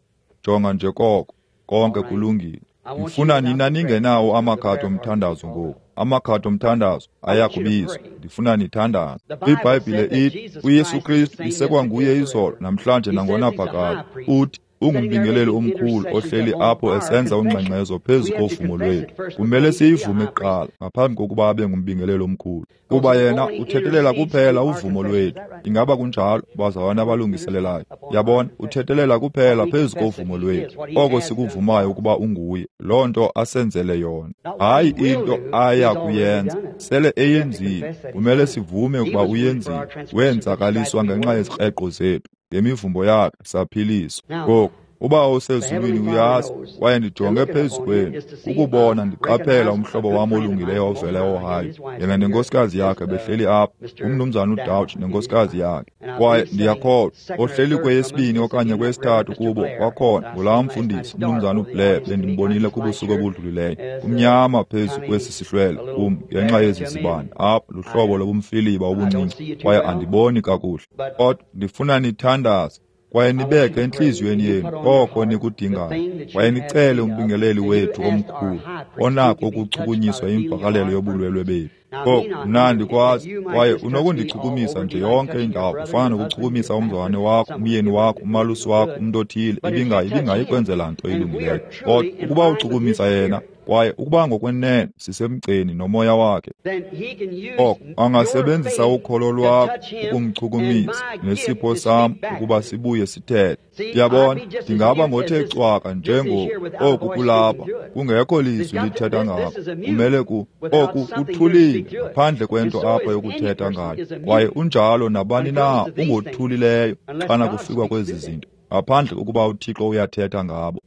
Jonga nje koko, konke kulungile. Ndifuna nina ningenawo amakhadi omthandazo ngoku. Amakhadi omthandazo ayakubizwa. Ndifuna nithandaze. IBhayibhile ithi uYesu Kristu isekwanguye izolo, namhlanje nangonaphakade. Uthi Ungumbingeleli omkhulu ohleli apho esenza ungxengxezo phezu kovumo lwethu. Kumele siyivume kuqala ngaphambi kokuba abe ngumbingeleli omkhulu, kuba yena uthethelela kuphela uvumo lwethu. Ingaba kunjalo, bazalwana abalungiselelayo? Yabona, uthethelela kuphela phezu kovumo lwethu, oko sikuvumayo ukuba unguye, loo nto asenzele yona. Hayi into aya kuyenza, sele eyenzile. Kumele sivume ukuba uyenzile. Wenzakaliswa ngenxa yezikreqo zethu, ngemivumbo yakhe saphiliswa. Ngoku uBawo osezulwini uyazi, kwaye ndijonge phezu kwenu ukubona ndiqaphela umhlobo wam olungileyo ovela eOhio, yena nenkosikazi yakhe behleli apha, umnumzana uDouch nenkosikazi yakhe. Kwaye ndiyakholwa ohleli kweyesibini okanye kweyesithathu kubo kwakhona ngulaa mfundisi umnumzana uBlair bendimbonile kubusuku obudlulileyo. Kumnyama phezu kwesi sihlwele kum ngenxa yezi zibane apha, luhlobo lobumfiliba obuncinci, kwaye andiboni kakuhle. Kodwa ndifuna nithandaze kwaye nibeke entliziyweni yenu oko nikudingayo, kwaye nicele umbingeleli wethu omkhulu onako ukuchukunyiswa imvakalelo yobulwelwe bethu. Ngoku mna andikwazi, kwaye unokundichukumisa nje yonke indawo, kufana nokuchukumisa umzalwane wakho, umyeni wakho, umalusi wakho, umntu othile, ibingayi kwenzela nto ilungileyo. Kodwa ukuba uchukumisa yena, kwaye ukuba ngokwenene sisemgceni nomoya wakhe, oko angasebenzisa ukholo lwakho ukumchukumisa, nesipho sam ukuba sibuye sithethe. Ndiyabona, ndingaba ngothe cwaka njengoku oku kulapha, kungekho lizwi lithetha ngako. Kumele oku kuthulile ngaphandle kwento apha yokuthetha ngayo. Kwaye unjalo nabani na ungothulileyo xana kufikwa kwezi zinto, ngaphandle kokuba uThixo uyathetha ngabo.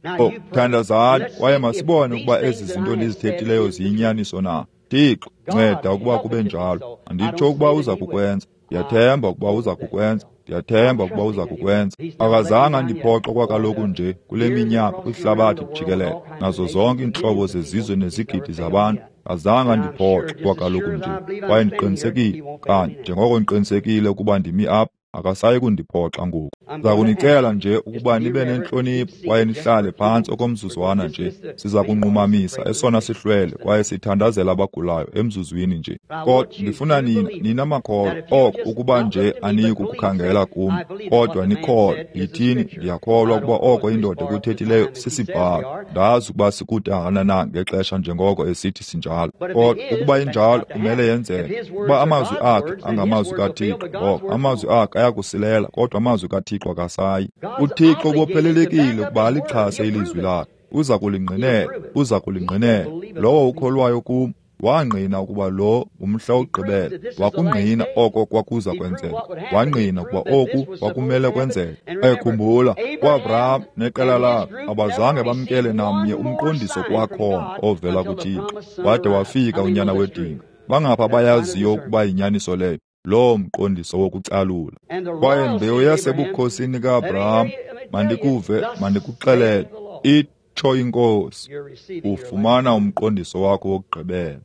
Thandazani, kwaye masibone ukuba ezi zinto ndizithethileyo ziyinyaniso na. Thixo, nceda ukuba kube njalo. Anditsho ukuba uza kukwenza. Ndiyathemba ukuba uza kukwenza. Ndiyathemba ukuba uza kukwenza. Akazange andiphoxe kwakaloku nje kule minyaka kwihlabathi jikelele, nazo zonke iintlobo zezizwe nezigidi zabantu. Azange andiphoxe kwakaloku nje. Kwaye ndiqinisekile, kanye njengoko ndiqinisekile ukuba ndimi apha, akasayi kundiphoxa ngoku. Ndiza kunicela nje ukuba nibe nentlonipho kwaye nihlale phantsi okomzuzwana nje. Siza kunqumamisa esona sihlwele kwaye sithandazela abagulayo emzuzwini nje. Kodwa ndifuna nina makholwa, oko ukuba nje aniyi kukukhangela kum, kodwa nikholwe. Yithini, ndiyakholwa ukuba oko indoda ekuthethileyo sisibhalo. Ndazi ukuba sikude kangakanani ngexesha njengoko esithi sinjalo. Kodwa ukuba injalo, kumele yenzeke. Ukuba amazwi akhe angamazwi kaThixo, ngoko amazwi akhe ayakusilela, kodwa amazwi kaThixo akasayi. UThixo ubophelelekile ukuba alixhase ilizwi lakhe. Uza kulingqinela, uza kulingqinela. Lowo ukholwayo kum wangqina ukuba lo ngumhla wokugqibela. Wakungqina oko kwakuza kwenzeka. Wangqina ukuba oku kwakumele kwenzeke. Ekhumbula, uAbraham neqela lakhe abazange bamkele namnye umqondiso kwakhona ovela kuThixo, wade wafika unyana wedinga. Bangapha bayaziyo ukuba yinyaniso leyo, loo mqondiso wokucalula. Kwaye mbewu yasebukhosini kaAbraham, mandikuve, mandikuxelele, itsho iNkosi, ufumana umqondiso wakho wokugqibela.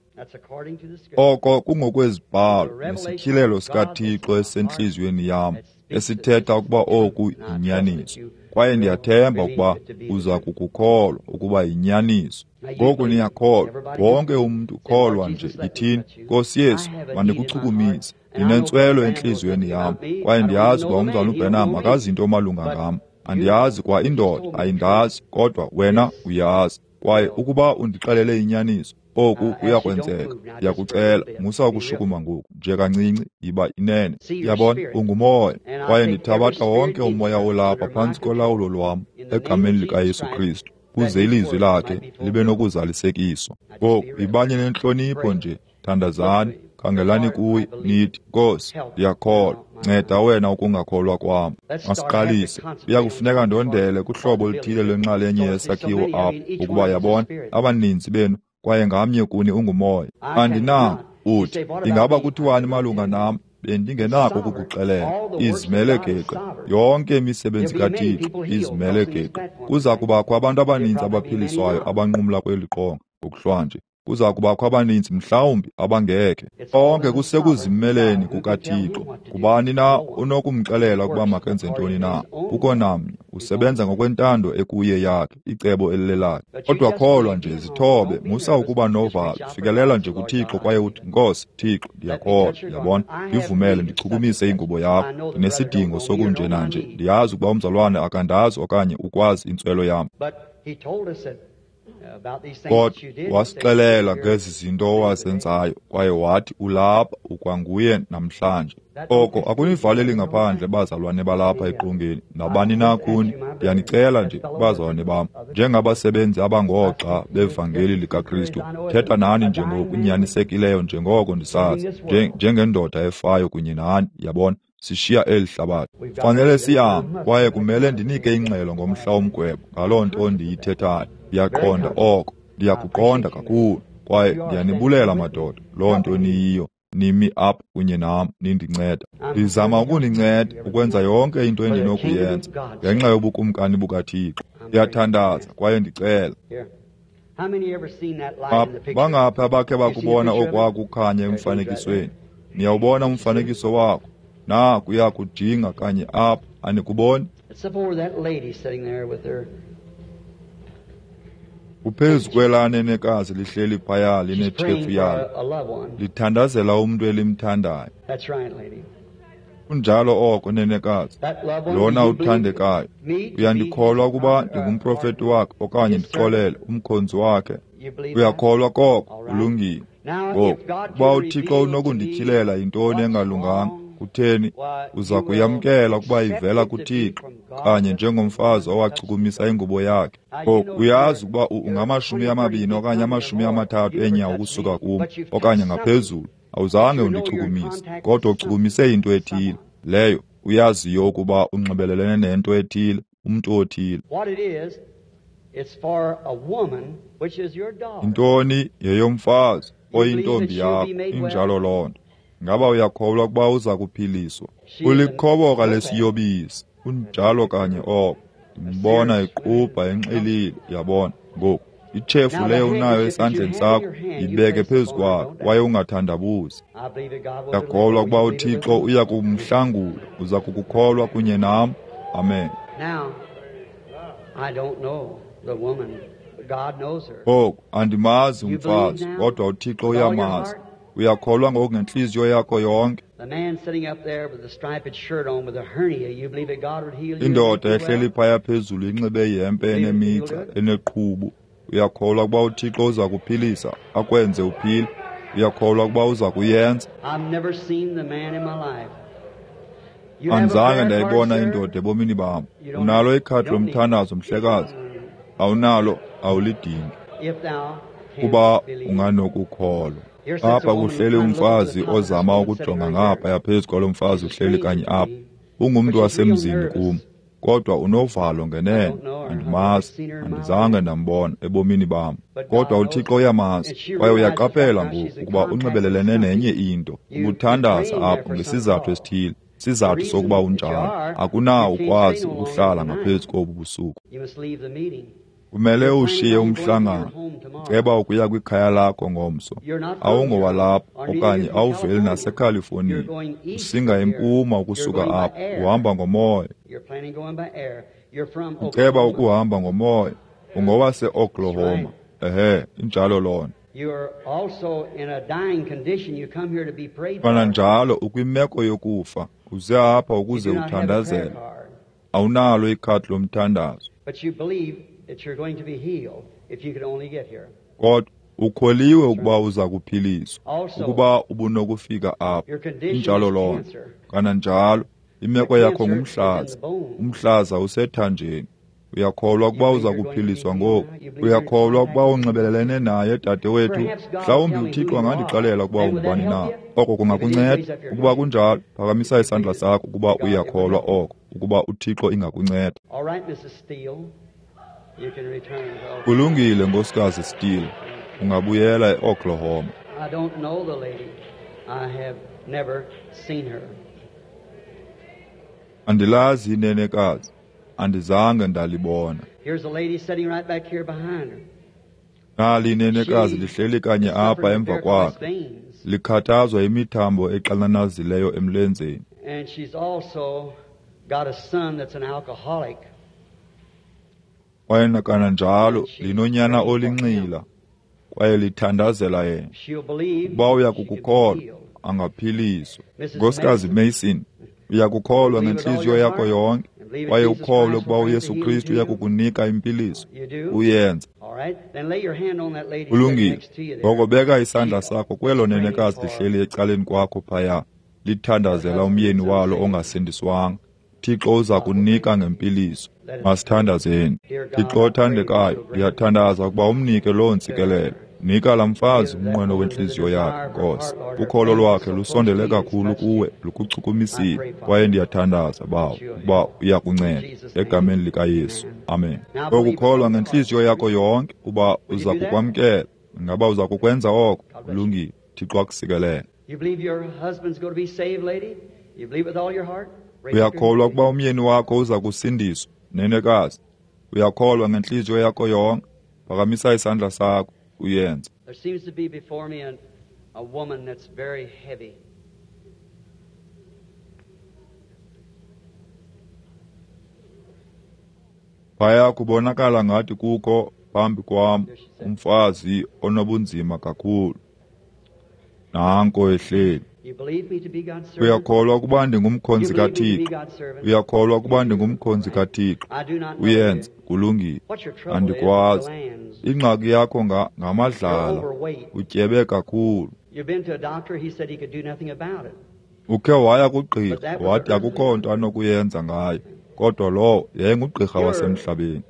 Oko kungokwezibhalo nesityhilelo sikaThixo esisentliziyweni yam, esithetha ukuba oku yinyaniso. Kwaye ndiyathemba ukuba uza kukukholwa ukuba yinyaniso. Ngoku niyakholwa, wonke umntu kholwa nje. Yithini, Nkosi Yesu, mandikuchukumise. Ndinentswelo entliziyweni yam, kwaye ndiyazi ukuba umzalwana uBrenham akazi nto malunga ngam. Andiyazi kwa indoda ayindazi, kodwa wena uyazi. Kwaye ukuba undixelele inyaniso, oku kuyakwenzeka. Ndiyakucela, musa ukushukuma ngoku, nje kancinci, yiba inene. Yabona, ungumoya, kwaye ndithabatha wonke umoya olapha phantsi kolawulo lwam egameni likaYesu Kristu, kuze ilizwi lakhe libe nokuzalisekiswa. Ngoku yibanye nentlonipho nje, thandazani, khangelani kuye, nithi, Nkosi, ndiyakholwa, nceda wena ukungakholwa kwam. Masiqalise. Kuya kufuneka ndondele kuhlobo oluthile lwenxalenye yesakhiwo apha, ukuba yabona, abaninzi benu, kwaye ngamnye kuni ungumoya. Andinako. Uthi, ingaba kuthiwani malunga nam? Bendingenako ukukuxelela. Izimele geqe. Yonke imisebenzi kaThixo izimele geqe. Kuza kubakho abantu abaninzi abaphiliswayo abanqumla kweli qonga ngokuhlwanje. Kuza kubakho abaninzi mhlawumbi abangekhe. Konke kusekuzimeleni kukaThixo. Ngubani na onokumxelela ukuba makenze ntoni na? Kukho namnye. Usebenza ngokwentando ekuye yakhe, icebo elilelakhe. Kodwa kholwa nje, zithobe, musa ukuba novalo, fikelela nje kuThixo kwaye uthi, Nkosi, Thixo, ndiyakholwa, uyabona, ndivumele ndichukumise ingubo yakho. Ndinesidingo sokunjena nje, ndiyazi ukuba umzalwane akandazi okanye ukwazi intswelo yam. Kodwa wasixelela ngezi zinto owazenzayo, kwaye wathi ulapha ukwanguye namhlanje. Oko akunivaleli ngaphandle bazalwane balapha eqongeni, nabani na kuni. Ndiyanicela nje, bazalwane bam, njengabasebenzi abangoogxa bevangeli likaKristu, thetha nani nje ngokunyanisekileyo njengoko ndisazi, njengendoda efayo kunye nani, yabona. Sishiya eli hlabathi. Fanele sihambe, kwaye kumele ndinike ingxelo ngomhla womgwebo ngaloo nto ndiyithethayo. Ndiyaqonda oko, ndiyakuqonda kakhulu, kwaye ndiyanibulela madoda, loo nto niyiyo. Nimi apha kunye nam nindinceda. Ndizama ukuninceda ukwenza yonke into endinokuyenza ngenxa yobukumkani bukaThixo. Ndiyathandaza kwaye ndicela. Bangaphi abakhe bakubona okwakukhanya emfanekisweni? Niyawubona umfanekiso wakho? Naku kujinga kanye apha, anikuboni? Uphezu kwelaa nenekazi lihleli phaya linetshefu yalo, lithandazela umntu elimthandayo. Kunjalo oko, nenekazi, lona uthandekayo. Uyandikholwa ukuba ndingumprofeti wakhe, okanye ndixolele, umkhonzi wakhe? Uyakholwa koko? Ulungile. Ngoku, ukuba uThixo unokundityhilela yintoni engalunganga, kutheni, uza kuyamkela ukuba ivela kuThixo, kanye njengomfazi owachukumisa ingubo yakhe. Ngoku, uyazi ukuba ungamashumi 20 okanye 30 eenyawo ukusuka kum, okanye ngaphezulu. Awuzange undichukumise, kodwa uchukumise into ethile leyo uyaziyo ukuba unxibelelene nento ethile, umntu othile. Intoni yeyomfazi oyintombi yakho, injalo loo nto. Ngaba uyakholwa ukuba uza kuphiliswa? Ulikhoboka lesiyobisi, kunjalo kanye oko. Ndimbona iqubha enxilile, yabona. Ngoku, itshefu leyo unayo esandleni sakho, yibeke phezu kwakho kwaye ungathandabuzi. Ndiyakholwa ukuba uThixo uya kumhlangula. Uza kukukholwa kunye nam? Amen. Ngoku, andimazi umfazi, kodwa uThixo uyamazi. Uyakholwa ngoku ngentliziyo yakho yonke? Indoda ehleli phaya phezulu inxibe ihempe enemigca eneqhubu. Uyakholwa ukuba uThixo uza kuphilisa, akwenze uphile? Uyakholwa ukuba uza kuyenza? Andizange ndayibona indoda ebomini bam. Unalo ikhadi lomthandazo, mhlekazi? Awunalo, awulidingi. Kuba unganokukholwa. Apha kuhleli umfazi ozama ukujonga ngaphaya phezu kwalo mfazi uhleli kanye apha. Ungumntu wasemzini kum, kodwa unovalo ngenene. Andimazi, andizange ndambona ebomini bam. Kodwa uThixo uyamazi, kwaye uyaqaphela ngoku ukuba unxibelelene nenye into. Ubuthandaza apha ngesizathu esithile, isizathu sokuba unjalo. Akunawo ukwazi ukuhlala ngaphezu kobu busuku. Kumele ushiye umhlangano. Ceba ukuya kwikhaya lakho ngomso. Awungowalapha okanye awuveli naseCalifornia. Usinga empuma ukusuka apha, uhamba ngomoya. Uceba ukuhamba ngomoya. Ungowase-Oklahoma. Ehe, injalo loo nto. Kananjalo ukwimeko yokufa. Uze apha ukuze uthandazele. Awunalo ikhadi lomthandazo. Kodwa ukholiwe ukuba uza kuphiliswa, ukuba ubunokufika apha. Injalo loo nto. Kananjalo imeko yakho ngumhlaza. Umhlaza usethanjeni. Uyakholwa ukuba uza kuphiliswa ngoku? Uyakholwa ukuba unxibelelene naye, dadewethu? Mhlawumbi uThixo angandixelela ukuba ungubani na. Oko kungakunceda. Ukuba kunjalo, phakamisa isandla sakho ukuba uyakholwa oko, ukuba uThixo ingakunceda. Kulungile, Nkosikazi Steele, ungabuyela eOklahoma. Andilazi inenekazi, andizange ndalibona. Nali inenekazi lihleli kanye apha emva kwakhe, likhathazwa yimithambo exananazileyo emlenzeni. Kwaye kananjalo linonyana olinxila, kwaye lithandazela yena. Ukuba uyakukukholwa, angaphiliswa. Nkosikazi Mason, uyakukholwa ngentliziyo yakho yonke, kwaye ukholwe ukuba uYesu Kristu uyakukunika impiliso. Uyenza. Kulungile. Ngoko beka isandla sakho kwelo nenekazi lihleli ecaleni kwakho phaya, lithandazela umyeni walo ongasindiswanga. Thixo uza kunika ngempiliso. Masithandazeni. Thixo othandekayo, ndiyathandaza ukuba umnike loo ntsikelelo. Nika laa mfazi umnqweno wentliziyo yakhe, Nkosi. Ukholo lwakhe lusondele kakhulu kuwe, lukuchukumisile. Kwaye ndiyathandaza, Bawo, ukuba uyakunceda. Egameni likaYesu. Amen. Okukholwa ngentliziyo yakho yonke uba uza kukwamkela. Ingaba uza kukwenza oko? Kulungile. Thixo akusikelele. Uyakholwa ukuba umyeni wakho uza kusindiswa, nenekazi? Uyakholwa ngentliziyo yakho yonke? Phakamisa isandla sakho, uyenze. There seems to be before me a woman that's very heavy. Phaya kubonakala ngathi kukho phambi kwam umfazi onobunzima kakhulu. Nanko ehleli. Uyakholwa ukuba ndingumkhonzi kaThixo? Uyakholwa ukuba ndingumkhonzi kaThixo? Uyenza. Kulungile. Andikwazi. Ingxaki yakho ngamadlala. Utyebe kakhulu. Ukhe waya kugqirha, wathi akukho nto anokuyenza ngayo. Kodwa lowo yayingugqirha wasemhlabeni.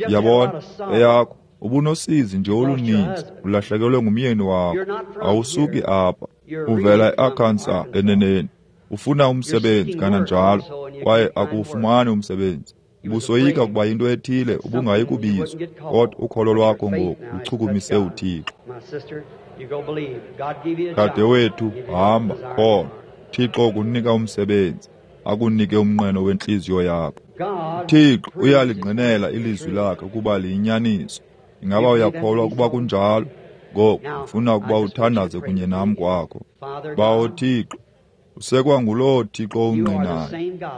Uyabona, eyakho ubunosizi nje oluninzi, ulahlekelwe ngumyeni wakho. Awusuki apha, uvela eArkansas eneneni. Ufuna umsebenzi kananjalo, kwaye akuwufumani umsebenzi. Ubusoyika ukuba yinto ethile ubungayi kubizwa, kodwa ukholo lwakho ngoku luchukumise uThixo. Dadewethu, hamba, kholwa. Thixo ukunika umsebenzi, akunike umnqweno wentliziyo yakho. Thixo uyalingqinela ilizwi lakhe ukuba liyinyaniso. Ingaba uyakholwa ukuba kunjalo? Ngoku ndifuna ukuba uthandaze kunye nam kwakho. Bawo Thixo, usekwa nguloo Thixo ungqinayo.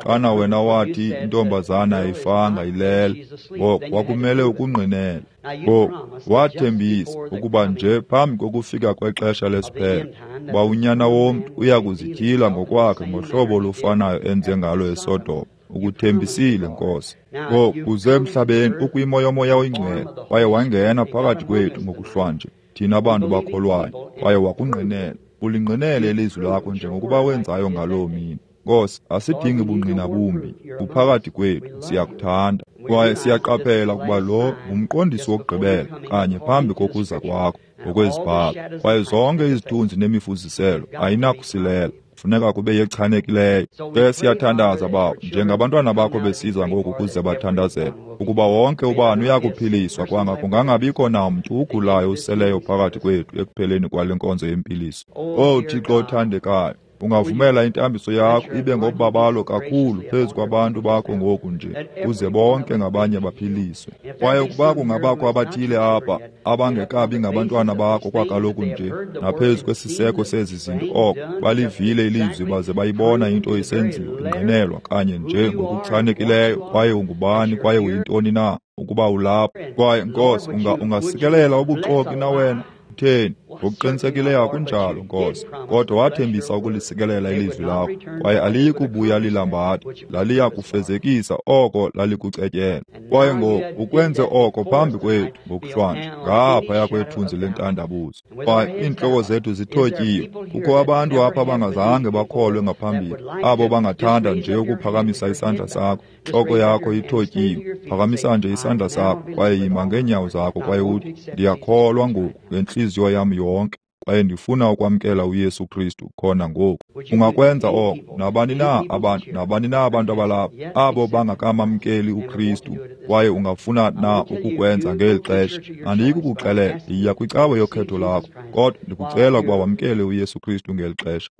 Xana wena wathi intombazana ayifanga ilele, ngoko kwakumele ukungqinela. Ngoku wathembisa ukuba nje phambi kokufika kwexesha lesiphelo, uba unyana womntu uya kuzityhila ngokwakhe ngohlobo olufanayo enze ngalo eSodoma. Ukuthembisile, Nkosi. Ngoku uze emhlabeni ukwimo yoMoya oyiNgcwele, kwaye wangena phakathi kwethu ngokuhlwanje, thina bantu bakholwayo, kwaye wakungqinela. Ulingqinele ilizwi lakho njengokuba wenzayo ngaloo mini. Nkosi, asidingi bungqina bumbi, uphakathi kwethu, siyakuthanda. Kwaye siyaqaphela ukuba lo ngumqondiso wokugqibela kanye phambi kokuza kwakho ngokwezibhalo. Kwaye zonke izithunzi nemifuziselo ayinakusilela, funeka kube yechanekileyo. Ke siyathandaza, Bawo, njengabantwana bakho besiza ngoku ukuze bathandazele, ukuba wonke ubani uyakuphiliswa kwanga kungangabikho namntu ugulayo useleyo phakathi kwethu ekupheleni kwale nkonzo yempiliso. Owu Thixo othandekayo, ungavumela intambiso yakho ibe ngobabalo kakhulu phezu kwabantu bakho ngoku nje, kuze bonke ngabanye baphiliswe. Kwaye ukuba kungabakho abathile apha abangekabi ngabantwana bakho kwakaloku nje, naphezu kwesiseko sezi zinto, oko balivile ilizwi baze bayibona into isenziwa ingqinelwa kanye nje ngokuchanekileyo, kwaye ungubani kwaye uyintoni na ukuba ulapha. Kwaye Nkosi, ungasikelela ubuxoki na wena? Utheni? Ngokuqinisekileyo akunjalo, Nkosi, kodwa wathembisa ukulisikelela ilizwi lakho, kwaye aliyi kubuya lilambatha, laliya kufezekisa oko lalikucetyela. Kwaye ngoku ukwenze oko phambi kwethu ngokuhlwanje, ngaphaya kwethunzi lentandabuzo. Kwaye iintloko zethu zithotyiwe. Kukho abantu apha abangazange bakholwe ngaphambili, abo bangathanda nje ukuphakamisa isandla sakho. Ntloko yakho ithotyiwe, phakamisa nje isandla sakho kwaye yima ngeenyawo zakho kwaye uthi, ndiyakholwa ngoku ngentliziyo yam yonke, kwaye ndifuna ukwamkela uYesu Kristu khona ngoku. Ungakwenza oko nabani na abantu, nabani na abantu abalapha abo bangakamamkeli uKristu, kwaye ungafuna na ukukwenza ngeli xesha. Andiyi kukuxelela, yiya kwicawe yokhetho lakho, kodwa ndikucela ukuba wamkele uYesu Kristu ngeli xesha.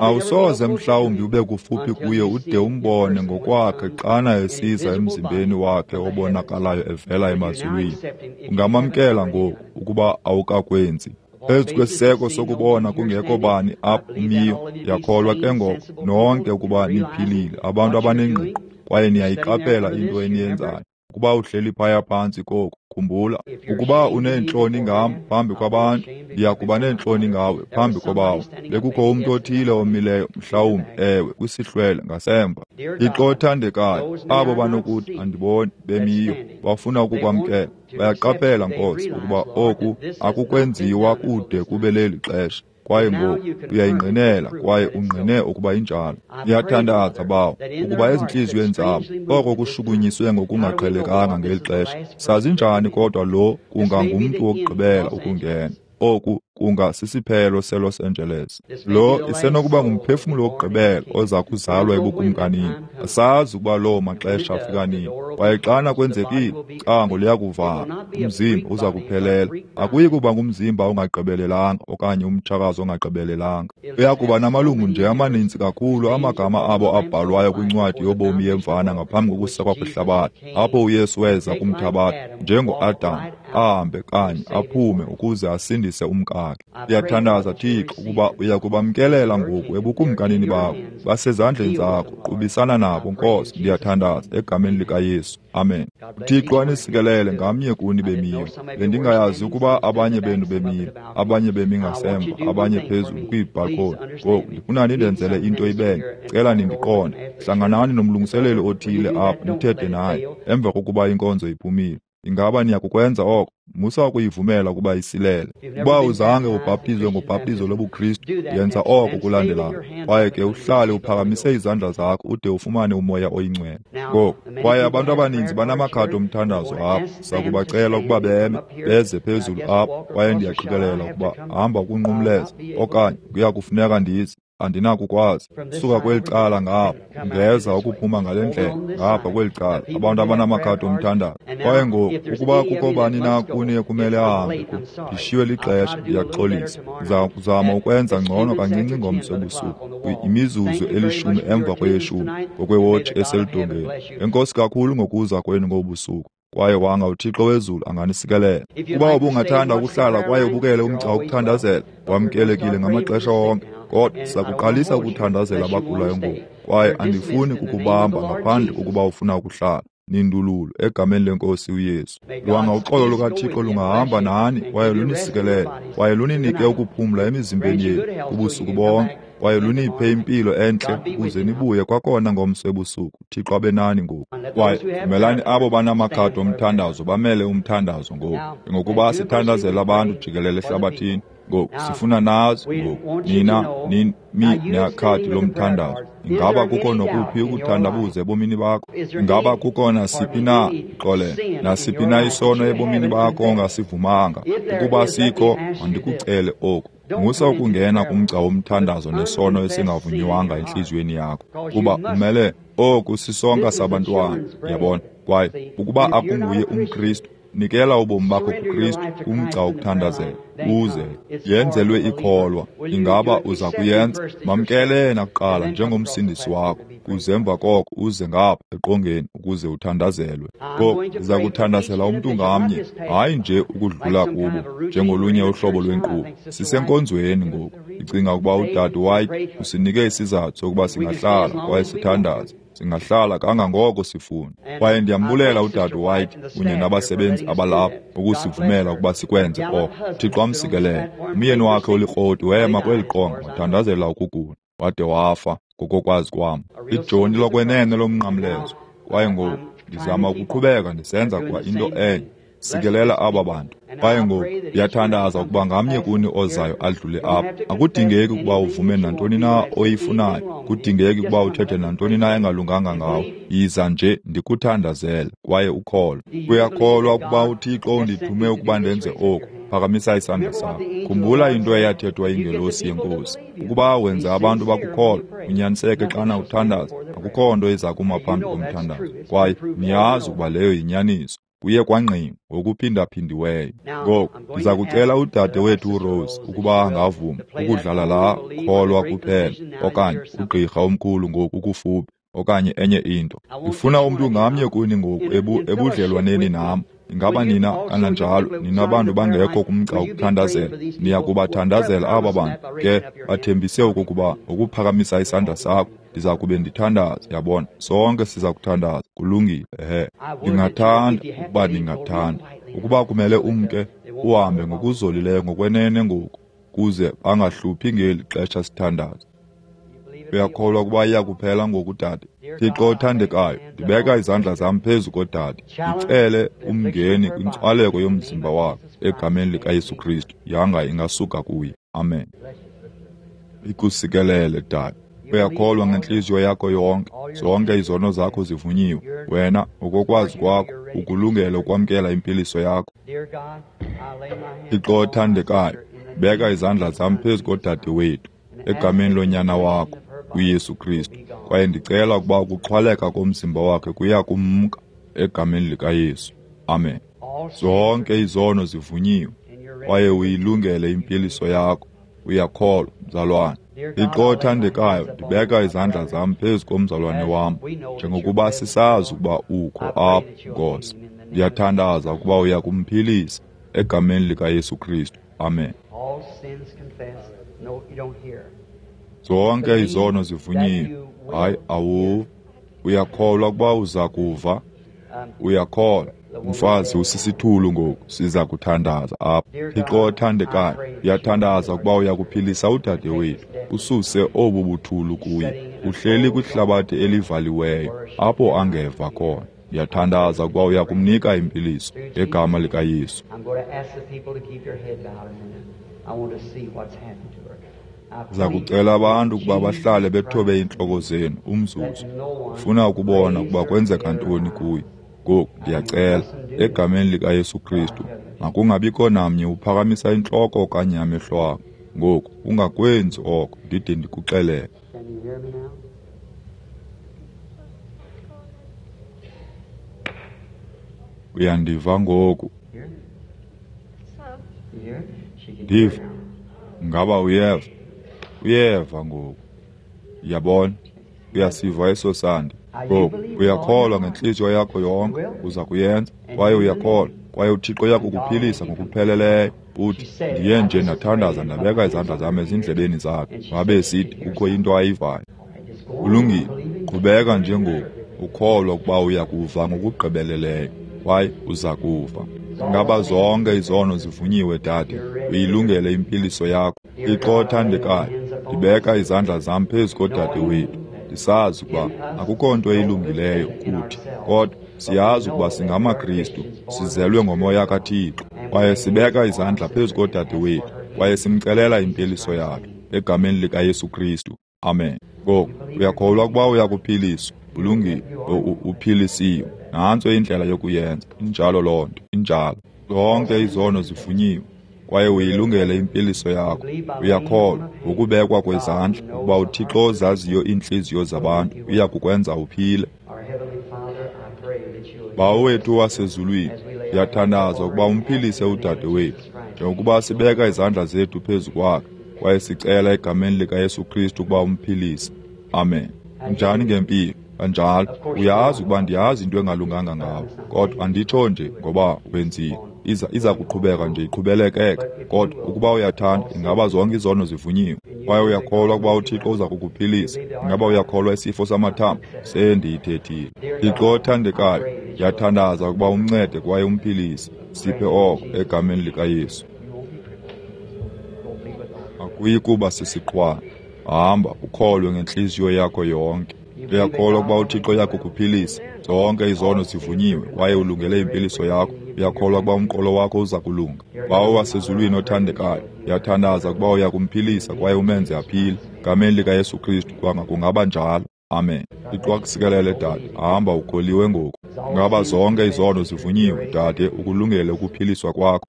Awusoze mhlawumbi ube kufuphi kuye ude umbone ngokwakhe xana esiza emzimbeni wakhe obonakalayo evela emazulwini. Ungamamkela ngoku ukuba awukakwenzi. Phezu kwesiseko sokubona kungekho bani apha umiyo, ndiyakholwa ke ngoko nonke ukuba niphilile, abantu abanengqiqo, kwaye niyayiqaphela into eniyenzayo. Ukuba uhleli phaya phantsi koku, khumbula, ukuba uneentloni ngam phambi kwabantu, ndiya kuba neentloni ngawe phambi kobawo. Bekukho umntu othile omileyo, mhlawumbi, ewe, kwisihlwele ngasemva. Thixo othandekayo, abo banokuthi andiboni bemiyo, bafuna ukukwamkela. Bayaqaphela, Nkosi, ukuba oku akukwenziwa kude kube leli xesha. Kwaye ngoku uyayingqinela kwaye ungqine ukuba injalo. Ndiyathandaza, Bawo, ukuba ezintliziyweni zabo oko kushukunyiswe ngokungaqhelekanga ngeli xesha. Sazi njani kodwa lo kungangumntu wokugqibela ukungena? Oku kunga sisiphelo seLos Angeles. Lo isenokuba ngumphefumlo wokugqibela oza kuzalwa ebukumkanini. Asazi ukuba loo maxesha afika nini. Kwaye xana kwenzekile, icango liyakuvalwa, umzimba uza kuphelela. Akuyi kuba ngumzimba ongagqibelelanga okanye umtshakazi ongagqibelelanga. Uya kuba namalungu nje amaninzi kakhulu amagama abo abhalwayo kwincwadi yobomi yemvana ngaphambi kokusekwa kwehlabathi, apho uYesu weza kumthabatha njengoAdam, ahambe kanye aphume ukuze asindise umkakhe. Ndiyathandaza, Thixo, ukuba uya kubamkelela ngoku ebukumkanini bakho. Basezandleni zakho, qubisana nabo, Nkosi. Ndiyathandaza egameni likaYesu. Amen. UThixo anisikelele ngamnye kuni bemiyo. Bendingayazi ukuba abanye benu bemile, abanye bemi ngasemva, abanye phezulu kwiibhalkoni. Ngoku ndifuna nindenzele into ibenye. Cela nindiqonde. Hlanganani nomlungiseleli othile apha nithethe naye emva kokuba inkonzo iphumile. Ingaba niyakukwenza oko? Musa ukuyivumela ukuba isilele. Ukuba uzange ubhaptizwe ngobhaptizo lobuKristu, yenza oko kulandelayo. Kwaye ke uhlale uphakamise izandla zakho ude ufumane uMoya oyiNgcwele. Ngoku, kwaye abantu abaninzi banamakhadi omthandazo apha. Sakubacela ukuba beme, beze phezulu apha, kwaye ndiyaqikelela ukuba hamba ukunqumleza, okanye kuya kufuneka ndize. Andinakukwazi suka kweli cala ngapha, ungeza ukuphuma ngale ndlela ngapha kweli cala, abantu abanamakhadi omthandazo. Kwaye ngoku, ukuba kukho bani na kuni ekumele ahambe, ndishiywe lixesha, ndiyaxolisa. Ndiza kuzama ukwenza ngcono kancinci ngomso ebusuku, imizuzu 10 emva kweyeshumi ngokwewotshi eseludongeni. Enkosi kakhulu ngokuza kwenu ngobusuku. Kwaye wanga uThixo wezulu anganisikelela. Ukuba ubungathanda ukuhlala kwaye ubukele umgca wokuthandazela, wamkelekile ngamaxesha onke. Kodwa sizakuqalisa ukuthandazela abagulayo ngoku, kwaye andifuni kukubamba ngaphandle kokuba ufuna ukuhlala. Nindululo egameni lenkosi uYesu. Lwanga uxolo lukaThixo lungahamba nani kwaye lunisikelele, kwaye luninike ukuphumla emizimbeni yenu ubusuku bonke, kwaye luniphe impilo entle ukuze nibuye kwakhona ngomso ebusuku. Thixo abe nani ngoku. Kwaye vumelani abo banamakhadi omthandazo bamele umthandazo ngoku, ngokuba sithandazela abantu jikelele ehlabathini. Ngoku sifuna nazi ngoku, nina nimi nekhadi lomthandazo. Ingaba kukho nokuphi ukuthandabuza ebomini bakho? Ingaba kukho nasiphi na, xolele, nasiphi na isono ebomini bakho ongasivumanga? Ukuba sikho, mandikucele oku. Musa ukungena kumgca womthandazo nesono esingavunywanga entliziyweni yakho, kuba umele oku sisonka sabantwana, yabona. Kwaye ukuba akunguye umKristu, nikela ubomi bakho kuKristu kumgca wokuthandazela, uze yenzelwe ikholwa. Ingaba uza kuyenza? Mamkele yena kuqala njengomsindisi wakho, kuze emva koko uze ngapha eqongeni ukuze uthandazelwe. Ngoku ndiza kuthandazela umntu ngamnye, hayi nje ukudlula kubo njengolunye uhlobo lwenkqubo. Sisenkonzweni ngoku. Ndicinga ukuba udade White usinike isizathu sokuba singahlala kwaye sithandaze. Singahlala kangangoko sifuna. Kwaye ndiyambulela udade White kunye nabasebenzi abalapha ukusivumela ukuba sikwenze oko. Thixo amsikelele. Umyeni wakhe olikroti wema kweli qonga wathandazela ukugula, wade wafa ngokokwazi kwam. Ijoni lokwenene lomnqamlezo. Kwaye ngoku ndizama ukuqhubeka ndisenza kwa into enye. Sikelela aba bantu. Kwaye ngoku ndiyathandaza ukuba ngamnye kuni ozayo adlule apha. Akudingeki ukuba uvume nantoni na oyifunayo, kudingeki ukuba uthethe nantoni na engalunganga ngawe. Yiza nje ndikuthandazele kwaye ukholwe. Uyakholwa ukuba uThixo undithume ukuba ndenze oku? Phakamisa isandla sakho. Khumbula into eyathethwa yingelosi yenkosi. Ukuba wenza abantu bakukholwa, unyaniseke xana uthandaza, akukho nto iza kuma phambi komthandazo. Kwaye niyazi ukuba leyo yinyaniso. Kuye kwangqina ngokuphindaphindiweyo. Ngoku ndiza kucela udade wethu uRose ukuba angavuma ukudlala laa kholwa kuphela, okanye ugqirha omkhulu ngoku ukufuphi, okanye enye into. Ndifuna umntu ngamnye kuni ngoku ebudlelwaneni nam. Ingaba nina kananjalo, nina bantu bangekho kumgca wokuthandazela, niya kubathandazela aba bantu? Ke bathembise okokuba ngokuphakamisa isandla sakho Ndiza kube ndithandaza, yabona. Sonke siza kuthandaza. Kulungile, ehe. Ndingathanda ukuba ndingathanda. Ukuba kumele umke, uhambe ngokuzolileyo ngokwenene ngoku, kuze bangahluphi ngeli xesha sithandaza. Uyakholwa ukuba iyakuphela ngoku, dade? Thixo othandekayo, ndibeka izandla zam phezu kodade, ndicele umngeni kwintswaleko yomzimba wakhe egameni likaYesu Kristu. Yanga ingasuka kuye. Amen. Ikusikelele, dade. Uyakholwa ngentliziyo yakho yonke, zonke izono zakho zivunyiwe. Wena, ngokokwazi kwakho, ukulungele ukwamkela impiliso yakho. Thixo othandekayo, beka izandla zam phezu kodade wethu egameni lonyana wakho uYesu Kristu, kwaye ndicela ukuba ukuxhwaleka komzimba wakhe kuya kumka egameni likaYesu. Amen. Zonke izono zivunyiwe, kwaye uyilungele impiliso yakho. Uyakholwa, mzalwane? Thixo othandekayo, ndibeka izandla zam phezu komzalwane wam, njengokuba sisazi ukuba ukho apha, Nkosi. Ndiyathandaza ukuba uya kumphilisa egameni likaYesu Kristu. Amen. Zonke izono zivunyiwe. Hayi, awuva. Uyakholwa ukuba uza kuva? Uyakholwa. Mfazi usisithulu ngoku, siza kuthandaza apha. Thixo othandekayo, ndiyathandaza ukuba uyakuphilisa udade wethu, ususe obu buthulu kuye. Uhleli kwihlabathi elivaliweyo, apho angeva khona. Ndiyathandaza ukuba uyakumnika impiliso ngegama likaYesu. Ndiza kucela abantu ukuba bahlale bethobe iintloko zenu umzuzu. Ndifuna ukubona ukuba kwenzeka ntoni kuye. Ngoku ndiyacela, egameni likaYesu Kristu, makungabikho namnye uphakamisa intloko okanye amehlo akho. Ngoku ungakwenzi oko ndide ndikuxelele. Uyandiva ngoku? Ndiva. Ngaba uyeva? Uyeva ngoku. Uyabona? Uyasiva eso sandi. Ngoku uyakholwa ngentliziyo yakho yonke, uza kuyenza, kwaye uyakholwa, kwaye uThixo uyakukuphilisa ngokupheleleyo. Uthi, ndiye nje ndathandaza ndabeka izandla zam ezindlebeni zakhe, wabe sithi kukho into ayivayo. Kulungile, qhubeka nje ngoku, ukholwa ukuba uya kuva ngokugqibeleleyo, kwaye uza kuva. Ngaba zonke izono zivunyiwe, dade? Uyilungele impiliso yakho. Thixo othandekayo, ndibeka izandla zam phezu kodade wethu. Ndisazi ukuba akukho nto ilungileyo kuthi, kodwa siyazi ukuba singamaKristu, sizelwe ngomoya kaThixo, kwaye sibeka izandla phezu kodade wethu, kwaye simcelela impiliso yakhe egameni likaYesu Kristu. Amen. Ngoku uyakholwa ukuba uyakuphiliswa? Ulungile, uphilisiwe. Nantso indlela yokuyenza. Injalo loo nto, injalo. Zonke izono zivunyiwe, kwaye uyilungele impiliso yakho. Uyakholwa ngokubekwa kwezandla ukuba uThixo ozaziyo iintliziyo zabantu uya kukwenza uphile. Bawo wethu wasezulwini, ndiyathandaza ukuba umphilise udade wethu, njengokuba sibeka izandla zethu phezu kwakhe, kwaye sicela egameni likaYesu Kristu ukuba umphilise. Amen. Njani ngempilo? Kanjalo, uyazi ukuba ndiyazi into engalunganga ngawe, kodwa anditsho nje ngoba wenzile. Iza kuqhubeka nje iqhubelekeka, kodwa ukuba uyathanda, ingaba zonke izono zivunyiwe, kwaye uyakholwa ukuba uThixo uza kukuphilisa. Ingaba uyakholwa isifo samathambo? Sendiyithethile. Thixo othandekayo, ndiyathandaza ukuba umncede kwaye umphilise. Siphe oko egameni likaYesu. Akuyi kuba sisiqhwana. Hamba ukholwe ngentliziyo yakho yonke. Uyakholwa ukuba uThixo uyakukuphilisa? Zonke izono zivunyiwe, kwaye ulungele impiliso yakho. Uyakholwa ukuba umqolo wakho uza kulunga? Bawo wasezulwini othandekayo, ndiyathandaza ukuba uyakumphilisa kwaye umenze aphile. Gameni likaYesu Kristu, kwanga kungaba njalo. Amen. Thixo akusikelele, dade. Hamba ukholiwe ngoku. Ngaba zonke izono zivunyiwe, dade, ukulungele ukuphiliswa kwakho.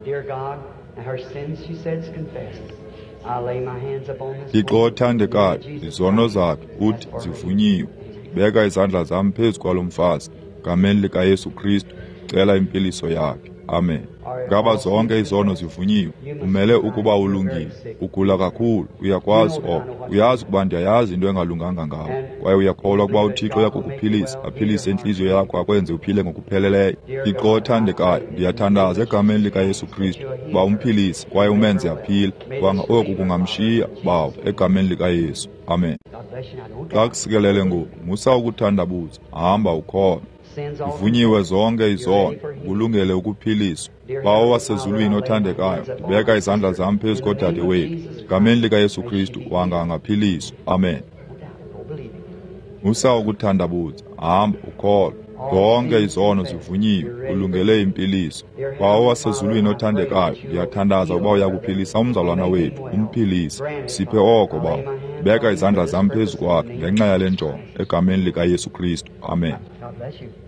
Thixo othandekayo, izono zakhe uthi zivunyiwe. Beka izandla zam phezu kwalo mfazi. Gameni likaYesu Kristu, cela impiliso yakhe. Amen. Ngaba zonke izono zivunyiwe? Umele ukuba ulungile. Ugula kakhulu, uyakwazi oko. Uyazi ukuba ndiyayazi into engalunganga ngawe, kwaye uyakholwa ukuba uThixo uyakukuphilisa, aphilise intliziyo yakho, akwenze uphile ngokupheleleyo. Thixo othandekayo, ndiyathandaza egameni likaYesu Kristu ukuba umphilise kwaye umenze aphile. Kwanga oku kungamshiya, Bawo, egameni likaYesu. Amen. Xa kusikelele ngoku, musa ukuthandabuza, hamba ukholwa. Ivunyiwe zonke izono, ukulungele ukuphiliswa. Bawo wasezulwini othandekayo, ndibeka izandla zam phezu kodade wethu. Egameni likaYesu Kristu, wanga angaphiliswa. Amen. Musa ukuthandabuza, hamba ukholwa. Zonke izono zivunyiwe, ulungele impiliso. Bawo wasezulwini othandekayo, ndiyathandaza ukuba uyakuphilisa umzalwana wethu, umphilise. Siphe oko, Bawo. Beka izandla zam phezu kwakhe ngenxa yale njongo, egameni likaYesu Kristu. Amen.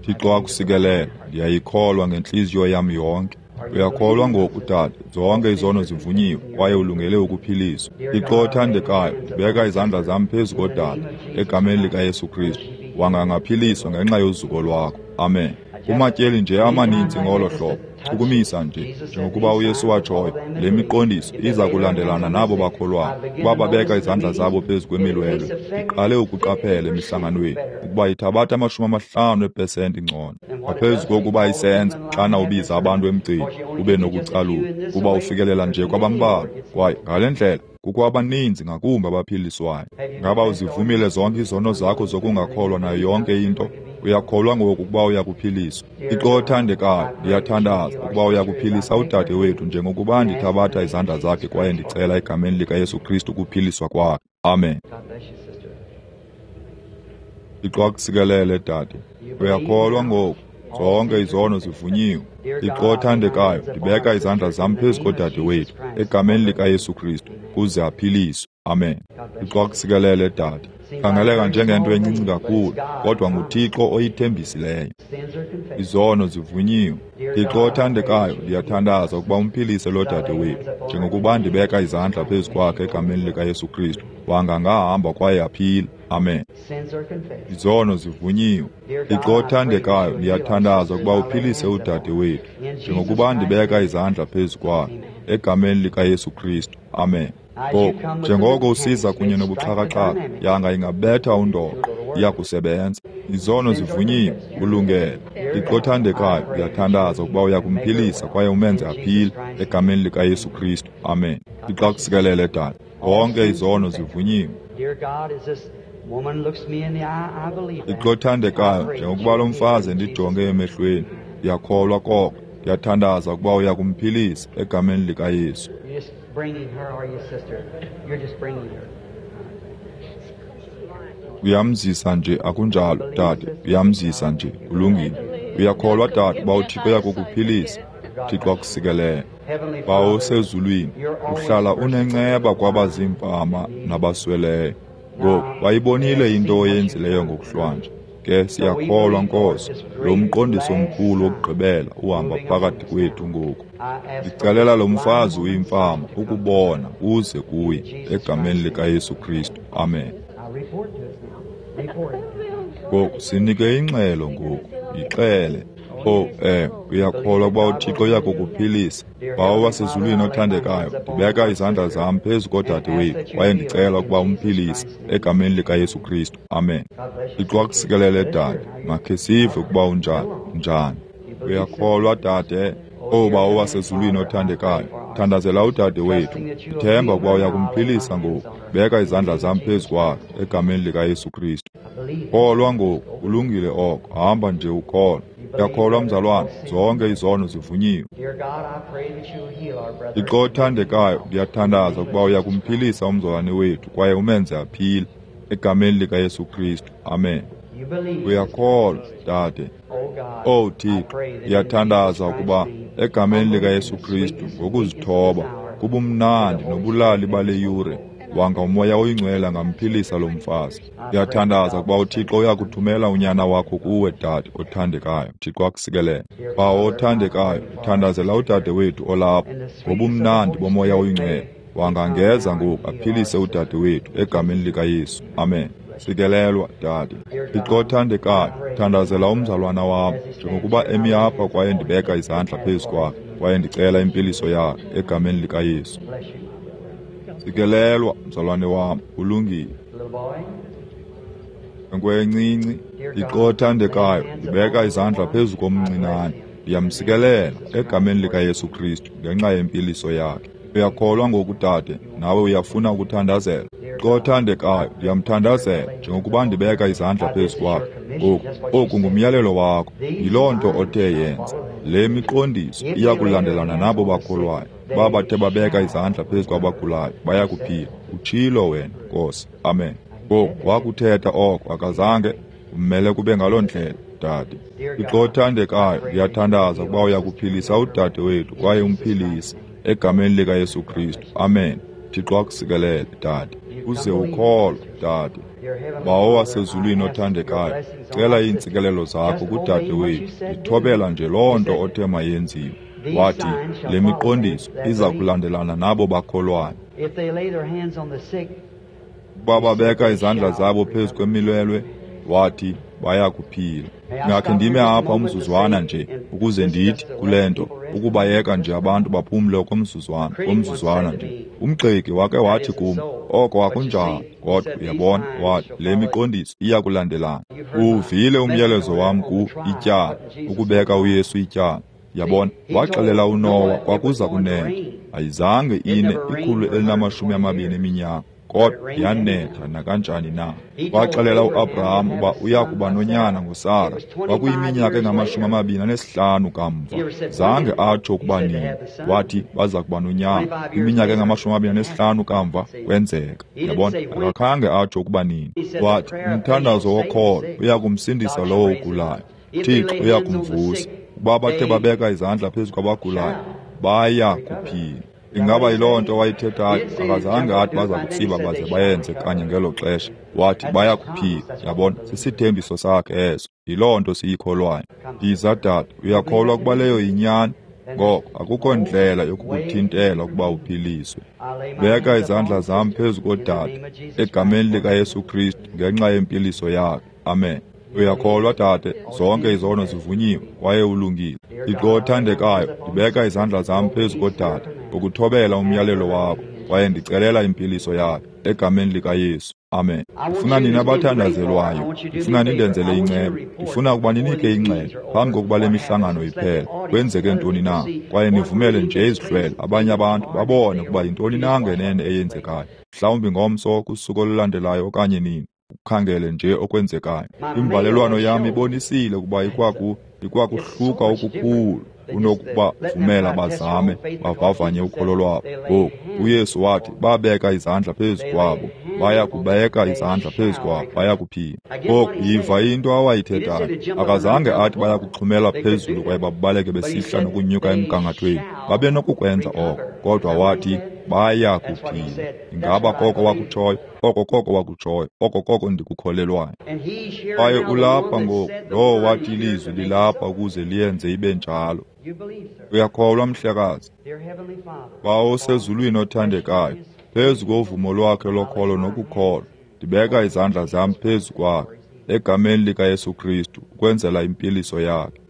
Thixo akusikelele. Ndiyayikholwa ngentliziyo yam yonke. Uyakholwa ngoku, dade? Zonke izono zivunyiwe kwaye ulungele ukuphiliswa. Thixo othandekayo, ndibeka izandla zam phezu kodade egameni likaYesu Kristu. Wanga angaphiliswa ngenxa yozuko lwakho. Amen. Kumatyeli nje amaninzi ngolo hlobo, chukumisa nje, njengokuba uYesu watshoyo, le miqondiso iza kulandelana nabo bakholwayo, ukuba babeka izandla zabo phezu kwemilwelwe. Ndiqale ukuqaphela emihlanganweni ukuba ithabatha 50% ngcono ngaphezu kokuba isenza xana ubiza abantu emgceni ube nokucalula, kuba ufikelela nje kwabambalwa, kwaye ngale ndlela kukho abaninzi ngakumbi abaphiliswayo. Ngaba uzivumile zonke izono zakho zokungakholwa nayo yonke into? Uyakholwa ngoku ukuba uyakuphiliswa? Thixo othandekayo, ndiyathandaza ukuba uyakuphilisa udade wethu njengokuba ndithabatha izandla zakhe kwaye ndicela egameni likaYesu Kristu ukuphiliswa kwakhe. Amen. Thixo akusikelele, dade. Uyakholwa ngoku? Zonke izono zivunyiwe. Thixo othandekayo, ndibeka izandla zam phezu kodade wethu egameni likaYesu Kristu kuze aphiliswe. Amen. Thixo akusikelele, dade. Khangeleka njengento encinci kakhulu, kodwa nguThixo oyithembisileyo. Izono zivunyiwe. Thixo othandekayo, ndiyathandaza ukuba umphilise lo dade wethu njengokuba ndibeka izandla phezu kwakhe egameni likaYesu Kristu. Wanga angahamba kwaye aphile. Amen. Izono zivunyiwe. Thixo othandekayo, ndiyathandaza ukuba uphilise udade wethu njengokuba ndibeka izandla phezu kwakhe egameni likaYesu Kristu. Amen. Ngoku, njengoko usiza kunye nobuxhakaxhaka, yanga ingabetha undoqo, iyakusebenza. Izono zivunyiwe, ulungele. Thixo othandekayo, ndiyathandaza ukuba uyakumphilisa kwaye umenze aphile egameni likaYesu Kristu. Amen. Thixo akusikelele, dade. Zonke izono zivunyiwe. Thixo othandekayo, njengokuba lo mfazi endijonge emehlweni, ndiyakholwa koko. Ndiyathandaza ukuba uyakumphilisa egameni likaYesu. Uyamzisa nje, akunjalo, dade? Uyamzisa nje, ulungile. Uyakholwa, dade, uba uThixo uyakukuphilisa? Thixo akusikelele. Bawo osezulwini, uhlala unenceba kwabaziimfama nabasweleyo. Ngoku wayibonile into oyenzileyo ngokuhlwanje. Ke siyakholwa, Nkosi, lo mqondiso mkhulu wokugqibela uhamba phakathi kwethu ngoku. Ndicelela lo mfazi uyimfama ukubona uze kuye egameni likaYesu Kristu. Amen. Ngoku sinike ingxelo ngoku, yixele. Oh, uyakholwa ukuba uThixo uyakukuphilisa? Bawo wasezulwini othandekayo, ndibeka izandla zam phezu kodade wethu kwaye ndicela ukuba umphilise egameni likaYesu Kristu. Amen. Thixo akusikelele, dade. Makhe sive ukuba unjani. Njani? Uyakholwa, dade? Oh, Bawo wasezulwini othandekayo, thandazela udade wethu. Ndithemba ukuba uyakumphilisa ngoku. Beka izandla zam phezu kwakhe egameni likaYesu Kristu. Kholwa ngoku, kulungile oko. Hamba nje ukholwa. Uyakholwa, mzalwana? Zonke izono zivunyiwe. Thixo othandekayo, ndiyathandaza ukuba uyakumphilisa umzalwane wethu kwaye umenze aphile egameni likaYesu Kristu. Amen. Uyakholwa, dade? Owu Thixo, ndiyathandaza ukuba egameni likaYesu Kristu, ngokuzithoba, kubumnandi nobulali bale yure, wanga uMoya oyiNgcwele angamphilisa lo mfazi. Ndiyathandaza ukuba uThixo uyakuthumela unyana wakho kuwe, dade othandekayo. Thixo akusikelele. Bawo othandekayo, ndithandazela udade wethu olapha ngobumnandi boMoya oyiNgcwele. Wangangeza ngoku aphilise udade wethu egameni likaYesu. Amen. Sikelelwa, dade. Thixo othandekayo, thandazela umzalwana wam njengokuba emi apha kwaye ndibeka izandla phezu kwakhe kwaye ndicela impiliso yakhe egameni likaYesu. Sikelelwa, mzalwane wam, ulungile. Nkwe encinci, Thixo othandekayo, ndibeka izandla phezu komncinane. Ndiyamsikelela egameni likaYesu Kristu ngenxa yempiliso yakhe. Uyakholwa ngoku, dade? Nawe uyafuna ukuthandazela? Thixo othandekayo, ndiyamthandazela njengokuba ndibeka izandla phezu kwakhe. Ngoku, oku ngumyalelo wakho. Yiloo nto othe yenza. Le miqondiso iya kulandelana nabo bakholwayo. Babathe babeka izandla phezu kwabagulayo, baya kuphila. Utshilo wena, Nkosi. Amen. Ngoku wakuthetha oko, akazange? Kumele kube ngaloo ndlela, dade. Thixo othandekayo, ndiyathandaza ukuba uyakuphilisa udade wethu kwaye umphilise egameni likaYesu Kristu. Amen. Thixo akusikelele, dade. Uze ukholwe, dade. Bawo wasezulwini othandekayo, cela iintsikelelo zakho kudade wethu. Ndithobela nje loo nto othe mayenziwe. Wathi, le miqondiso iza kulandelana nabo bakholwayo. Ukuba babeka izandla zabo phezu kwemilwelwe, wathi, baya kuphila. Ndingakhe ndime apha umzuzwana nje ukuze ndithi kule nto, ukubayeka nje abantu baphumle okomzuzwana nje. Umgxeki wake wathi kum, oko akunjalo, kodwa uyabona, wathi, le miqondiso iya kulandelana. Uwuvile umyalezo wam ku ityala, ukubeka uYesu ityala. Yabona, waxelela uNowa kwakuza kunetha. Ayizange ine 120 eminyaka, kodwa yanetha nakanjani na. Waxelela uAbraham uba uya kuba nonyana ngoSara. Kwakuyiminyaka engama-25 kamva. Zange atsho ukuba nini. Wathi baza kuba nonyana. Iminyaka engama-25 kamva kwenzeka. Yabona, akakhange atsho ukuba nini. Wathi umthandazo wokholo uya kumsindisa lowo ugulayo. Thixo uya kumvusa. Ukuba bathe babeka izandla phezu kwabagulayo, baya kuphila. Ingaba yiloo nto wayithethayo? Akazange athi baza kutsiba baze bayenze kanye ngelo xesha. Wathi baya kuphila. Yabona, sisithembiso sakhe eso. Yiloo nto siyikholwayo. Yiza, dade, uyakholwa ukuba leyo yinyani? Ngoko akukho ndlela yokukuthintela ukuba uphiliswe. Beka izandla zam phezu kodade egameni likaYesu Kristu ngenxa yempiliso yakhe. Amen. Uyakholwa, dade? Zonke izono zivunyiwe kwaye ulungile. Thixo othandekayo, ndibeka izandla zam phezu kodade ukuthobela umyalelo wakho kwaye ndicelela impiliso yakhe egameni likaYesu. Amen. Ndifuna nina abathandazelwayo, ndifuna nindenzele inceba, ndifuna ukuba ninike ingxelo phambi kokuba le mihlangano iphele. Kwenzeke ntoni na? Kwaye nivumele nje izihlwele, abanye abantu babone ukuba yintoni na ngenene eyenzekayo. Mhlawumbi ngomso, kusuku olulandelayo okanye nini. Ukhangele nje okwenzekayo. Imbalelwano yam ibonisile ukuba ikwakuhluka okukhulu kunokuba vumela bazame bavavanye ukholo lwabo. Ngoku uYesu wathi babeka izandla phezu kwabo, baya kubeka izandla phezu kwabo, baya kuphila. Ngoku yiva into awayithethayo. Akazange athi baya kuxhumela phezulu kwaye babaleke besihla nokunyuka emgangathweni. Babenokukwenza oko, kodwa wathi baya kuphila. Ingaba koko wakutshoyo? Oko koko wakutshoyo. Oko koko ndikukholelwayo. Kwaye ulapha ngoku, lowo wathi ilizwi lilapha ukuze liyenze ibe njalo. Uyakholwa, mhlekazi? Bawo osezulwini othandekayo, phezu kovumo lwakhe lokholo nokukholwa, ndibeka izandla zam phezu kwakhe egameni likaYesu Kristu ukwenzela impiliso yakhe.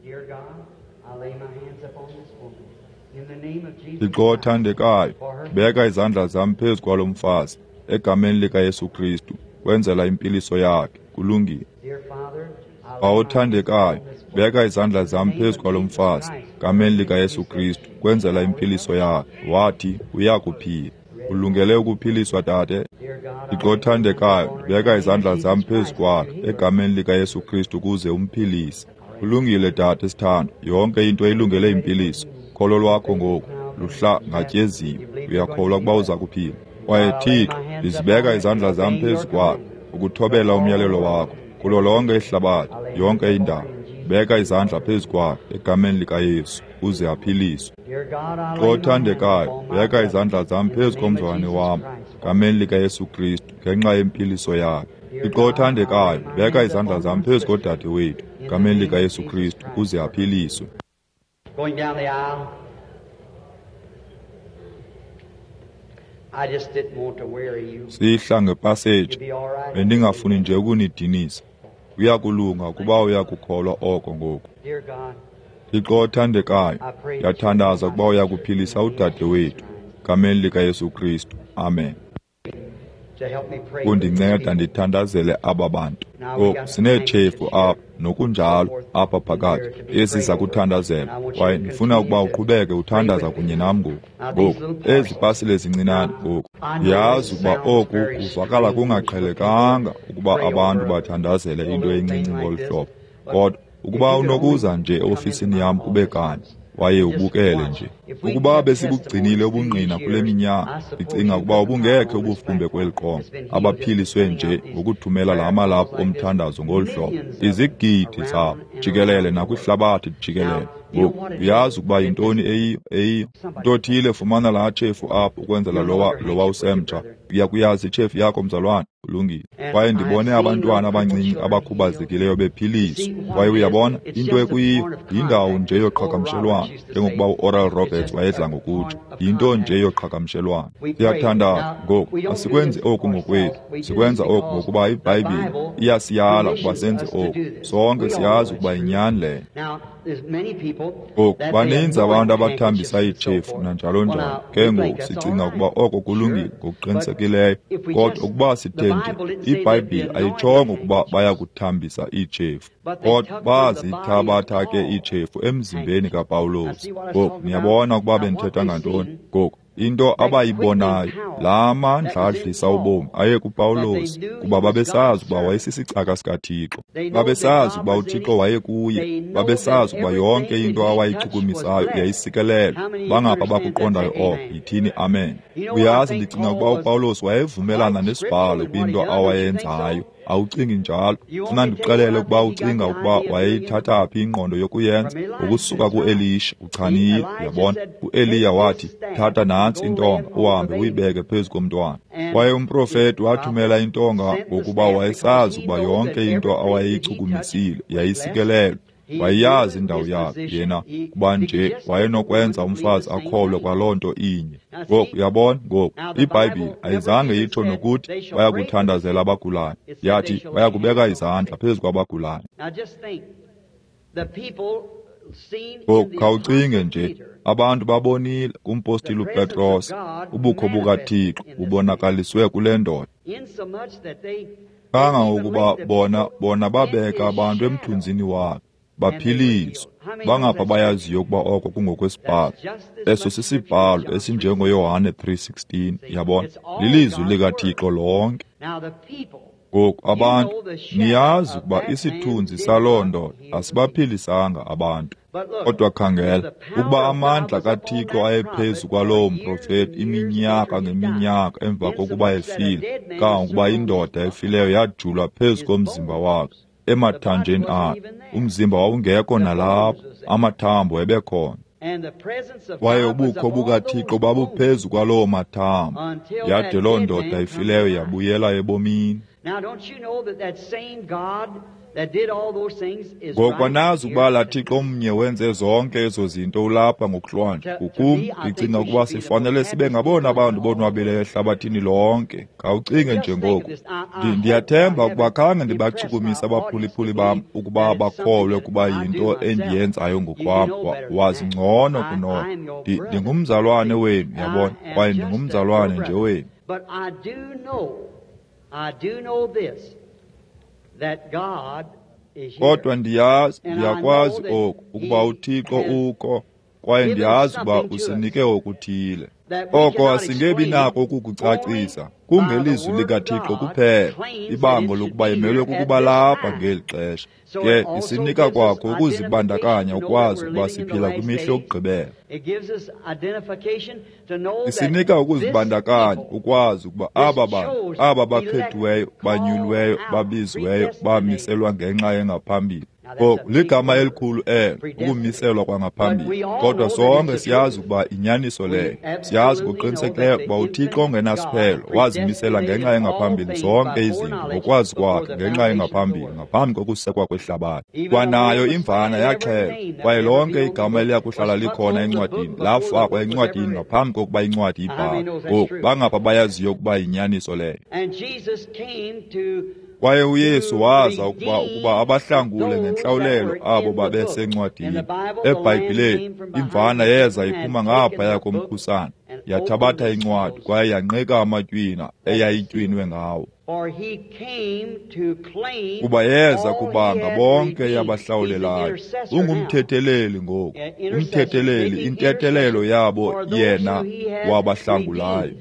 Thixo othandekayo, ndibeka izandla zam phezu kwalo mfazi egameni likaYesu Kristu kwenzela impiliso yakhe. Kulungile. Bawo othandekayo, beka izandla zam phezu kwalo mfazi gameni likaYesu Kristu kwenzela impiliso yakhe. Wathi uya kuphila. Ulungele ukuphiliswa, dade? Thixo othandekayo, beka izandla zam phezu kwakhe egameni likaYesu Kristu ukuze umphilise. Ulungile, dade sithando. Yonke into ilungele impiliso. Kholo lwakho ngoku luhlangatyeziwe. Uyakholwa ukuba uza kuphila? Kwaye Thixo, ndizibeka izandla zam phezu kwakhe ukuthobela umyalelo wakho kulo lonke ihlabathi, yonke indawo. Beka izandla phezu kwakhe egameni likaYesu uze aphiliswe. Thixo othandekayo, beka izandla zam phezu komzalwane wam egameni likaYesu Kristu ngenxa yempiliso yakhe. Thixo othandekayo, beka izandla zam phezu kodade wethu egameni likaYesu Kristu ukuze aphiliswe. Going down the aisle. Sihla ngepaseji, bendingafuni nje ukunidinisa. Kuyakulunga ukuba uyakukholwa oko ngoku. Thixo othandekayo, ndiyathandaza ukuba uyakuphilisa udade wethu. Gameni likaYesu Kristu. Amen. Kundinceda ndithandazele aba bantu. Ngoku sineetshefu apha nokunjalo apha phakathi esiza kuthandazela, kwaye ndifuna ukuba uqhubeke uthandaza kunye nam ngoku. Ngoku ezi pasile zincinane ngoku, ndiyazi ukuba oku kuvakala kungaqhelekanga ukuba abantu bathandazele into encinci ngolu hlobo, kodwa ukuba unokuza nje eofisini yam kube kanye waye ubukele nje. Ukuba besibugcinile ubungqina kule minyaka, ndicinga ukuba ubungekhe ubufumbe kweli qonga, abaphiliswe nje ngokuthumela la malaphu omthandazo ngolu hlobo, izigidi zabo jikelele nakwihlabathi jikelele. Ngoku uyazi ukuba yintoni eyiyo eyiyo ntothile. Fumana laa tshefu apho ukwenzela lowa usemtsha. Uya kuyazi itshefu yakho, mzalwane. Kulungile. Kwaye ndibone abantwana abancinci abakhubazekileyo bephiliswa. Kwaye uyabona into ekuyiyo yindawo nje yoqhagamshelwano, njengokuba uOral Roberts wayedla ngokutsho, yinto nje yoqhagamshelwano. Siyathandaza ngoku. Asikwenzi oku ngokwethu, sikwenza oku ngokuba iBhayibhile iyasiyala ukuba senze oku. Sonke siyazi ukuba yinyani leyo. Ngoku baninzi abantu abathambisa iitshefu nanjalo njalo. Ke ngoku sicinga ukuba oko kulungile ngokuqinisekileyo, kodwa ukuba sithe nje, iBhayibhile ayitshongo ukuba bayakuthambisa iitshefu, kodwa bazithabatha ke iitshefu emzimbeni kaPawulos. Ngoku niyabona ukuba bendithetha ngantoni. Ngoku into abayibonayo, laa mandla adlisa ubomi aye kuPawulos, kuba babesazi ukuba wayesisicaka sikaThixo, babesazi ukuba uThixo wayekuye, babesazi ukuba yonke into awayichukumisayo yayisikelelwa. Bangapha bakuqondayo oko, yithini amen. Uyazi, ndicinga ukuba uPawulos wayevumelana nesibhalo kwinto awayenzayo. Awucingi njalo? Funa ndikuxelele ukuba ucinga ukuba wayeyithatha phi ingqondo yokuyenza. Ngokusuka kuElisha. Uchanile, uyabona. UEliya wathi, thatha nantsi intonga uhambe uyibeke phezu komntwana. Kwaye umprofeti wathumela intonga ngokuba wayesazi ukuba yonke into awayeyichukumisile yayisikelelwe. Wayeyazi indawo yakhe yena, kuba nje wayenokwenza umfazi akholwe kwaloo nto inye. Ngoku uyabona, ngoku iBhayibhile ayizange itsho nokuthi bayakuthandazela abagulayo, yathi bayakubeka izandla phezu kwabagulayo. Ngoku khawucinge nje, abantu babonile kumpostile uPetros ubukho bukaThixo bubonakaliswe kule ndoda, kangangokuba bona babeka abantu emthunzini wakhe baphiliswa. Bangapha bayaziyo ukuba oko kungokwesibhalo. Eso sisibhalo esinjengoYohane 3:16, yabona, lilizwi likaThixo lonke. Ngoku abantu, niyazi ukuba isithunzi saloo ndoda asibaphilisanga abantu. Kodwa khangela, ukuba amandla kaThixo ayephezu kwaloo mprofeti iminyaka ngeminyaka emva kokuba efile, kangangokuba indoda efileyo yajulwa phezu komzimba wakhe, emathanjeni akhe. Umzimba wawungekho nalapho, amathambo ebekhona. Kwaye ubukho bukaThixo babuphezu kwaloo mathambo, yade loo ndoda ifileyo yabuyela ebomini. Ngoku anazi ukuba laa Thixo mnye wenze zonke ezo zinto ulapha ngokuhlwanje. Ngokum ndicinga ukuba sifanele sibe ngabona bantu bonwabileyo ehlabathini lonke. Khawucinge nje ngoku. Ndiyathemba ukuba khange ndibachukumise abaphulaphuli bam ukuba bakholwe ukuba yinto endiyenzayo ngokwam. Wazi ngcono kunoko. Ndingumzalwane wenu, yabona, kwaye ndingumzalwane nje wenu. Kodwa ndiyazi, ndiyakwazi oku, ukuba uThixo ukho, kwaye ndiyazi ukuba usinike okuthile. Oko asingebi nako ukukucacisa, kungelizwi likaThixo kuphela, ibango lokuba imelwe kukuba lapha ngeli xesha. Ke isinika kwakho ukuzibandakanya ukwazi ukuba siphila kwimihla yokugqibela. Isinika ukuzibandakanya ukwazi ukuba aba bantu, aba bakhethiweyo, banyulweyo, babiziweyo, bamiselwa ngenxa engaphambili. Ngoku ligama elikhulu elo, ukumiselwa kwangaphambili. Kodwa sonke siyazi ukuba inyaniso leyo. Siyazi ngokuqinisekileyo ukuba uThixo ongenasiphelo wazimisela ngenxa engaphambili zonke izinto ngokwazi kwakhe ngenxa engaphambili ngaphambi kokusekwa kwehlabathi. Kwanayo imvana yaxhelwa, kwaye lonke igama eliya kuhlala likhona encwadini lafakwa encwadini ngaphambi kokuba incwadi ibhalwe. Ngoku bangapha bayaziyo ukuba yinyaniso leyo. Kwaye uYesu waza ukuba abahlangule ngentlawulelo abo babesencwadini. EBhayibhileni, imvana yeza iphuma ngaphaya komkhusane, yathabatha incwadi kwaye yanqika amatywina eyayitywinwe ngawo. Kuba yeza kubanga bonke yabahlawulelayo. Ungumthetheleli ngoku, umthetheleli, intethelelo yabo yena wabahlangulayo.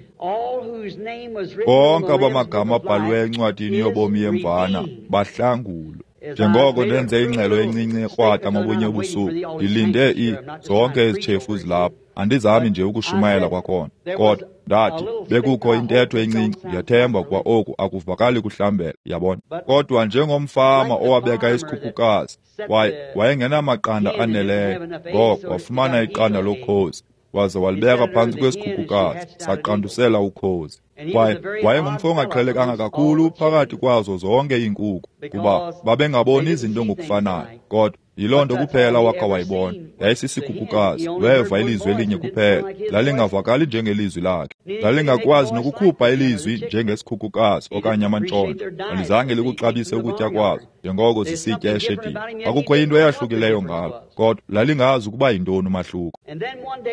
Bonke abamagama abhaliweyo encwadini yobomi yemvana bahlangulwe. Njengoko ndenze ingxelo encinci ekrwada ngobunye ubusuku, ndilinde zonke ezitshefu zilapha. Andizami nje ukushumayela kwakhona, kodwa ndathi bekukho intetho encinci. Ndiyathemba ukuba oku akuvakali kuhlambela, yabona. Kodwa njengomfama owabeka isikhukhukazi, kwaye wayengenamaqanda aneleyo, ngoko wafumana iqanda lokhozi waze walibeka phantsi kwesikhukhukazi, saqandusela ukhozi. Kwaye wayengumfo ongaqhelekanga kakhulu phakathi kwazo zonke iinkukhu, kuba babengaboni izinto ngokufanayo. Kodwa yiloo nto kuphela wakha wayibona, yayisisikhukhukazi. Weva ilizwi elinye kuphela, lalingavakali njengelizwi lakhe, lalingakwazi nokukhupha ilizwi njengesikhukhukazi okanye amantshontsho. Alizange likuxabise ukutya kwazo njengoko zisitya eshedini. Kwakukho into eyahlukileyo ngalo, kodwa lalingazi ukuba yintoni umahluko.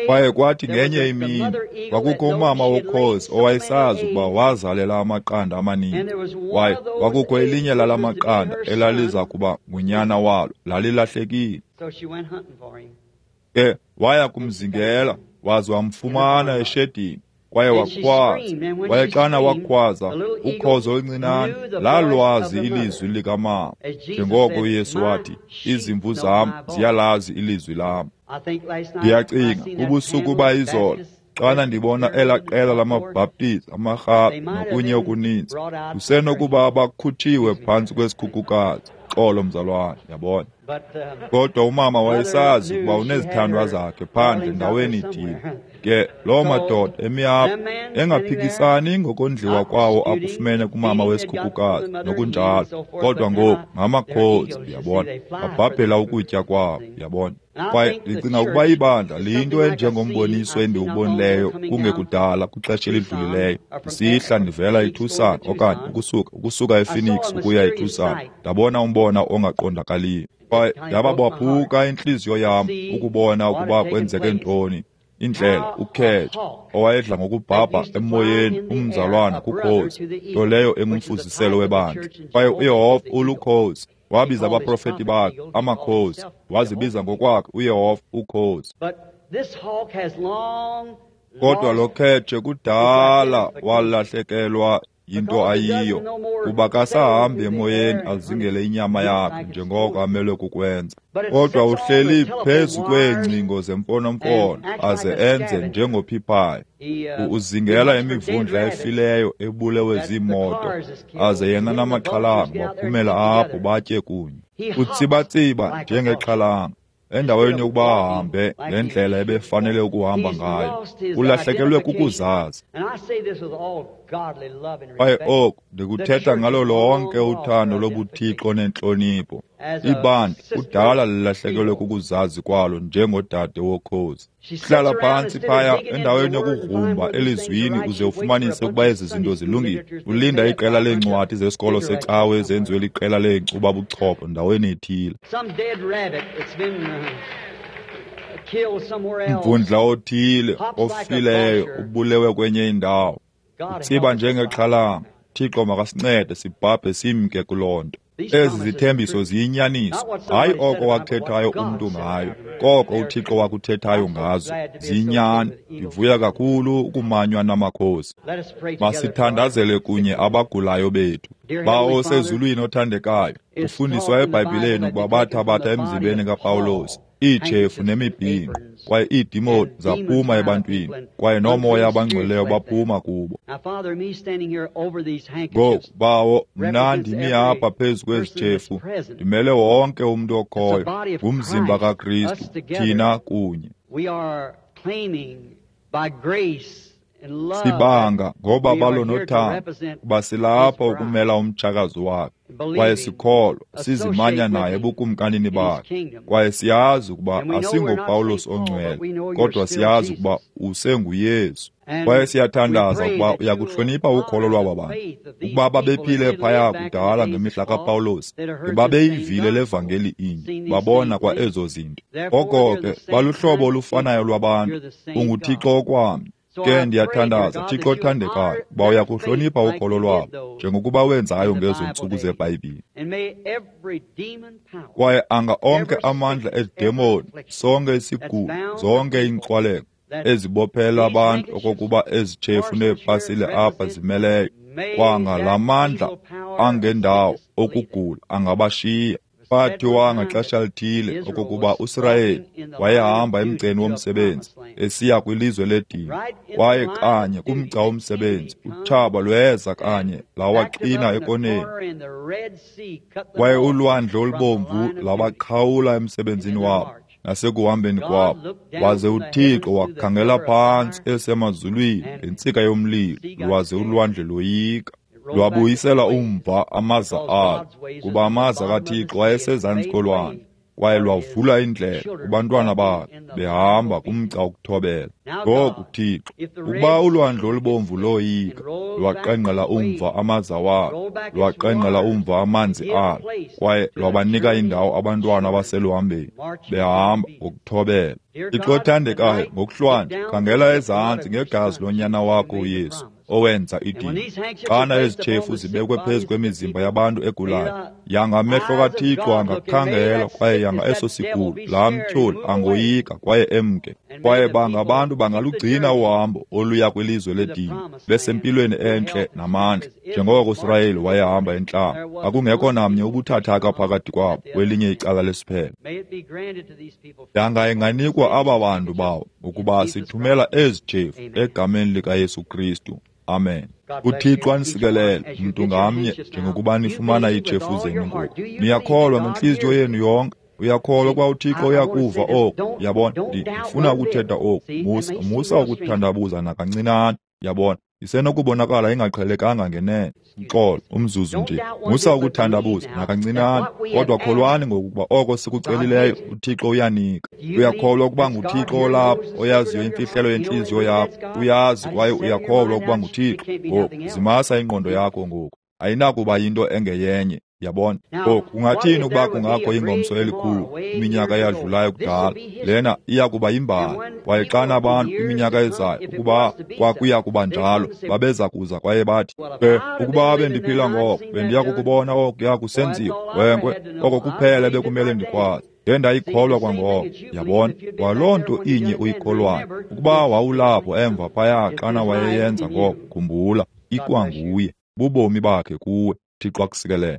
Kwaye kwathi ngenye imini kwakukho umama wokhozi owayesazi ukuba wazalela amaqanda amaninzi, kwaye kwakukho elinye lala maqanda elaliza kuba ngunyana walo, lalilahlekile. Ke waya kumzingela waze wamfumana eshedini, kwaye wakhwaza. Kwaye xana wakhwaza, ukhozi oluncinane lalwazi ilizwi likamama, njengoko uYesu wathi, izimvu zam ziyalazi ilizwi lam. Ndiyacinga ubusuku bayizolo xana ndibona elaa qela lamaBhaptizi, amarhabe nokunye okuninzi, kusenokuba abakhutshiwe phantsi kwesikhukhukazi. Xolo mzalwane, yabona. Kodwa umama wayesazi ukuba unezithandwa zakhe phandle ndaweni ithile. Ke loo madoda emi apho engaphikisani ngokondliwa kwawo akufumene kumama wesikhukhukazi nokunjalo, kodwa ngoku ngamakhozi, uyabona, babhabhela ukutya kwabo, uyabona. Kwaye ndicinga ukuba ibandla liyinto enjengomboniso endiwubonileyo kungekudala kwixesha elidlulileyo, ndisihla ndivela eTucson okanye ukusuka ePhoenix ukuya eTucson, ndabona umbona ongaqondakaliyo. Kwaye yababaphuka intliziyo yam ukubona ukuba kwenzeke ntoni. Indlela ukhetshe owayedla ngokubhabha emoyeni umzalwana kukhozi, nto leyo engumfuziselo webandla. Kwaye uYehova ulukhozi, wabiza abaprofeti bakhe amakhozi, wazibiza ngokwakhe uYehova ukhozi. Kodwa lo khetshe kudala walahlekelwa yinto ayiyo, kuba kasahambi emoyeni azingele inyama yakhe njengoko amelwe kukwenza. Kodwa uhleli phezu kweengcingo zemfonomfono aze enze njengophiphayo. Uzingela imivundla efileyo ebulewe ziimoto, aze yena namaxhalanga baphumela apho batye kunye. Utsibatsiba njengexhalanga endaweni yokuba ahambe ngendlela ebefanele ukuhamba ngayo. Ulahlekelwe kukuzazi. Kwaye oku ndikuthetha ngalo lonke uthando lobuthixo nentlonipho. Ibandla kudala lilahlekelwe kukuzazi kwalo njengodade wokhozi. Hlala phantsi phaya endaweni yokugrumba elizwini uze ufumanise ukuba ezi zinto zilungile. Ulinda iqela leencwadi zesikolo secawe ezenziwe liqela leenkcuba-buchopho ndaweni ethile. Umvundla othile ofileyo ubulewe kwenye indawo. Utsiba njengexhalanga. Thixo makasincede sibhabhe simke kuloo nto. Ezi zithembiso ziyinyaniso, hayi oko wakuthethayo umntu ngayo, koko uThixo wakuthethayo ngazo. Ziyinyani. Ndivuya kakhulu ukumanywa namakhosi. Masithandazele kunye abagulayo bethu. Bawo osezulwini othandekayo, ufundiswa eBhayibhileni ukuba bathabatha emzimbeni kaPawulos, iitshefu nemibhinqo, kwaye iidemoni zaphuma ebantwini, kwaye noomoya abangcweleyo baphuma kubo. Ngoku, Bawo, mna ndimi apha phezu kwezi tshefu, ndimele wonke umntu okhoyo, ngumzimba kaKristu, thina kunye. Sibanga ngobabalo nothando, kuba silapha ukumela umtshakazi wakhe, kwaye sikholwa sizimanya naye ebukumkanini bakhe, kwaye siyazi ukuba asingoPawulos ongcwele, kodwa siyazi ukuba usenguYesu. Kwaye siyathandaza ukuba uyakuhlonipha ukholo lwaba bantu, ukuba babephile phaya kudala ngemihla kaPawulos, ngebabeyivile le vangeli inye, babona kwa ezo zinto. Oko ke baluhlobo olufanayo lwabantu, unguThixo okwamnye. Ke ndiyathandaza, Thixo othandekayo, uba uyakuhlonipha ukholo lwabo, njengokuba wenzayo ngezo ntsuku zeBhayibhile. Kwaye anga onke amandla edemoni, sonke isigulo, zonke iinkxwaleko ezibophela abantu okokuba ezitshefu neepasile apha zimeleyo, kwanga la mandla angendawo okugula angabashiya. Kwathiwa ngaxesha lithile okokuba uSirayeli wayehamba emgceni womsebenzi esiya kwilizwe ledini, kwaye kanye kumgca womsebenzi utshaba lweza kanye lawaqina ekoneni, kwaye ulwandle olubomvu labaqhawula emsebenzini wabo nasekuhambeni kwabo. Waze uThixo wakhangela phantsi esemazulwini ngentsika yomlilo, lwaze ulwandle loyika. Lwabuyisela umva amaza alo, kuba amaza kaThixo ayesezantsi kolwandle, kwaye lwavula indlela kubantwana bakhe behamba kumgca wokuthobela. Ngoku Thixo, ukuba ulwandle olubomvu loyika, lwaqengqela umva amaza walo, lwaqengqela umva amanzi alo, kwaye lwabanika indawo abantwana abaseluhambeni behamba ngokuthobela. Thixo othandekayo, ngokuhlwanje khangela ezantsi ngegazi lonyana wakho uYesu, owenza idini. Xana ezi tshefu zibekwe phezu kwemizimba yabantu egulayo, yanga amehlo kaThixo angakhangela, kwaye yanga eso sigulo, laa mtyholi angoyika kwaye emke. Kwaye banga abantu bangalugcina uhambo oluya kwilizwe ledini, besempilweni entle namandla, njengoko uSirayeli wayehamba entlango. Akungekho namnye ubuthathaka phakathi kwabo kwelinye icala lesiphelo. Yanga inganikwa aba bantu bawo, ukuba sithumela ezi tshefu egameni likaYesu Kristu. Amen. UThixo anisikelele mntu ngamnye njengokuba nifumana iitshefu zenu ngoku. Niyakholwa ngentliziyo yenu yonke. Uyakholwa ukuba uThixo uyakuva oku. Yabona, ndifuna ukuthetha oku. Musa ukuthandabuza nakancinane. Yabona, isenokubonakala ingaqhelekanga ngenene. Uxolo, umzuzu nje. Musa ukuthandabuza nakancinane, kodwa kholwani ngokuba oko sikucelileyo uThixo uyanika. Uyakholwa ukuba nguThixo olapho, oyaziyo imfihlelo yentliziyo yakho. Uyazi kwaye uyakholwa ukuba nguThixo. Ngoku zimasa ingqondo yakho ngoku. Ayinakuba yinto engeyenye. Yabona, ngoku kungathini ukuba kungakho ingomso elikhulu iminyaka eyadlulayo kudala? Lena iya kuba yimbali. Kwaye xana abantu kwiminyaka ezayo, ukuba kwakuya kuba njalo, babeza kuza kwaye bathi, ke ukuba bendiphila ngoko, bendiya kukubona okuya kusenziwa. Wenkwe, oko kuphela bekumele ndikwazi. Ndendayikholwa kwangoko. Yabona, kwaloo nto inye uyikholwayo, ukuba wawulapho emva phaya xana wayeyenza ngoko, khumbula, ikwanguye, bubomi bakhe kuwe. Thixo akusikelele.